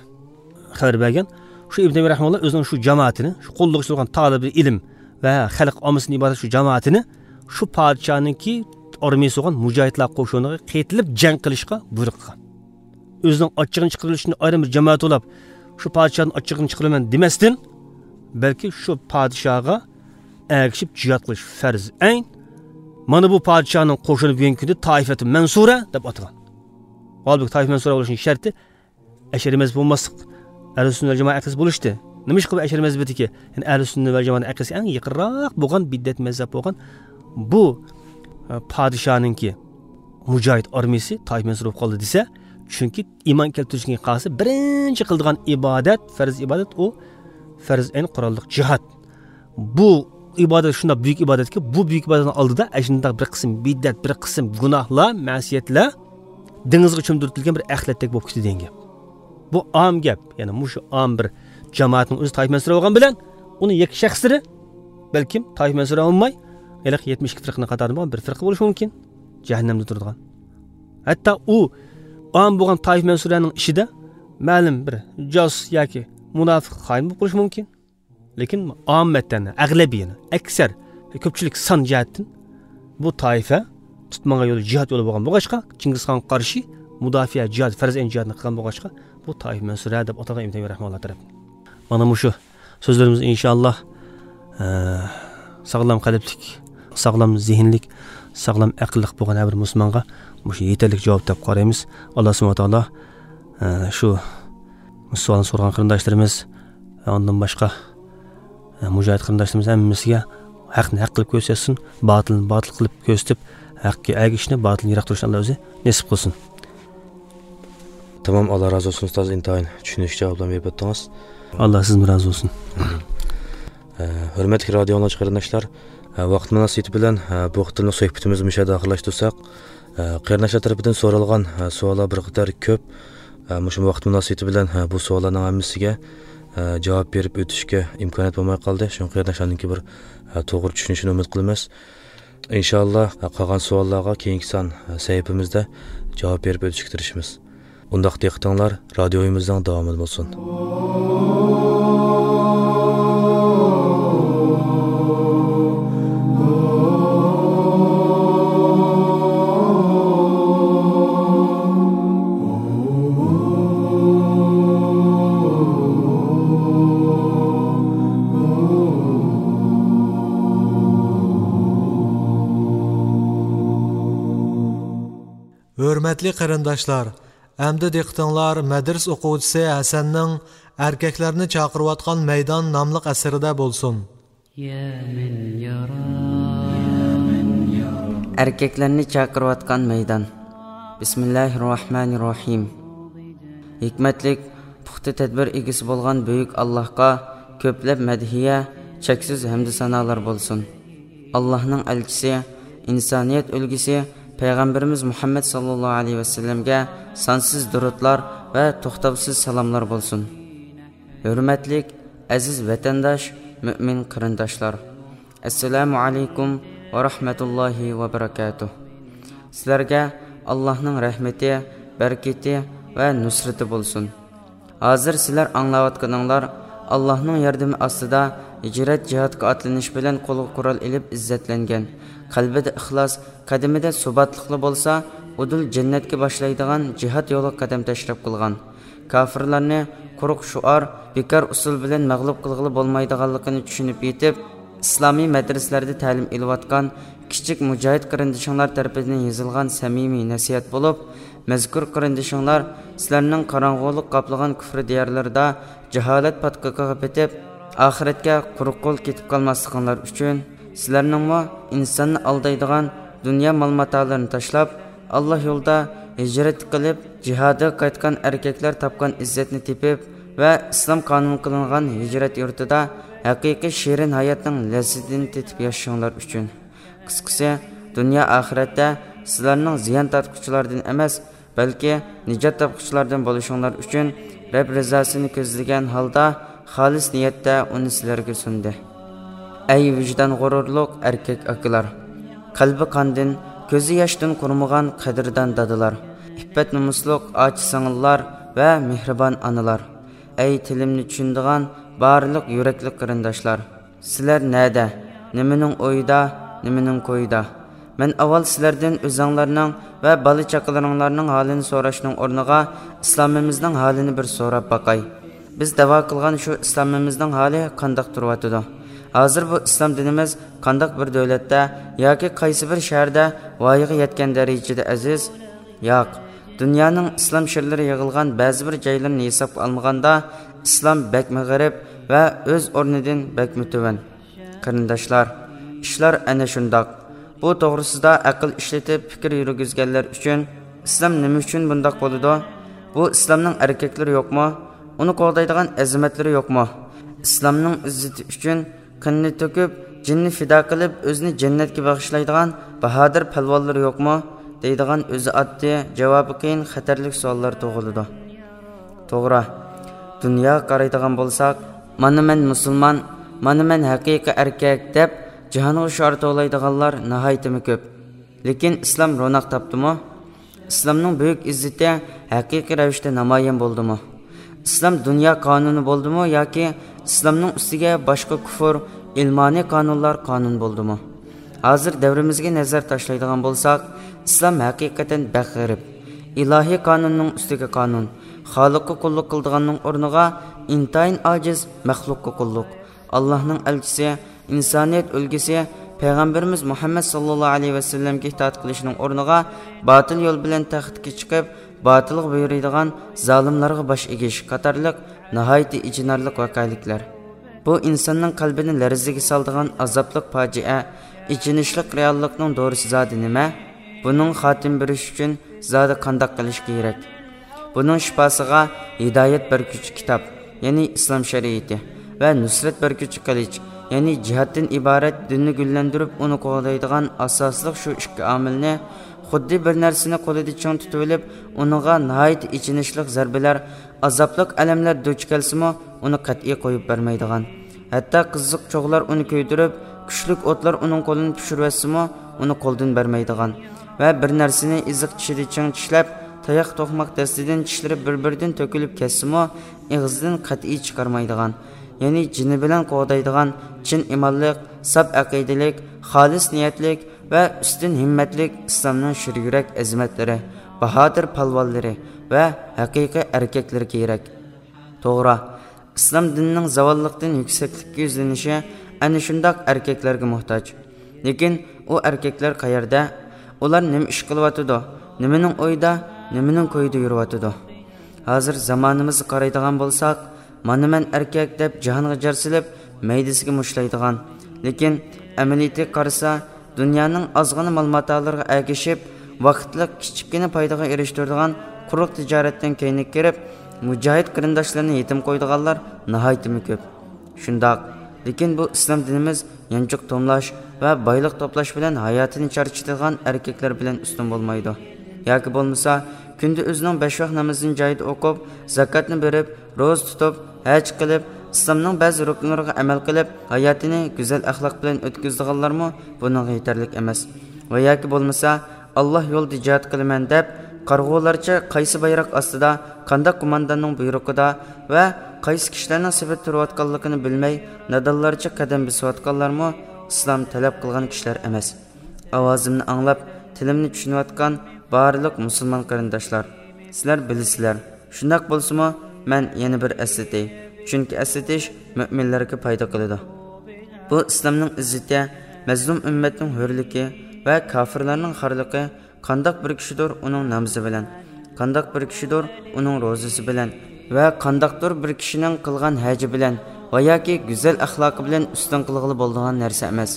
خەۋەر بەرگەن. شۇ ئىبن تەيمىيە رەھىمەھۇللا ئۆزىنىڭ شۇ جامائىتىنى، شۇ قوللىغۇچى بولغان تالىبى ئىلىم ۋە خەلق ئاممىسىدىن ئىبارەت شۇ جامائىتىنى شۇ پادىشاھنىڭكى ئارمىيىسى بولغان مۇجاھىدلار قوشۇنىغا قېتىلىپ جەڭ قىلىشقا بۇيرۇق قىلغان. ئۆزىنىڭ ئاچچىقىنى چىقىرىۋېلىش ئۈچۈن ئايرىم بىر جامائەت توپلاپ، شۇ پادىشاھنىڭ ئاچچىقىنى چىقىرىمەن دېمەستىن، بەلكى شۇ پادىشاھقا ئەگىشىپ جىھاد قىلىش پەرز ئەين. مانا بۇ پادىشاھنىڭ قوشۇنى بۈگۈنكى كۈندە تائىفەتۇ مەنسۇرە دەپ ئاتىغان. ھالبۇكى، تائىفە مەنسۇرە بولۇشنىڭ شەرتى ئەشئەرىي مەزھەپ بولماسلىق، ئەھلى سۈننە ۋەل جامائە ئەقىدىسى بولۇشتى. نېمىشقا بۇ ئەشئەرىي مەزھىپىدىكى، يەنى ئەھلى سۈننە ۋەل جامائەنىڭ ئەقىدىسىگە ئەڭ يېقىنراق بولغان بىدئەت مەزھەپ بولغان بۇ، ئە، پادىشاھنىڭكى مۇجاھىد ئارمىيىسى تائىپە مەنسۇر بولۇپ قالدى دېسە، چۈنكى ئىمان كەلتۈرۈشتىن كېيىن قالسا، بىرىنچى قىلىدىغان ئىبادەت، پەرز ئىبادەت ئۇ پەرز ئەين قوراللىق جىھاد. بۇ ئىبادەت شۇنداق بۈيۈك ئىبادەتكى، بۇ بۈيۈك ئىبادەتنىڭ ئالدىدا ئەشۇنداق بىر قىسىم بىدئەت، بىر قىسىم گۇناھلار، مەسىيەتلەر دېڭىزغا چۆمدۈرتۈلگەن بىر ئەخلەتتەك بولۇپ كېتىدۇ دېگەن گەپ. بۇ ئام گەپ. يەنى مۇشۇ ئام بىر جامائەتنىڭ ئۆزى تائىپە مەنسۇرە بولغان بىلەن، ئۇنىڭ يەككە شەخسلىرى بەلكىم تائىپە مەنسۇرە بولماي، ھېلىقى يەتمىش ئىككى فىرقىنىڭ قاتارىدا بولغان بىر فىرقە بولۇشى مۇمكىن. جەھەننەمدە تۇرىدىغان. ھەتتا ئۇ ئام بولغان تائىپە مەنسۇرەنىڭ ئىچىدە مەلۇم بىر جاسۇس ياكى مۇناپىق، خائىن بولۇپ قېلىشى مۇمكىن. لېكىن ئاممەتەن، ئەغلىبىيەن، ئەكسەر، كۆپچىلىك سان جەھەتتىن بۇ تائىپە تۇتمىغان يولى جىھاد يولى بولغان بولغاچقا، چىڭگىزخانغا قارشى مۇداپىئە جىھاد، پەرز ئەين جىھادنى قىلغان بولغاچقا، بۇ تائىپە مەنسۇرە دەپ ئاتالغان ئىبن تەيمىيە رەھىمەھۇللا تەرەپتىن. مانا مۇشۇ سۆزلىرىمىز ئىنشائاللا، ئە، ساغلام قەلبلىك، ساغلام زېھىنلىك، ساغلام ئەقىللىق بولغان ھەر بىر مۇسۇلمانغا مۇشۇ يېتەرلىك جاۋاب دەپ قارايمىز. ئاللا سۇبھانەھۇ ۋە تائالا، ئە، شۇ سوئالنى سورىغان قېرىنداشلىرىمىز ۋە ئاندىن باشقا، ئە، مۇجاھىد قېرىنداشلىرىمىز ھەممىسىگە ھەقنى ھەق قىلىپ كۆرسەتسۇن، باتىلنى باتىل قىلىپ كۆرسىتىپ، ھەققە ئەگىشىشنى، باتىلدىن يىراق تۇرۇشنى ئاللا ئۆزى نېسىپ قىلسۇن. تامام، ئاللا رازى بولسۇن ئۇستاز، ئىنتايىن چۈشىنىشلىك جاۋابلارنى بېرىپ ئۆتتىڭىز. ئاللا سىزدىن رازى بولسۇن. ئامىن. ئە، ھۆرمەتلىك رادىيو ئاڭلىغۇچى قېرىنداشلار، ئە، ۋاقىت مۇناسىۋىتى بىلەن، ئە، بۇ قېتىملىق سۆھبىتىمىزنى مۇشۇ يەردە ئاخىرلاشتۇرساق، ئە، قېرىنداشلار تەرىپىدىن سورالغان، ئە، سوئاللار بىر قەدەر كۆپ. ئە، مۇشۇ ۋاقىت مۇناسىۋىتى بىلەن، ئە، بۇ سوئاللارنىڭ ھەممىسىگە، ئە، جاۋاب بېرىپ ئۆتۈشكە ئىمكانىيەت بولماي قالدى. شۇڭا قېرىنداشلارنىڭكى بىر، ئە، توغرا چۈشىنىشىنى ئۈمىد قىلىمىز. ئىنشاللا، قالغان سوئاللارغا كېيىنكى سان سەھىپىمىزدە جاۋاب بېرىپ ئۆتۈشكە تىرىشىمىز. ئۇنداق دىققىتىڭلار رادىيويىمىزنىڭ داۋامىدا بولسۇن. ھۆرمەتلىك قېرىنداشلار، ئەمدى دىققىتىڭلار مەدرىسە ئوقۇغۇچىسى ھەسەننىڭ ئەركەكلەرنى چاقىرىۋاتقان مەيدان ناملىق ئەسىرىدە بولسۇن. ئەركەكلەرنى چاقىرىۋاتقان مەيدان. بىسمىللاھىرراھمانىرراھىم. ھېكمەتلىك، پۇختا تەدبىر ئىگىسى بولغان بۈيۈك ئاللاھقا كۆپلەپ مەدھىيە، چەكسىز ھەمدۇ سانالار بولسۇن. ئاللاھنىڭ ئەلچىسى، ئىنسانىيەت ئۈلگىسى پەيغەمبىرىمىز مۇھەممەد ساللاللاھۇ ئەلەيھى ۋەسەللەمگە سانسىز دۇرۇتلار ۋە توختاۋسىز سالاملار بولسۇن. ھۆرمەتلىك، ئەزىز ۋەتەنداش، مۆمىن قېرىنداشلار، ئەسسالامۇ ئەلەيكۇم ۋە رەھمەتۇللاھى ۋە بەرەكاتۇھ. سىلەرگە ئاللاھنىڭ رەھمىتى، بەرىكىتى ۋە نۇسرىتى بولسۇن. ھازىر سىلەر ئاڭلاۋاتقىنىڭلار ئاللاھنىڭ ياردىمى ئاستىدا ھىجرەت جىھادقا ئاتلىنىش بىلەن قولغا قورال ئېلىپ ئىززەتلەنگەن، قەلبىدە ئىخلاس، قەدىمىدە سۇباتلىقلا بولسا، ئۇدۇل جەننەتكە باشلايدىغان جىھاد يولىغا قەدەم تەشرىپ قىلغان، كاپىرلارنى قۇرۇق شوئار، بىكار ئۇسۇل بىلەن مەغلۇپ قىلغىلى بولمايدىغانلىقىنى چۈشىنىپ يېتىپ، ئىسلامىي مەدرىسىلەردە تەلىم ئېلىۋاتقان كىچىك مۇجاھىد قېرىندىشىڭلار تەرىپىدىن يېزىلغان سەمىمىي نەسىھەت بولۇپ، مەزكۇر قېرىندىشىڭلار سىلەرنىڭ قاراڭغۇلۇق قاپلىغان كۇفر دىيارلىرىدا جاھالەت پاتقىقىغا پېتىپ، ئاخىرەتكە قۇرۇق قول كېتىپ قالماسلىقىڭلار ئۈچۈن، سىلەرنىڭمۇ ئىنساننى ئالدايدىغان دۇنيا مال-ماتالىرىنى تاشلاپ، ئاللا يولىدا ھىجرەت قىلىپ، جىھادىغا قايتقان ئەركەكلەر تاپقان ئىززەتنى تېپىپ ۋە ئىسلام قانۇن قىلىنغان ھىجرەت يۇرتىدا ھەقىقىي شېرىن ھاياتنىڭ لەززىتىنى تېتىپ ياشىشىڭلار ئۈچۈن. قىسقىسى، دۇنيا ئاخىرەتتە سىلەرنىڭ زىيان تارتقۇچىلاردىن ئەمەس، بەلكى نىجات تاپقۇچىلاردىن بولۇشۇڭلار ئۈچۈن رەب رىزاسىنى كۆزلىگەن ھالدا خالىس نىيەتتە ئۇنى سىلەرگە سۇندى. ئەي ۋىجدان غۇرۇرلۇق ئەركەك ئاكىلار! قەلبى قاندىن، كۆزى ياشتىن قۇرۇمىغان قەدىردان دادىلار! ئىپپەت-نومۇسلۇق ئاچا-سىڭىللار ۋە مېھرىبان ئانىلار! ئەي تىلىمنى چۈشىنىدىغان بارلىق يۈرەكلىك قېرىنداشلار! سىلەر نەدە؟ نېمىنىڭ ئويىدا؟ نېمىنىڭ كويىدا؟ مەن ئاۋۋال سىلەردىن ئۆزۈڭلارنىڭ ۋە بالا-چاقىلىرىڭلارنىڭ ھالىنى سوراشنىڭ ئورنىغا، ئىسلامىمىزنىڭ ھالىنى بىر سوراپ باقاي. بىز دەۋا قىلغان شۇ ئىسلامىمىزنىڭ ھالى قانداق تۇرۇۋاتىدۇ؟ ھازىر بۇ ئىسلام دىنىمىز قانداق بىر دۆلەتتە ياكى قايسى بىر شەھەردە ۋايىغا يەتكەن دەرىجىدە ئەزىز؟ ياق، دۇنيانىڭ ئىسلام شىرلىرى يىغىلغان بەزى بىر جايلىرىنى ھېسابقا ئالمىغاندا، ئىسلام بەكمۇ غېرىب ۋە ئۆز ئورنىدىن بەكمۇ تۆۋەن. قېرىنداشلار، ئىشلار ئەنە شۇنداق. بۇ توغرىسىدا ئەقىل ئىشلىتىپ پىكىر يۈرگۈزگەنلەر ئۈچۈن، ئىسلام نېمە ئۈچۈن بۇنداق بولىدۇ؟ بۇ ئىسلامنىڭ ئەركەكلىرى يوقمۇ؟ ئۇنى قوغدايدىغان ئەزىمەتلىرى يوقمۇ؟ ئىسلامنىڭ ئىززىتى ئۈچۈن قېنىنى تۆكۈپ، جېنىنى پىدا قىلىپ، ئۆزىنى جەننەتكە باغىشلايدىغان باھادىر پەلۋانلىرى يوقمۇ؟ دەيدىغان ئۆزى ئاددىي، جاۋابى قىيىن، خەتەرلىك سوئاللار تۇغۇلىدۇ. توغرا، دۇنياغا قارايدىغان بولساق، مانا مەن مۇسۇلمان، مانا مەن ھەقىقىي ئەركەك دەپ جاھانغا شوئار توۋلايدىغانلار ناھايىتىمۇ كۆپ. لېكىن ئىسلام روناق تاپتىمۇ؟ ئىسلامنىڭ بۈيۈك ئىززىتى ھەقىقىي رەۋىشتە نامايان بولدىمۇ؟ ئىسلام دۇنيا قانۇنى بولدىمۇ ياكى ئىسلامنىڭ ئۈستىگە باشقا كۇفر، ئىلمانىي قانۇنلار قانۇن بولدىمۇ؟ ھازىر دەۋرىمىزگە نەزەر تاشلايدىغان بولساق، ئىسلام ھەقىقەتەن بەك غېرىب. ئىلاھىي قانۇننىڭ ئۈستىگە قانۇن، خالىققا قۇللۇق قىلىدىغاننىڭ ئورنىغا ئىنتايىن ئاجىز مەخلۇققا قۇللۇق. ئاللاھنىڭ ئەلچىسى، ئىنسانىيەت ئۈلگىسى پەيغەمبىرىمىز مۇھەممەد ساللاللاھۇ ئەلەيھى ۋەسەللەمگە ئىتائەت قىلىشنىڭ ئورنىغا، باتىل يول بىلەن تەختكە چىقىپ، باتىلغا بۇيرۇيدىغان زالىملارغا باش ئېگىش قاتارلىق ناھايىتى ئېچىنارلىق ۋەقەلىكلەر. بۇ ئىنساننىڭ قەلبىنى لەرزىگە سالىدىغان ئازابلىق پاجىئە، ئېچىنىشلىق رېئاللىقنىڭ دورىسى زادى نېمە؟ بۇنىڭغا خاتىمە بېرىش ئۈچۈن زادى قانداق قىلىش كېرەك؟ بۇنىڭ شىپاسىغا ھىدايەت بەرگۈچى كىتاب، يەنى ئىسلام شەرىئىتى، ۋە نۇسرەت بەرگۈچى قىلىچ، يەنى جىھادتىن ئىبارەت دىننى گۈللەندۈرۈپ، ئۇنى قوغدايدىغان ئاساسلىق شۇ ئىككى ئامىلنى، خۇددى بىر نەرسىنى قولىدا چىڭ تۇتۇۋېلىپ، ئۇنىڭغا ناھايىتى ئېچىنىشلىق زەربىلەر، ئازابلىق ئەلەملەر دۇچ كەلسىمۇ، ئۇنى قەتئىي قويۇپ بەرمەيدىغان، ھەتتا قىزىق چوغلار ئۇنى كۆيدۈرۈپ، كۈچلۈك ئوتلار ئۇنىڭ قولىنى پىشۇرۇۋەتسىمۇ، ئۇنى قولدىن بەرمەيدىغان ۋە بىر نەرسىنى ئېزىق چىشىدا چىڭ چىشلەپ، تاياق توقماق دەستىدىن چىشلىرى بىر-بىرىدىن تۆكۈلۈپ كەتسىمۇ، ئېغىزىدىن قەتئىي چىقارمايدىغان، يەنى جېنى بىلەن قوغدايدىغان، چىن ئىمانلىق، ساپ ئەقىدىلىك، خالىس نىيەتلىك ۋە ئۈستۈن ھىممەتلىك ئىسلامنىڭ شىر يۈرەك ئەزىمەتلىرى، باھادىر پالۋانلىرى ۋە ھەقىقىي ئەركەكلىرى كېرەك. توغرا، ئىسلام دىنىنىڭ زاۋاللىقتىن يۈكسەكلىككە يۈزلىنىشى ئەنە شۇنداق ئەركەكلەرگە موھتاج. لېكىن ئۇ ئەركەكلەر قەيەردە؟ ئۇلار نېمە ئىش قىلىۋاتىدۇ؟ نېمىنىڭ ئويىدا، نېمىنىڭ كويىدا يۈرۈۋاتىدۇ؟ ھازىر زامانىمىزغا قارايدىغان بولساق، مانا مەن ئەركەك دەپ جاھانغا جار سېلىپ، مەيدىسىگە مۇشتلايدىغان، لېكىن ئەمەلىيىتىگە قارىسا، دۇنيانىڭ ئازغىنە مال ماتالىرىغا ئەگىشىپ، ۋاقىتلىق كىچىككىنە پايدىغا ئېرىشتۈرىدىغان قۇرۇق تىجارەتتىن كەينىگە كىرىپ، مۇجاھىد قېرىنداشلىرىنى يېتىم قويىدىغانلار ناھايىتىمۇ كۆپ. شۇنداق، لېكىن بۇ ئىسلام دىنىمىز يانچۇق توملاش ۋە بايلىق توپلاش بىلەن ھاياتىنى چارچىتىدىغان ئەركەكلەر بىلەن ئۈستۈن بولمايدۇ. ياكى بولمىسا، كۈندە ئۆزىنىڭ بەش ۋاق نامىزىنى جايىدا ئوقۇپ، زاكاتنى بېرىپ، روزا تۇتۇپ، ھەج قىلىپ، ئىسلامنىڭ بەزى رۇكنىلىرىغا ئەمەل قىلىپ، ھاياتىنى گۈزەل ئەخلاق بىلەن ئۆتكۈزىدىغانلارمۇ بۇنىڭغا يېتەرلىك ئەمەس. ۋە ياكى بولمىسا، ئاللا يولىدا جىھاد قىلىمەن دەپ، قارىغۇلارچە قايسى بايراق ئاستىدا، قانداق قومانداننىڭ بۇيرۇقىدا ۋە قايسى كىشىلەرنىڭ سېپىدە تۇرۇۋاتقانلىقىنى بىلمەي، نادانلارچە قەدەم بېسىۋاتقانلارمۇ ئىسلام تەلەپ قىلغان كىشىلەر ئەمەس. ئاۋازىمنى ئاڭلاپ، تىلىمنى چۈشىنىۋاتقان بارلىق مۇسۇلمان قېرىنداشلار، سىلەر بىلىسىلەر. شۇنداق بولسىمۇ، مەن يەنە بىر ئەسلىتەي، چۈنكى ئەسلىتىش مۆمىنلەرگە پايدا قىلىدۇ. بۇ ئىسلامنىڭ ئىززىتى، مەزلۇم ئۈممەتنىڭ ھۆرلۈكى ۋە كاپىرلارنىڭ خارلىقى. قانداق بىر كىشىدۇر ئۇنىڭ نامىزى بىلەن، قانداق بىر كىشىدۇر ئۇنىڭ روزىسى بىلەن ۋە قانداقتۇر بىر كىشىنىڭ قىلغان ھەجى بىلەن ۋە ياكى گۈزەل ئەخلاقى بىلەن ئۈستۈن قىلغىلى بولىدىغان نەرسە ئەمەس.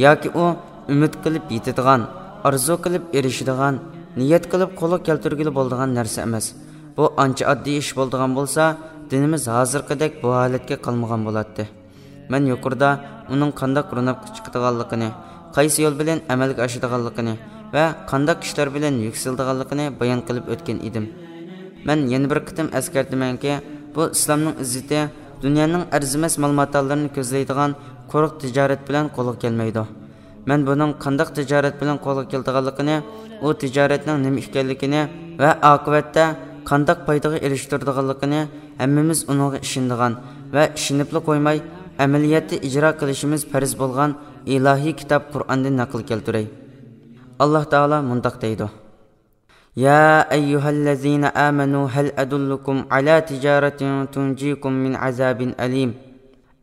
ياكى ئۇ ئۈمىد قىلىپ يېتىدىغان، ئارزۇ قىلىپ ئېرىشىدىغان، نىيەت قىلىپ قولغا كەلتۈرگىلى بولىدىغان نەرسە ئەمەس. بۇ ئانچە ئاددىي ئىش بولىدىغان بولسا، دىنىمىز ھازىرقىدەك بۇ ھالەتكە قالمىغان بولاتتى. مەن يۇقىرىدا ئۇنىڭ قانداق روناققا چىقىدىغانلىقىنى، قايسى يول بىلەن ئەمەلگە ئاشىدىغانلىقىنى ۋە قانداق كىشىلەر بىلەن يۈكسىلىدىغانلىقىنى بايان قىلىپ ئۆتكەن ئىدىم. مەن يەنە بىر قېتىم ئەسكەرتىمەنكى، بۇ ئىسلامنىڭ ئىززىتى دۇنيانىڭ ئەرزىمەس مال ماتالىرىنى كۆزلەيدىغان قۇرۇق تىجارەت بىلەن قولغا كەلمەيدۇ. مەن بۇنىڭ قانداق تىجارەت بىلەن قولغا كېلىدىغانلىقىنى، ئۇ تىجارەتنىڭ نېمە ئىكەنلىكىنى ۋە ئاقىۋەتتە قانداق پايدىغا ئېرىشتۈرىدىغانلىقىنى ھەممىمىز ئۇنىڭغا ئىشىنىدىغان ۋە ئىشىنىپلا قويماي، ئەمەلىيەتتە ئىجرا قىلىشىمىز پەرز بولغان ئىلاھىي كىتاب قۇرئاندىن نەقىل كەلتۈرەي. ئاللاھ تائالا مۇنداق دەيدۇ: يا أيها الذين آمنوا هل أدلكم على تجارة تنجيكم من عذاب أليم.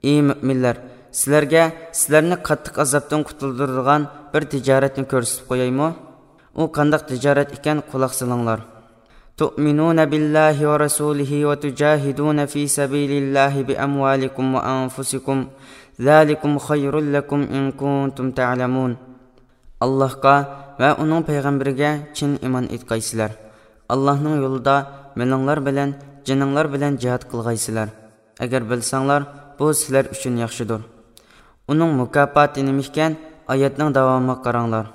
ئى مۆمىنلەر، سىلەرگە سىلەرنى قاتتىق ئازابتىن قۇتۇلدۇرىدىغان بىر تىجارەتنى كۆرسىتىپ قويايمۇ؟ ئۇ قانداق تىجارەت ئىكەن، قۇلاق سېلىڭلار. تؤمنون بالله ورسوله وتجاهدون في سبيل الله بأموالكم وأنفسكم ذلكم خير لكم إن كنتم تعلمون. ئاللاھقا ۋە ئۇنىڭ پەيغەمبىرىگە چىن ئىمان ئېيتقايسىلەر. ئاللاھنىڭ يولىدا مېلىڭلار بىلەن، جېنىڭلار بىلەن جىھاد قىلغايسىلەر. ئەگەر بىلسەڭلار، بۇ سىلەر ئۈچۈن ياخشىدۇر. ئۇنىڭ مۇكاپاتى نېمە ئىكەن؟ ئايەتنىڭ داۋامىغا قاراڭلار.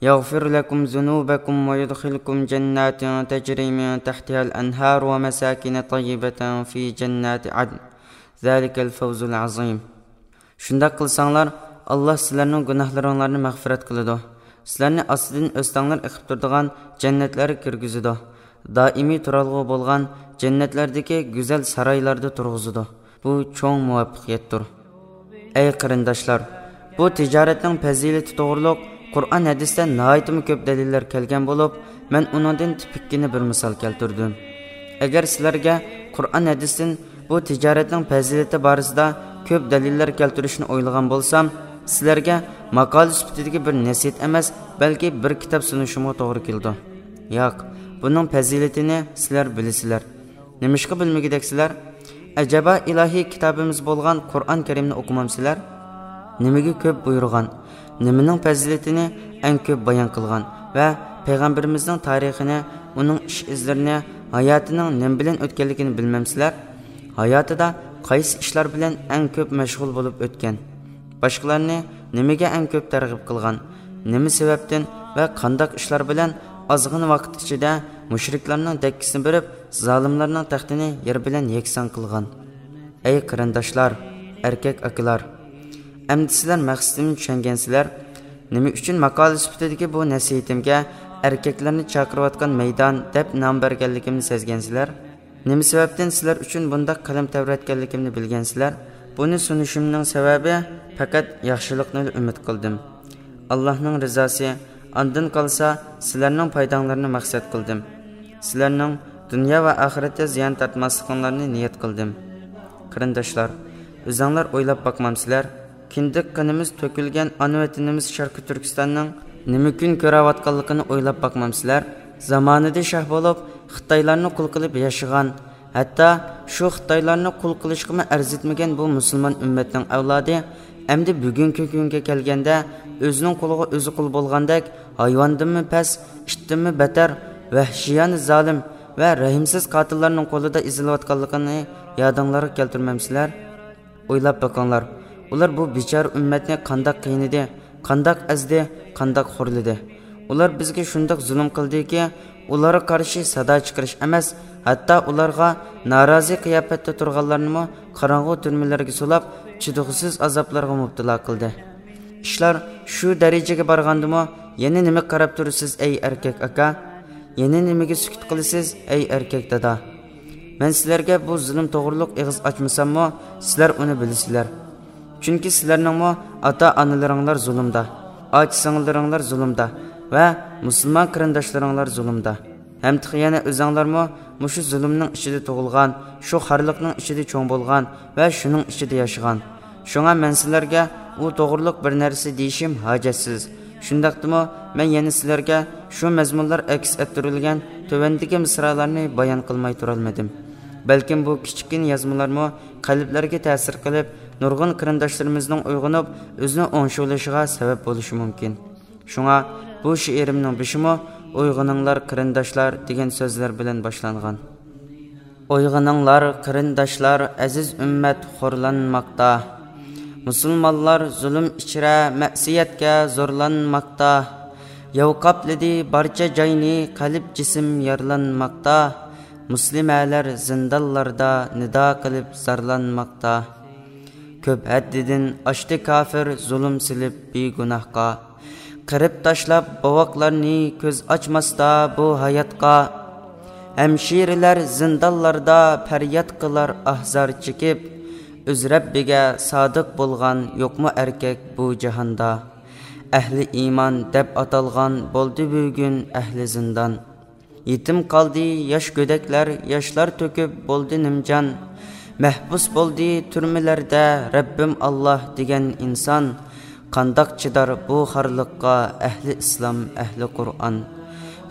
يغفر لكم ذنوبكم ويدخلكم جنات تجري من تحتها الأنهار ومساكن طيبة في جنات عدن ذلك الفوز العظيم. شۇنداق قىلساڭلار، ئاللاھ سىلەرنىڭ گۇناھلىرىڭلارنى مەغپىرەت قىلىدۇ، سىلەرنى ئاستىدىن ئۆستەڭلەر ئېقىپ تۇرىدىغان جەننەتلەرگە كىرگۈزىدۇ، دائىمىي تۇرالغۇ بولغان جەننەتلەردىكى گۈزەل سارايلاردا تۇرغۇزىدۇ. بۇ چوڭ مۇۋەپپەقىيەتتۇر. ئەي قېرىنداشلار، بۇ تىجارەتنىڭ پەزىلىتى توغرۇلۇق قۇرئان ھەدىستە ناھايىتىمۇ كۆپ دەلىللەر كەلگەن بولۇپ، مەن ئۇنىڭدىن تىپىككىنە بىر مىسال كەلتۈردۈم. ئەگەر سىلەرگە قۇرئان ھەدىستىن بۇ تىجارەتنىڭ پەزىلىتى بارىسىدا كۆپ دەلىللەر كەلتۈرۈشنى ئويلىغان بولسام، سىلەرگە ماقالە سۈپىتىدىكى بىر نەسىھەت ئەمەس، بەلكى بىر كىتاب سۇنۇشۇمغا توغرا كېلىدۇ. ياق، بۇنىڭ پەزىلىتىنى سىلەر بىلىسىلەر. نېمىشقا بىلمىگۈدەكسىلەر؟ ئەجەبا ئىلاھىي كىتابىمىز بولغان قۇرئان كەرىمنى ئوقۇمامسىلەر؟ نېمىگە كۆپ بۇيرۇغان، نېمىنىڭ پەزىلىتىنى ئەڭ كۆپ بايان قىلغان ۋە پەيغەمبىرىمىزنىڭ تارىخىنى، ئۇنىڭ ئىش ئىزلىرىنى، ھاياتىنىڭ نېمە بىلەن ئۆتكەنلىكىنى بىلمەمسىلەر؟ ھاياتىدا قايسى ئىشلار بىلەن ئەڭ كۆپ مەشغۇل بولۇپ ئۆتكەن؟ باشقىلارنى نېمىگە ئەڭ كۆپ تەرغىب قىلغان؟ نېمە سەۋەبتىن ۋە قانداق ئىشلار بىلەن ئازغىنە ۋاقىت ئىچىدە مۇشرىكلارنىڭ دەككىسىنى بېرىپ، زالىملارنىڭ تەختىنى يەر بىلەن يەكسان قىلغان؟ ئەي قېرىنداشلار، ئەركەك ئاكىلار! ئەمدى سىلەر مەقسىتىمنى چۈشەنگەنسىلەر. نېمە ئۈچۈن ماقالە سۈپىتىدىكى بۇ نەسىھىتىمگە ئەركەكلەرنى چاقىرىۋاتقان مەيدان دەپ نام بەرگەنلىكىمنى سەزگەنسىلەر؟ نېمە سەۋەبتىن سىلەر ئۈچۈن بۇنداق قەلەم تەۋرەتكەنلىكىمنى بىلگەنسىلەر؟ بۇنى سۇنۇشۇمنىڭ سەۋەبى پەقەت ياخشىلىقنىلا ئۈمىد قىلدىم. ئاللاھنىڭ رىزاسى، ئاندىن قالسا سىلەرنىڭ پايداڭلارنى مەقسەت قىلدىم. سىلەرنىڭ دۇنيا ۋە ئاخىرەتتە زىيان تارتماسلىقىڭلارنى نىيەت قىلدىم. قېرىنداشلار، ئۆزەڭلار ئويلاپ باقمامسىلەر؟ كىندىك قېنىمىز تۆكۈلگەن ئانا ۋەتىنىمىز شەرقىي تۈركىستاننىڭ نېمە كۈن كۆرۈۋاتقانلىقىنى ئويلاپ باقمامسىلەر؟ زامانىدا شاھ بولۇپ، خىتايلارنى قۇل قىلىپ ياشىغان، ھەتتا شۇ خىتايلارنى قۇل قىلىشقىمۇ ئەرزىتمىگەن بۇ مۇسۇلمان ئۈممەتنىڭ ئەۋلادى ئەمدى بۈگۈنكى كۈنگە كەلگەندە، ئۆزىنىڭ قۇلىغا ئۆزى قۇل بولغاندەك، ھايۋاندىنمۇ پەس، ئىتتىنمۇ بەتەر، ۋەھشىيانە زالىم ۋە رەھىمسىز قاتىللارنىڭ قولىدا ئېزىلىۋاتقانلىقىنى يادىڭلارغا كەلتۈرمەمسىلەر؟ ئويلاپ بېقىڭلار، ئۇلار بۇ بىچارە ئۈممەتنى قانداق قىينىدى، قانداق ئەزدى، قانداق خورلىدى. ئۇلار بىزگە شۇنداق زۇلۇم قىلدىكى، ئۇلارغا قارشى سادا چىقىرىش ئەمەس، ھەتتا ئۇلارغا نارازى قىياپەتتە تۇرغانلارنىمۇ قاراڭغۇ تۈرمىلەرگە سولاپ، چىدىغۇسىز ئازابلارغا مۇپتىلا قىلدى. ئىشلار شۇ دەرىجىگە بارغاندىمۇ، يەنە نېمە قاراپ تۇرىسىز، ئەي ئەركەك ئاكا؟ يەنە نېمىگە سۈكۈت قىلىسىز، ئەي ئەركەك دادا؟ مەن سىلەرگە بۇ زۇلۇم توغرۇلۇق ئېغىز ئاچمىساممۇ، سىلەر ئۇنى بىلىسىلەر. چۈنكى سىلەرنىڭمۇ ئاتا-ئانىلىرىڭلار زۇلۇمدا، ئاچا-سىڭىللىرىڭلار زۇلۇمدا ۋە مۇسۇلمان قېرىنداشلىرىڭلار زۇلۇمدا. ھەم تېخى يەنە ئۆزەڭلارمۇ مۇشۇ زۇلۇمنىڭ ئىچىدە تۇغۇلغان، شۇ خارلىقنىڭ ئىچىدە چوڭ بولغان ۋە شۇنىڭ ئىچىدە ياشىغان. شۇڭا مەن سىلەرگە ئۇ توغرۇلۇق بىر نەرسە دېيىشىم ھاجەتسىز. شۇنداقتىمۇ، مەن يەنە سىلەرگە شۇ مەزمۇنلار ئەكس ئەتتۈرۈلگەن تۆۋەندىكى مىسرالارنى بايان قىلماي تۇرالمىدىم. بەلكىم بۇ كىچىككىنە يازمىلارمۇ قەلبلەرگە تەسىر قىلىپ، نۇرغۇن قېرىنداشلىرىمىزنىڭ ئويغىنىپ، ئۆزىنى ئوڭشىۋېلىشىغا سەۋەب بولۇشى مۇمكىن. شۇڭا بۇ شېئىرىمنىڭ بېشىمۇ «ئويغىنىڭلار، قېرىنداشلار» دېگەن سۆزلەر بىلەن باشلانغان. ئويغىنىڭلار، قېرىنداشلار، ئەزىز ئۈممەت خورلانماقتا. مۇسۇلمانلار زۇلۇم ئىچرە، مەسىيەتكە زورلانماقتا. ياۋ قاپلىدى بارچە جاينى، قەلب جىسىم يارىلانماقتا. مۇسلىمەلەر زىندانلاردا نىدا قىلىپ زارلانماقتا. كۆپ ھەددىدىن ئاشتى كاپىر، زۇلۇم سېلىپ بىگۇناھقا. قىرىپ تاشلاپ بوۋاقلارنى، كۆز ئاچماستا بۇ ھاياتقا. ھەمشىرىلەر زىندانلاردا پەرياد قىلار ئاھ-زار چېكىپ. ئۆز رەببىگە سادىق بولغان يوقمۇ ئەركەك بۇ جاھاندا؟ ئەھلى ئىمان دەپ ئاتالغان بولدى بۈگۈن ئەھلى زىندان. يېتىم قالدى ياش گۆدەكلەر، ياشلار تۆكۈپ بولدى نىمجان. مەھبۇس بولدى تۈرمىلەردە رەببىم ئاللاھ دېگەن ئىنسان. قانداق چىدار بۇ خارلىققا ئەھلى ئىسلام، ئەھلى قۇرئان؟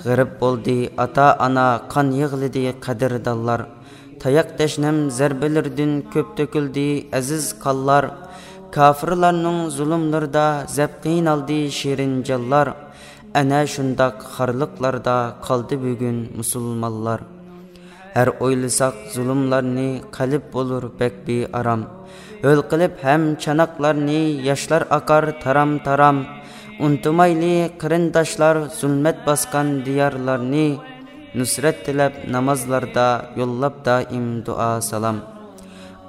غېرىب بولدى ئاتا-ئانا، قان يىغلىدى قەدىردانلار. تاياق تەشنەم زەربىلىرىدىن كۆپ تۆكۈلدى ئەزىز قانلار. كاپىرلارنىڭ زۇلۇملىرىدا زەپ قىينالدى شېرىن جانلار. ئەنە شۇنداق خارلىقلاردا قالدى بۈگۈن مۇسۇلمانلار. ھەر ئويلىساق زۇلۇملارنى قەلب بولۇر بەك بىئارام. ھۆل قىلىپ ھەم چاناقلارنى ياشلار ئاقار تارام-تارام. ئۇنتۇمايلى قېرىنداشلار زۇلمەت باسقان دىيارلارنى. نۇسرەت تىلەپ نامازلاردا يوللاپ دائىم دۇئا سالام.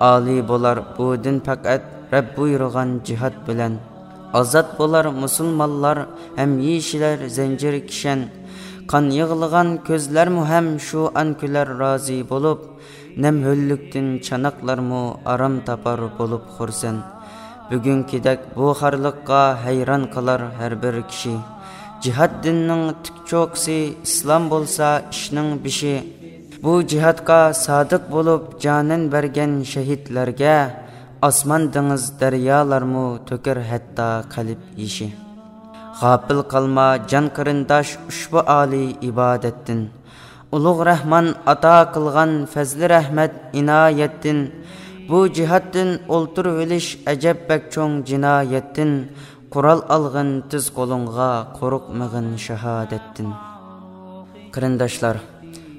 ئالىي بولار بۇ دىن پەقەت رەب بۇيرۇغان جىھاد بىلەن. ئازاد بولار مۇسۇلمانلار ھەم يېشىلەر زەنجىر كىشەن. قان يىغلىغان كۆزلەرمۇ ھەم شۇ ئان كۈلەر رازى بولۇپ. نەم ھۆللۈكتىن چاناقلارمۇ ئارام تاپار بولۇپ خۇرسەن. بۈگۈنكىدەك بۇ خارلىققا ھەيران قالار ھەر بىر كىشى. جىھاد دىننىڭ تىك چوقىسى، ئىسلام بولسا ئىشنىڭ بېشى. بۇ جىھادقا سادىق بولۇپ جانىن بەرگەن شەھىدلەرگە، ئاسمان دېڭىز دەريالارمۇ تۆكەر ھەتتا قەلب يېشى. غاپىل قالما جان قېرىنداش ئۇشبۇ ئالىي ئىبادەتتىن. ئۇلۇغ رەھمان ئاتا قىلغان پەزلى رەھمەت ئىنايەتتىن، بۇ جىھادتىن ئولتۇرۇۋېلىش ئەجەب بەك چوڭ جىنايەتتىن، قورال ئالغىن تېز قولۇڭغا، قورقمىغىن شاھادەتتىن. قېرىنداشلار،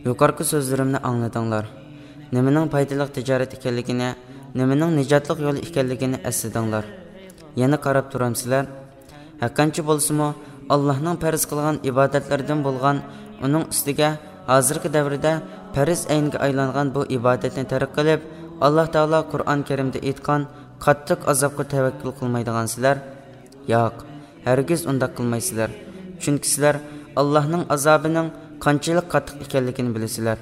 يۇقىرىقى سۆزلىرىمنى ئاڭلىدىڭلار. نېمىنىڭ پايدىلىق تىجارەت ئىكەنلىكىنى، نېمىنىڭ نىجاتلىق يول ئىكەنلىكىنى ئەسلىدىڭلار. يەنە قاراپ تۇرامسىلەر؟ ھەرقانچە بولسىمۇ، ئاللاھنىڭ پەرز قىلغان ئىبادەتلىرىدىن بولغان، ئۇنىڭ ئۈستىگە ھازىرقى دەۋردە پەرز ئەينگە ئايلانغان بۇ ئىبادەتنى تەرك قىلىپ، ئاللاھ تائالا قۇرئان كەرىمدە ئېيتقان قاتتىق ئازابقا تەۋەككۈل قىلمايدىغانسىلەر؟ ياق، ھەرگىز ئۇنداق قىلمايسىلەر. چۈنكى سىلەر ئاللاھنىڭ ئازابىنىڭ قانچىلىك قاتتىق ئىكەنلىكىنى بىلىسىلەر.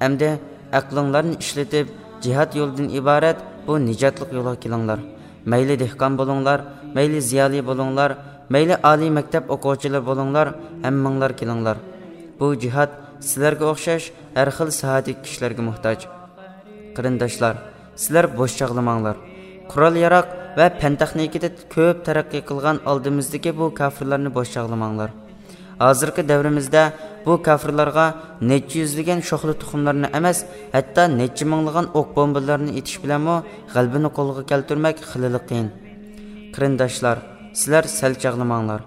ئەمدى ئەقلىڭلارنى ئىشلىتىپ، جىھاد يولىدىن ئىبارەت بۇ نىجاتلىق يولغا كېلىڭلار. مەيلى دېھقان بولۇڭلار، مەيلى زىيالىي بولۇڭلار، مەيلى ئالىي مەكتەپ ئوقۇغۇچىلىرى بولۇڭلار، ھەممىڭلار كېلىڭلار. بۇ جىھاد سىلەرگە ئوخشاش ھەر خىل ساھەدىكى كىشىلەرگە موھتاج. قېرىنداشلار، سىلەر بوش چاغلىماڭلار. قورال-ياراغ ۋە پەن-تېخنىكىدا كۆپ تەرەققىي قىلغان ئالدىمىزدىكى بۇ كاپىرلارنى بوش چاغلىماڭلار. ھازىرقى دەۋرىمىزدە بۇ كاپىرلارغا نەچچە يۈزلىگەن شوخلا تۇخۇملارنى ئەمەس، ھەتتا نەچچە مىڭلىغان ئوق بومبىلارنى ئېتىش بىلەنمۇ غەلىبىنى قولغا كەلتۈرمەك خېلىلا قىيىن. قېرىنداشلار، سىلەر سەل چاغلىماڭلار.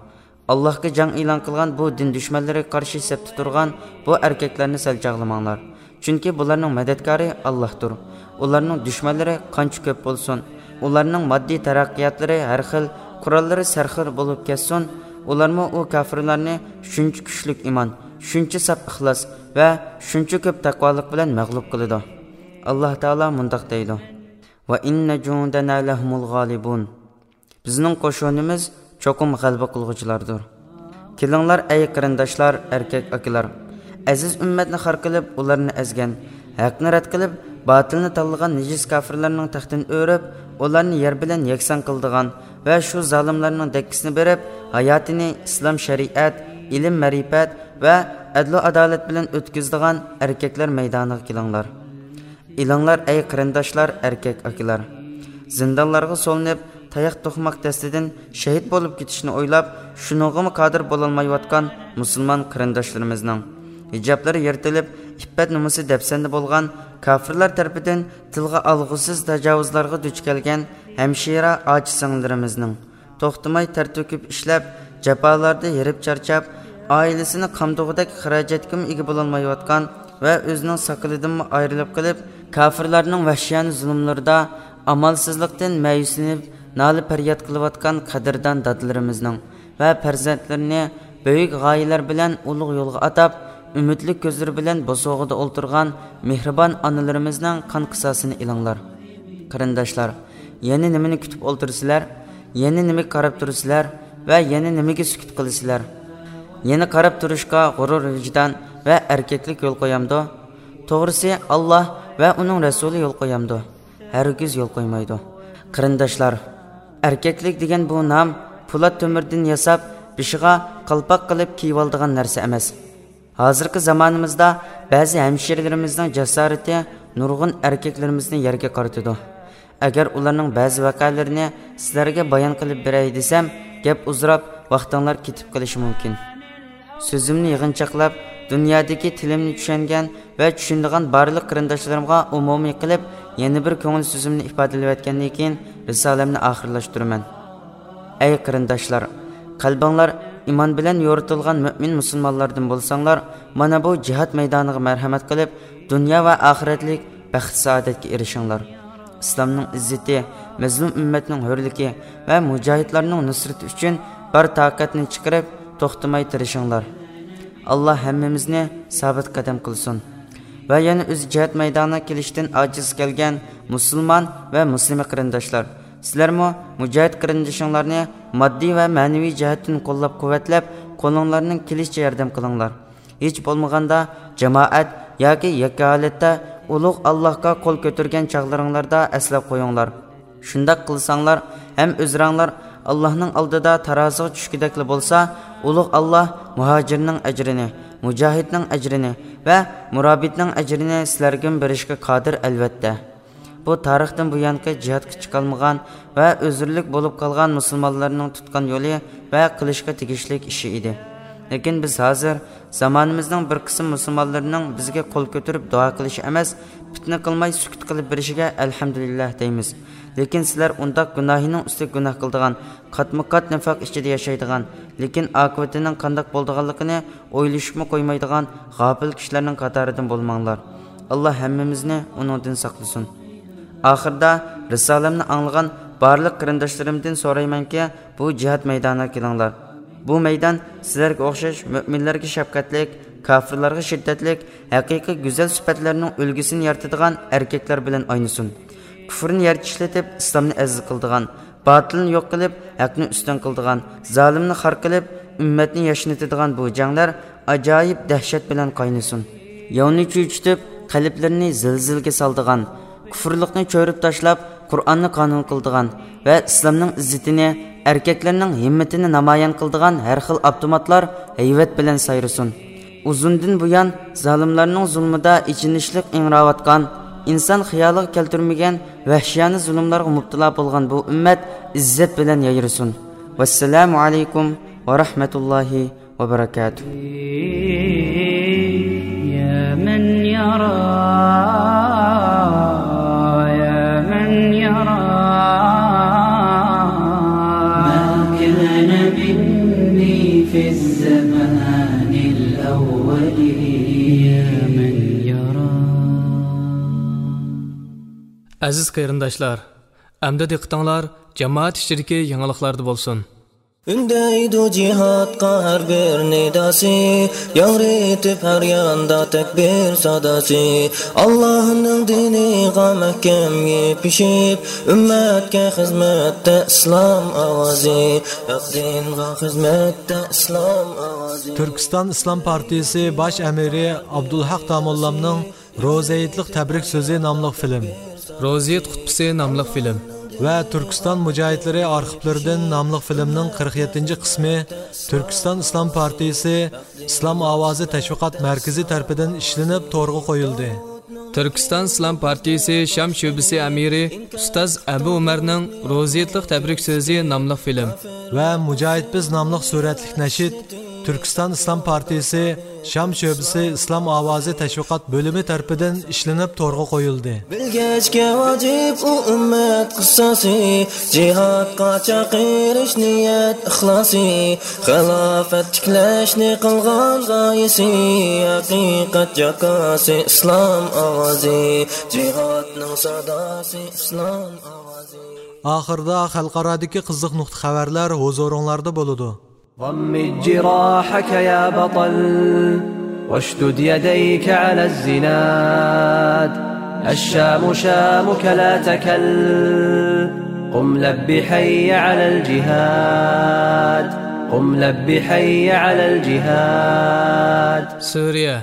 ئاللاھقا جەڭ ئېلان قىلغان بۇ دىن دۈشمەنلىرىگە قارشى سەپتە تۇرغان بۇ ئەركەكلەرنى سەل چاغلىماڭلار. چۈنكى بۇلارنىڭ مەدەتكارى ئاللاھتۇر. ئۇلارنىڭ دۈشمەنلىرى قانچە كۆپ بولسۇن، ئۇلارنىڭ ماددىي تەرەققىياتلىرى ھەر خىل، قوراللىرى سەرخىل بولۇپ كەتسۇن، ئۇلارمۇ ئۇ كاپىرلارنى شۇنچە كۈچلۈك ئىمان، شۇنچە ساپ ئىخلاس ۋە شۇنچە كۆپ تەقۋالىق بىلەن مەغلۇپ قىلىدۇ. ئاللاھ تائالا مۇنداق دەيدۇ: «وَإِنَّ جُندَنَا لَهُمُ الْغَالِبُونَ.» بىزنىڭ قوشۇنىمىز چوقۇم غەلىبە قىلغۇچىلاردۇر. كېلىڭلار، ئەي قېرىنداشلار، ئەركەك ئاكىلار! ئەزىز ئۈممەتنى خار قىلىپ، ئۇلارنى ئەزگەن، ھەقنى رەت قىلىپ، باتىلنى تاللىغان نىجىس كاپىرلارنىڭ تەختىنى ئۆرۈپ، ئۇلارنى يەر بىلەن يەكسان قىلىدىغان ۋە شۇ زالىملارنىڭ دەككىسىنى بېرىپ، ھاياتىنى ئىسلام شەرىئەت، ئىلىم-مەرىپەت ۋە ئەدلۇ-ئادالەت بىلەن ئۆتكۈزىدىغان ئەركەكلەر مەيدانىغا كېلىڭلار. ئېلىڭلار، ئەي قېرىنداشلار، ئەركەك ئاكىلار! زىندانلارغا سولىنىپ، تاياق توقماق دەستىدىن شېھىت بولۇپ كېتىشنى ئويلاپ، شۇنىڭغىمۇ قادىر بولالمايۋاتقان مۇسۇلمان قېرىنداشلىرىمىزنىڭ، ھىجابلىرى يىرتىلىپ، ئىپپەت-نومۇسى دەپسەندە بولغان، كاپىرلار تەرىپىدىن تىلغا ئالغۇسىز تاجاۋۇزلارغا دۇچ كەلگەن ھەمشىرە ئاچا-سىڭىللىرىمىزنىڭ، توختىماي تەر تۆكۈپ ئىشلەپ، جاپالاردا ھېرىپ-چارچاپ، ئائىلىسىنى قامدىغۇدەك خىراجەتكىمۇ ئىگە بولالمايۋاتقان ۋە ئۆزىنىڭ ساقىلىدىنمۇ ئايرىلىپ قېلىپ، كاپىرلارنىڭ ۋەھشىيانە زۇلۇملىرىدا ئامالسىزلىقتىن مەيۈسلىنىپ، نالە-پەرياد قىلىۋاتقان قەدىردان دادىلىرىمىزنىڭ ۋە پەرزەنتلىرىنى بۈيۈك غايىلەر بىلەن ئۇلۇغ يولغا ئاتاپ، ئۈمىدلىك كۆزلىرى بىلەن بوسۇغىدا ئولتۇرغان مېھرىبان ئانىلىرىمىزنىڭ قان قىساسىنى ئېلىڭلار. قېرىنداشلار، يەنە نېمىنى كۈتۈپ ئولتۇرىسىلەر؟ يەنە نېمىگە قاراپ تۇرىسىلەر؟ ۋە يەنە نېمىگە سۈكۈت قىلىسىلەر؟ يەنە قاراپ تۇرۇشقا غۇرۇر ۋىجدان ۋە ئەركەكلىك يول قويامدۇ؟ توغرىسى، ئاللاھ ۋە ئۇنىڭ رەسۇلى يول قويامدۇ؟ ھەرگىز يول قويمايدۇ. قېرىنداشلار، ئەركەكلىك دېگەن بۇ نام پولات تۆمۈردىن ياساپ، بېشىغا قالپاق قىلىپ كىيىۋالىدىغان نەرسە ئەمەس. ھازىرقى زامانىمىزدا بەزى ھەمشىرىلىرىمىزنىڭ جاسارىتى نۇرغۇن ئەركەكلىرىمىزنى يەرگە قارىتىدۇ. ئەگەر ئۇلارنىڭ بەزى ۋەقەلىرىنى سىلەرگە بايان قىلىپ بېرەي دېسەم، گەپ ئۇزىراپ، ۋاقتىڭلار كېتىپ قېلىشى مۇمكىن. سۆزۈمنى يىغىنچاقلاپ، دۇنيادىكى تىلىمنى چۈشەنگەن ۋە چۈشىنىدىغان بارلىق قېرىنداشلىرىمغا ئومۇمىي قىلىپ، يەنە بىر كۆڭۈل سۆزۈمنى ئىپادىلىۋەتكەندىن كېيىن، رىسالەمنى ئاخىرلاشتۇرىمەن. ئەي قېرىنداشلار، قەلبىڭلار ئىمان بىلەن يورۇتۇلغان مۆمىن مۇسۇلمانلاردىن بولساڭلار، مانا بۇ جىھاد مەيدانىغا مەرھەمەت قىلىپ، دۇنيا ۋە ئاخىرەتلىك بەخت-سائادەتكە ئېرىشىڭلار. ئىسلامنىڭ ئىززىتى، مەزلۇم ئۈممەتنىڭ ھۆرلۈكى ۋە مۇجاھىدلارنىڭ نۇسرىتى ئۈچۈن بار تاقەتنى چىقىرىپ، توختىماي تىرىشىڭلار. ئاللاھ ھەممىمىزنى سابىت قەدەم قىلسۇن. ۋە يەنە ئۆزى جىھاد مەيدانىغا كېلىشتىن ئاجىز كەلگەن مۇسۇلمان ۋە مۇسلىمە قېرىنداشلار، سىلەرمۇ مۇجاھىد قېرىندىشىڭلارنى ماددىي ۋە مەنىۋى جەھەتتىن قوللاپ-قۇۋۋەتلەپ، قولۇڭلارنىڭ كېلىشىچە ياردەم قىلىڭلار. ھېچ بولمىغاندا جامائەت ياكى يەككە ھالەتتە ئۇلۇغ ئاللاھقا قول كۆتۈرگەن چاغلىرىڭلاردا ئەسلەپ قويۇڭلار. شۇنداق قىلساڭلار، ھەم ئۆزرەڭلار ئاللاھنىڭ ئالدىدا تارازىغا چۈشكۈدەكلا بولسا، ئۇلۇغ ئاللاھ مۇھاجىرنىڭ ئەجرىنى، مۇجاھىدنىڭ ئەجرىنى ۋە مۇرابىتنىڭ ئەجرىنى سىلەرگىمۇ بېرىشكە قادىر، ئەلۋەتتە. بۇ تارىختىن بۇيانقى جىھادقا چىقالمىغان ۋە ئۆزرىلىك بولۇپ قالغان مۇسۇلمانلارنىڭ تۇتقان يولى ۋە قىلىشقا تېگىشلىك ئىشى ئىدى. لېكىن بىز ھازىر زامانىمىزنىڭ بىر قىسىم مۇسۇلمانلىرىنىڭ بىزگە قول كۆتۈرۈپ دۇئا قىلىشى ئەمەس، پىتنە قىلماي سۈكۈت قىلىپ بېرىشىگە ئەلھەمدۇلىللاھ دەيمىز. لېكىن سىلەر ئۇنداق گۇناھىنىڭ ئۈستىگە گۇناھ قىلىدىغان، قاتمۇ قات نىفاق ئىچىدە ياشايدىغان، لېكىن ئاقىۋىتىنىڭ قانداق بولىدىغانلىقىنى ئويلىشىپمۇ قويمايدىغان غاپىل كىشىلەرنىڭ قاتارىدىن بولماڭلار. ئاللاھ ھەممىمىزنى ئۇنىڭدىن ساقلىسۇن. ئاخىرىدا رىسالەمنى ئاڭلىغان بارلىق قېرىنداشلىرىمدىن سورايمەنكى، بۇ جىھاد مەيدانىغا كېلىڭلار. بۇ مەيدان سىلەرگە ئوخشاش مۆمىنلەرگە شەپقەتلىك، كاپىرلارغا شىددەتلىك، ھەقىقىي گۈزەل سۈپەتلەرنىڭ ئۈلگىسىنى يارىتىدىغان ئەركەكلەر بىلەن ئاينىسۇن. كۇفرنى يەرگە ئىشلىتىپ، ئىسلامنى ئەزىز قىلىدىغان، باتىلنى يوق قىلىپ، ھەقنى ئۈستۈن قىلىدىغان، زالىمنى خار قىلىپ، ئۈممەتنى ياشنىتىدىغان بۇ جەڭلەر ئاجايىپ دەھشەت بىلەن قاينىسۇن. ياۋنى چۆچۈتۈپ، قەلبلىرىنى زىلزىلىگە سالىدىغان، كۇفرلۇقنى چۆرۈپ تاشلاپ، قۇرئاننى قانۇن قىلىدىغان ۋە ئىسلامنىڭ ئىززىتىنى، ئەركەكلەرنىڭ ھىممىتىنى نامايان قىلىدىغان ھەر خىل ئاپتوماتلار ھەيۋەت بىلەن سايرىسۇن. ئۇزۇندىن بۇيان زالىملارنىڭ زۇلمىدا ئېچىنىشلىق ئىڭراۋاتقان، ئىنسان خىيالىغا كەلتۈرمىگەن ۋەھشىيانە زۇلۇملارغا مۇپتىلا بولغان بۇ ئۈممەت ئىززەت بىلەن يايرىسۇن. ۋەسسالامۇ ئەلەيكۇم ۋە رەھمەتۇللاھى وبركاته. يا من يرى، يا من يرى، ما كان مني في الزمان الأول. يا من يرى. ئەزىز قېرىنداشلار، ئەمدى دىققىتىڭلار جامائەت ئىچىدىكى يېڭىلىقلاردا بولسۇن. ئۈندەيدۇ جىھادقا ھەر بىر نىداسى، ياڭرىتىپ ھەر ياندا تەكبىر ساداسى. ئاللاھنىڭ دىنىغا مەھكەم يېپىشىپ، ئۈممەتكە خىزمەتتە ئىسلام ئاۋازى، ھەق دىنغا خىزمەتتە ئىسلام ئاۋازى. تۈركىستان ئىسلام پارتىيىسى باش ئەمىرى ئابدۇلھەق داموللامنىڭ روزا ھېيتلىق تەبرىك سۆزى ناملىق فىلىم. روزا ھېيت خۇتبىسى ناملىق فىلىم. ۋە تۈركىستان مۇجاھىدلىرى ئارخىپلىرىدىن ناملىق فىلىمنىڭ قىرىق يەتتىنچى قىسمى تۈركىستان ئىسلام پارتىيىسى ئىسلام ئاۋازى تەشۋىقات مەركىزى تەرىپىدىن ئىشلىنىپ تورغا قويۇلدى. تۈركىستان ئىسلام پارتىيىسى شام شۆبىسى ئەمىرى ئۇستاز ئەبۇ ئۆمەرنىڭ روزا ھېيتلىق تەبرىك سۆزى ناملىق فىلىم. ۋە مۇجاھىد بىز ناملىق سۈرەتلىك نەشىد تۈركىستان ئىسلام پارتىيىسى شام شۆبىسى ئىسلام ئاۋازى تەشۋىقات بۆلۈمى تەرىپىدىن ئىشلىنىپ تورغا قويۇلدى. بىلگەچكە ۋاجىپ ئۇ ئۈممەت قىسساسى، جىھادقا چاقىرىش نىيەت ئىخلاسى، خىلاپەت تىكلەشنى قىلغان غايىسى، ھەقىقەت جاكاسى، ئىسلام ئاۋازى، جىھادنىڭ ساداسى، ئىسلام ئاۋازى. ئاخىرىدا خەلقئارادىكى قىزىق نۇقتا خەۋەرلەر ھۇزۇرۇڭلاردا بولىدۇ. ضمد جراحك يا بطل، واشدد يديك على الزناد. الشام شامك لا تكل، قم لب حي على الجهاد، قم لب حي على الجهاد. سۈرىيە.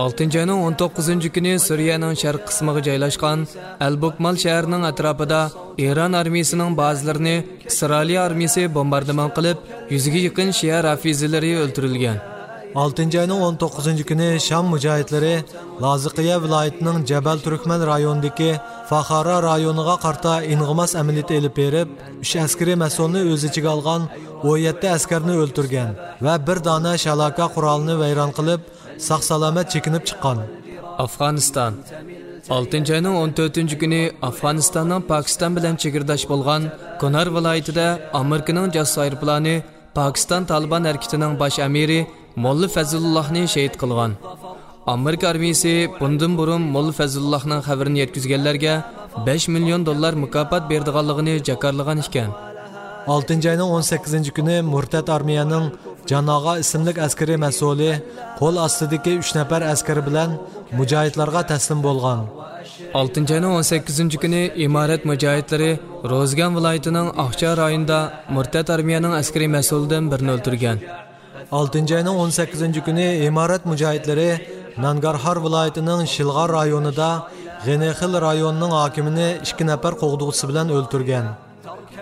ئالتىنچى ئاينىڭ ئون توققۇزىنچى كۈنى سۈرىيەنىڭ شەرق قىسمىغا جايلاشقان ئەل بوكمال شەھىرىنىڭ ئەتراپىدا ئىران ئارمىيىسىنىڭ بازىلىرىنى ئىسرائىلىيە ئارمىيىسى بومباردىمان قىلىپ، يۈزگە يېقىن شىئە رافىزىلىرى ئۆلتۈرۈلگەن. ئالتىنچى ئاينىڭ ئون توققۇزىنچى كۈنى شام مۇجاھىدلىرى لازىقىيە ۋىلايىتىنىڭ جەبەل تۈركمەن رايونىدىكى فاخارا رايونىغا قارىتا ئىنغىماس ئەمەلىيىتى ئېلىپ بېرىپ، ئۈچ ئەسكىرىي مەسئۇلنى ئۆز ئىچىگە ئالغان ئون يەتتە ئەسكەرنى ئۆلتۈرگەن ۋە بىر دانە شالاكا قورالىنى ۋەيران قىلىپ، ساق-سالامەت چېكىنىپ چىققان. ئافغانىستان. ئالتىنچى ئاينىڭ ئون تۆتىنچى كۈنى ئافغانىستاننىڭ پاكىستان بىلەن چېگرىداش بولغان كۇنار ۋىلايىتىدە ئامېرىكىنىڭ جاسۇس ئايروپىلانى پاكىستان تالىبان ھەرىكىتىنىڭ باش ئەمىرى موللا فەزلۇللاھنى شېھىت قىلغان. ئامېرىكا ئارمىيىسى بۇندىن بۇرۇن موللا فەزلۇللاھنىڭ خەۋىرىنى يەتكۈزگەنلەرگە بەش مىليون دوللار مۇكاپات بېرىدىغانلىقىنى جاكارلىغان ئىكەن. ئالتىنچى ئاينىڭ ئون سەككىزىنچى كۈنى مۇرتەت ئارمىيەنىڭ جان ئاغا ئىسىملىك ئەسكىرىي مەسئۇلى قول ئاستىدىكى ئۈچ نەپەر ئەسكىرى بىلەن مۇجاھىدلارغا تەسلىم بولغان. ئالتىنچى ئاينىڭ ئون سەككىزىنچى كۈنى ئىمارەت مۇجاھىدلىرى روزگان ۋىلايىتىنىڭ ئاقچا رايونىدا مۇرتەت ئارمىيەنىڭ ئەسكىرىي مەسئۇلىدىن بىرىنى ئۆلتۈرگەن. ئالتىنچى ئاينىڭ ئون سەككىزىنچى كۈنى ئىمارەت مۇجاھىدلىرى نانگارھار ۋىلايىتىنىڭ شىلغار رايونىدا غېنىخىل رايونىنىڭ ھاكىمىنى ئىككى نەپەر قوغدىغۇچىسى بىلەن ئۆلتۈرگەن.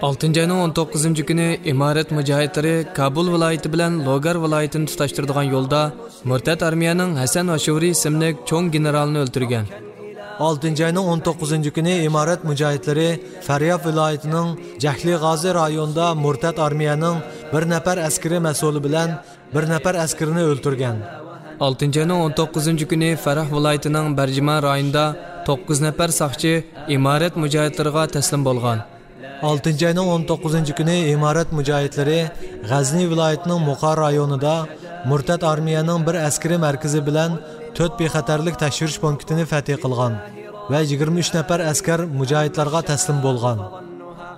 ئالتىنچى ئاينىڭ ئون توققۇزىنچى كۈنى ئىمارەت مۇجاھىدلىرى كابۇل ۋىلايىتى بىلەن لوگار ۋىلايىتىنى تۇتاشتۇرىدىغان يولدا مۇرتەت ئارمىيەنىڭ ھەسەن ئاشۇرى ئىسىملىك چوڭ گېنېرالىنى ئۆلتۈرگەن. ئالتىنچى ئاينىڭ ئون توققۇزىنچى كۈنى ئىمارەت مۇجاھىدلىرى فەرياب ۋىلايىتىنىڭ جەھلى غازى رايونىدا مۇرتەت ئارمىيەنىڭ بىر نەپەر ئەسكىرىي مەسئۇلى بىلەن بىر نەپەر ئەسكىرىنى ئۆلتۈرگەن. ئالتىنچى ئاينىڭ ئون توققۇزىنچى كۈنى فەرەھ ۋىلايىتىنىڭ بەرجىمان رايونىدا توققۇز نەپەر ساقچى ئىمارەت مۇجاھىدلىرىغا تەسلىم بولغان. ئالتىنچى ئاينىڭ ئون توققۇزىنچى كۈنى ئىمارەت مۇجاھىدلىرى غەزنى ۋىلايىتىنىڭ مۇقا رايونىدا مۇرتەت ئارمىيەنىڭ بىر ئەسكىرىي مەركىزى بىلەن تۆت بىخەتەرلىك تەكشۈرۈش پونكىتىنى فەتھى قىلغان ۋە يىگىرمە ئۈچ نەپەر ئەسكەر مۇجاھىدلارغا تەسلىم بولغان.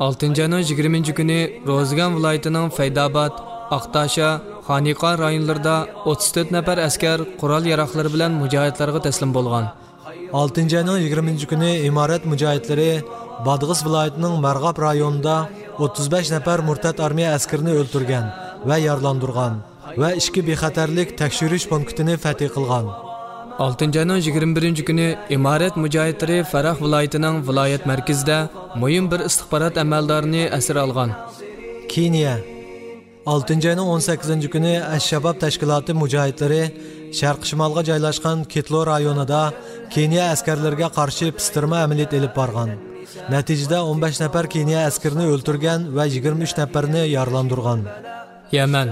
ئالتىنچى ئاينىڭ يىگىرمىنچى كۈنى روزىگان ۋىلايىتىنىڭ فەيداباد، ئاقتاشا، خانىقا رايونلىرىدا ئوتتۇز تۆت نەپەر ئەسكەر قورال ياراغلىرى بىلەن مۇجاھىدلارغا تەسلىم بولغان. ئالتىنچى ئاينىڭ يىگىرمىنچى كۈنى ئىمارەت مۇجاھىدلىرى بادغىس ۋىلايىتىنىڭ مەرغاب رايونىدا ئوتتۇز بەش نەپەر مۇرتەت ئارمىيە ئەسكىرىنى ئۆلتۈرگەن ۋە يارىلاندۇرغان ۋە ئىككى بىخەتەرلىك تەكشۈرۈش پونكىتىنى فەتھى قىلغان. ئالتىنچى ئاينىڭ يىگىرمە بىرىنچى كۈنى ئىمارەت مۇجاھىدلىرى فەرەھ ۋىلايىتىنىڭ ۋىلايەت مەركىزىدە مۇھىم بىر ئىستىخبارات ئەمەلدارىنى ئەسىر ئالغان. كېنىيە. ئالتىنچى ئاينىڭ ئون سەككىزىنچى كۈنى ئەش شاباب تەشكىلاتى مۇجاھىدلىرى شەرقىي شىمالغا جايلاشقان كىتلو رايونىدا كېنىيە ئەسكەرلىرىگە قارشى پىستىرما ئەمەلىيىتى ئېلىپ بارغان. نەتىجىدە ئون بەش نەپەر كېنىيە ئەسكىرىنى ئۆلتۈرگەن ۋە يىگىرمە ئۈچ نەپەرنى يارىلاندۇرغان. يەمەن.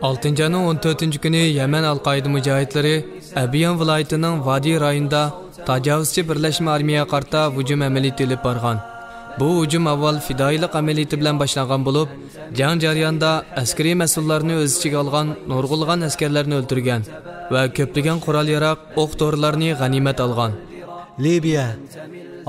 ئالتىنچى ئاينىڭ ئون تۆتىنچى كۈنى يەمەن ئەل-قائىدە مۇجاھىدلىرى ئەبيان ۋىلايىتىنىڭ ۋادى رايونىدا تاجاۋۇزچى بىرلەشمە ئارمىيەگە قارىتا ھۇجۇم ئەمەلىيىتى ئېلىپ بارغان. بۇ ھۇجۇم ئاۋۋال پىدائىيلىق ئەمەلىيىتى بىلەن باشلانغان بولۇپ، جەڭ جەريانىدا ئەسكىرىي مەسئۇللارنى ئۆز ئىچىگە ئالغان نۇرغۇنلىغان ئەسكەرلەرنى ئۆلتۈرگەن ۋە كۆپلىگەن قورال-ياراغ، ئوق-دورىلارنى غەنىيمەت ئالغان. لىبىيە.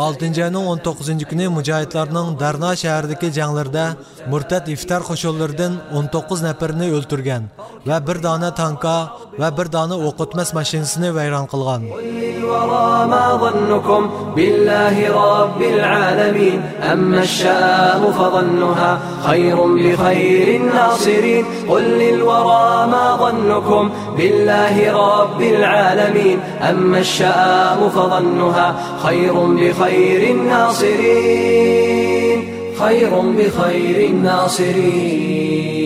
ئالتىنچى ئاينىڭ ئون توققۇزىنچى كۈنى مۇجاھىدلارنىڭ دەرنا شەھىرىدىكى جەڭلىرىدە مۇرتەت ئىفتار قوشۇنلىرىدىن ئون توققۇز نەپىرىنى ئۆلتۈرگەن ۋە بىر دانە تانكا ۋە بىر دانە ئوق ئۆتمەس ماشىنىسىنى ۋەيران قىلغان. قل للورى ما ظنكم بالله رب العالمين، أما الشام فظنها خير بخير الناصرين. قل للورى ما ظنكم بالله رب العالمين، أما الشام فظنها خير بخير الناصرين، خير بخير الناصرين.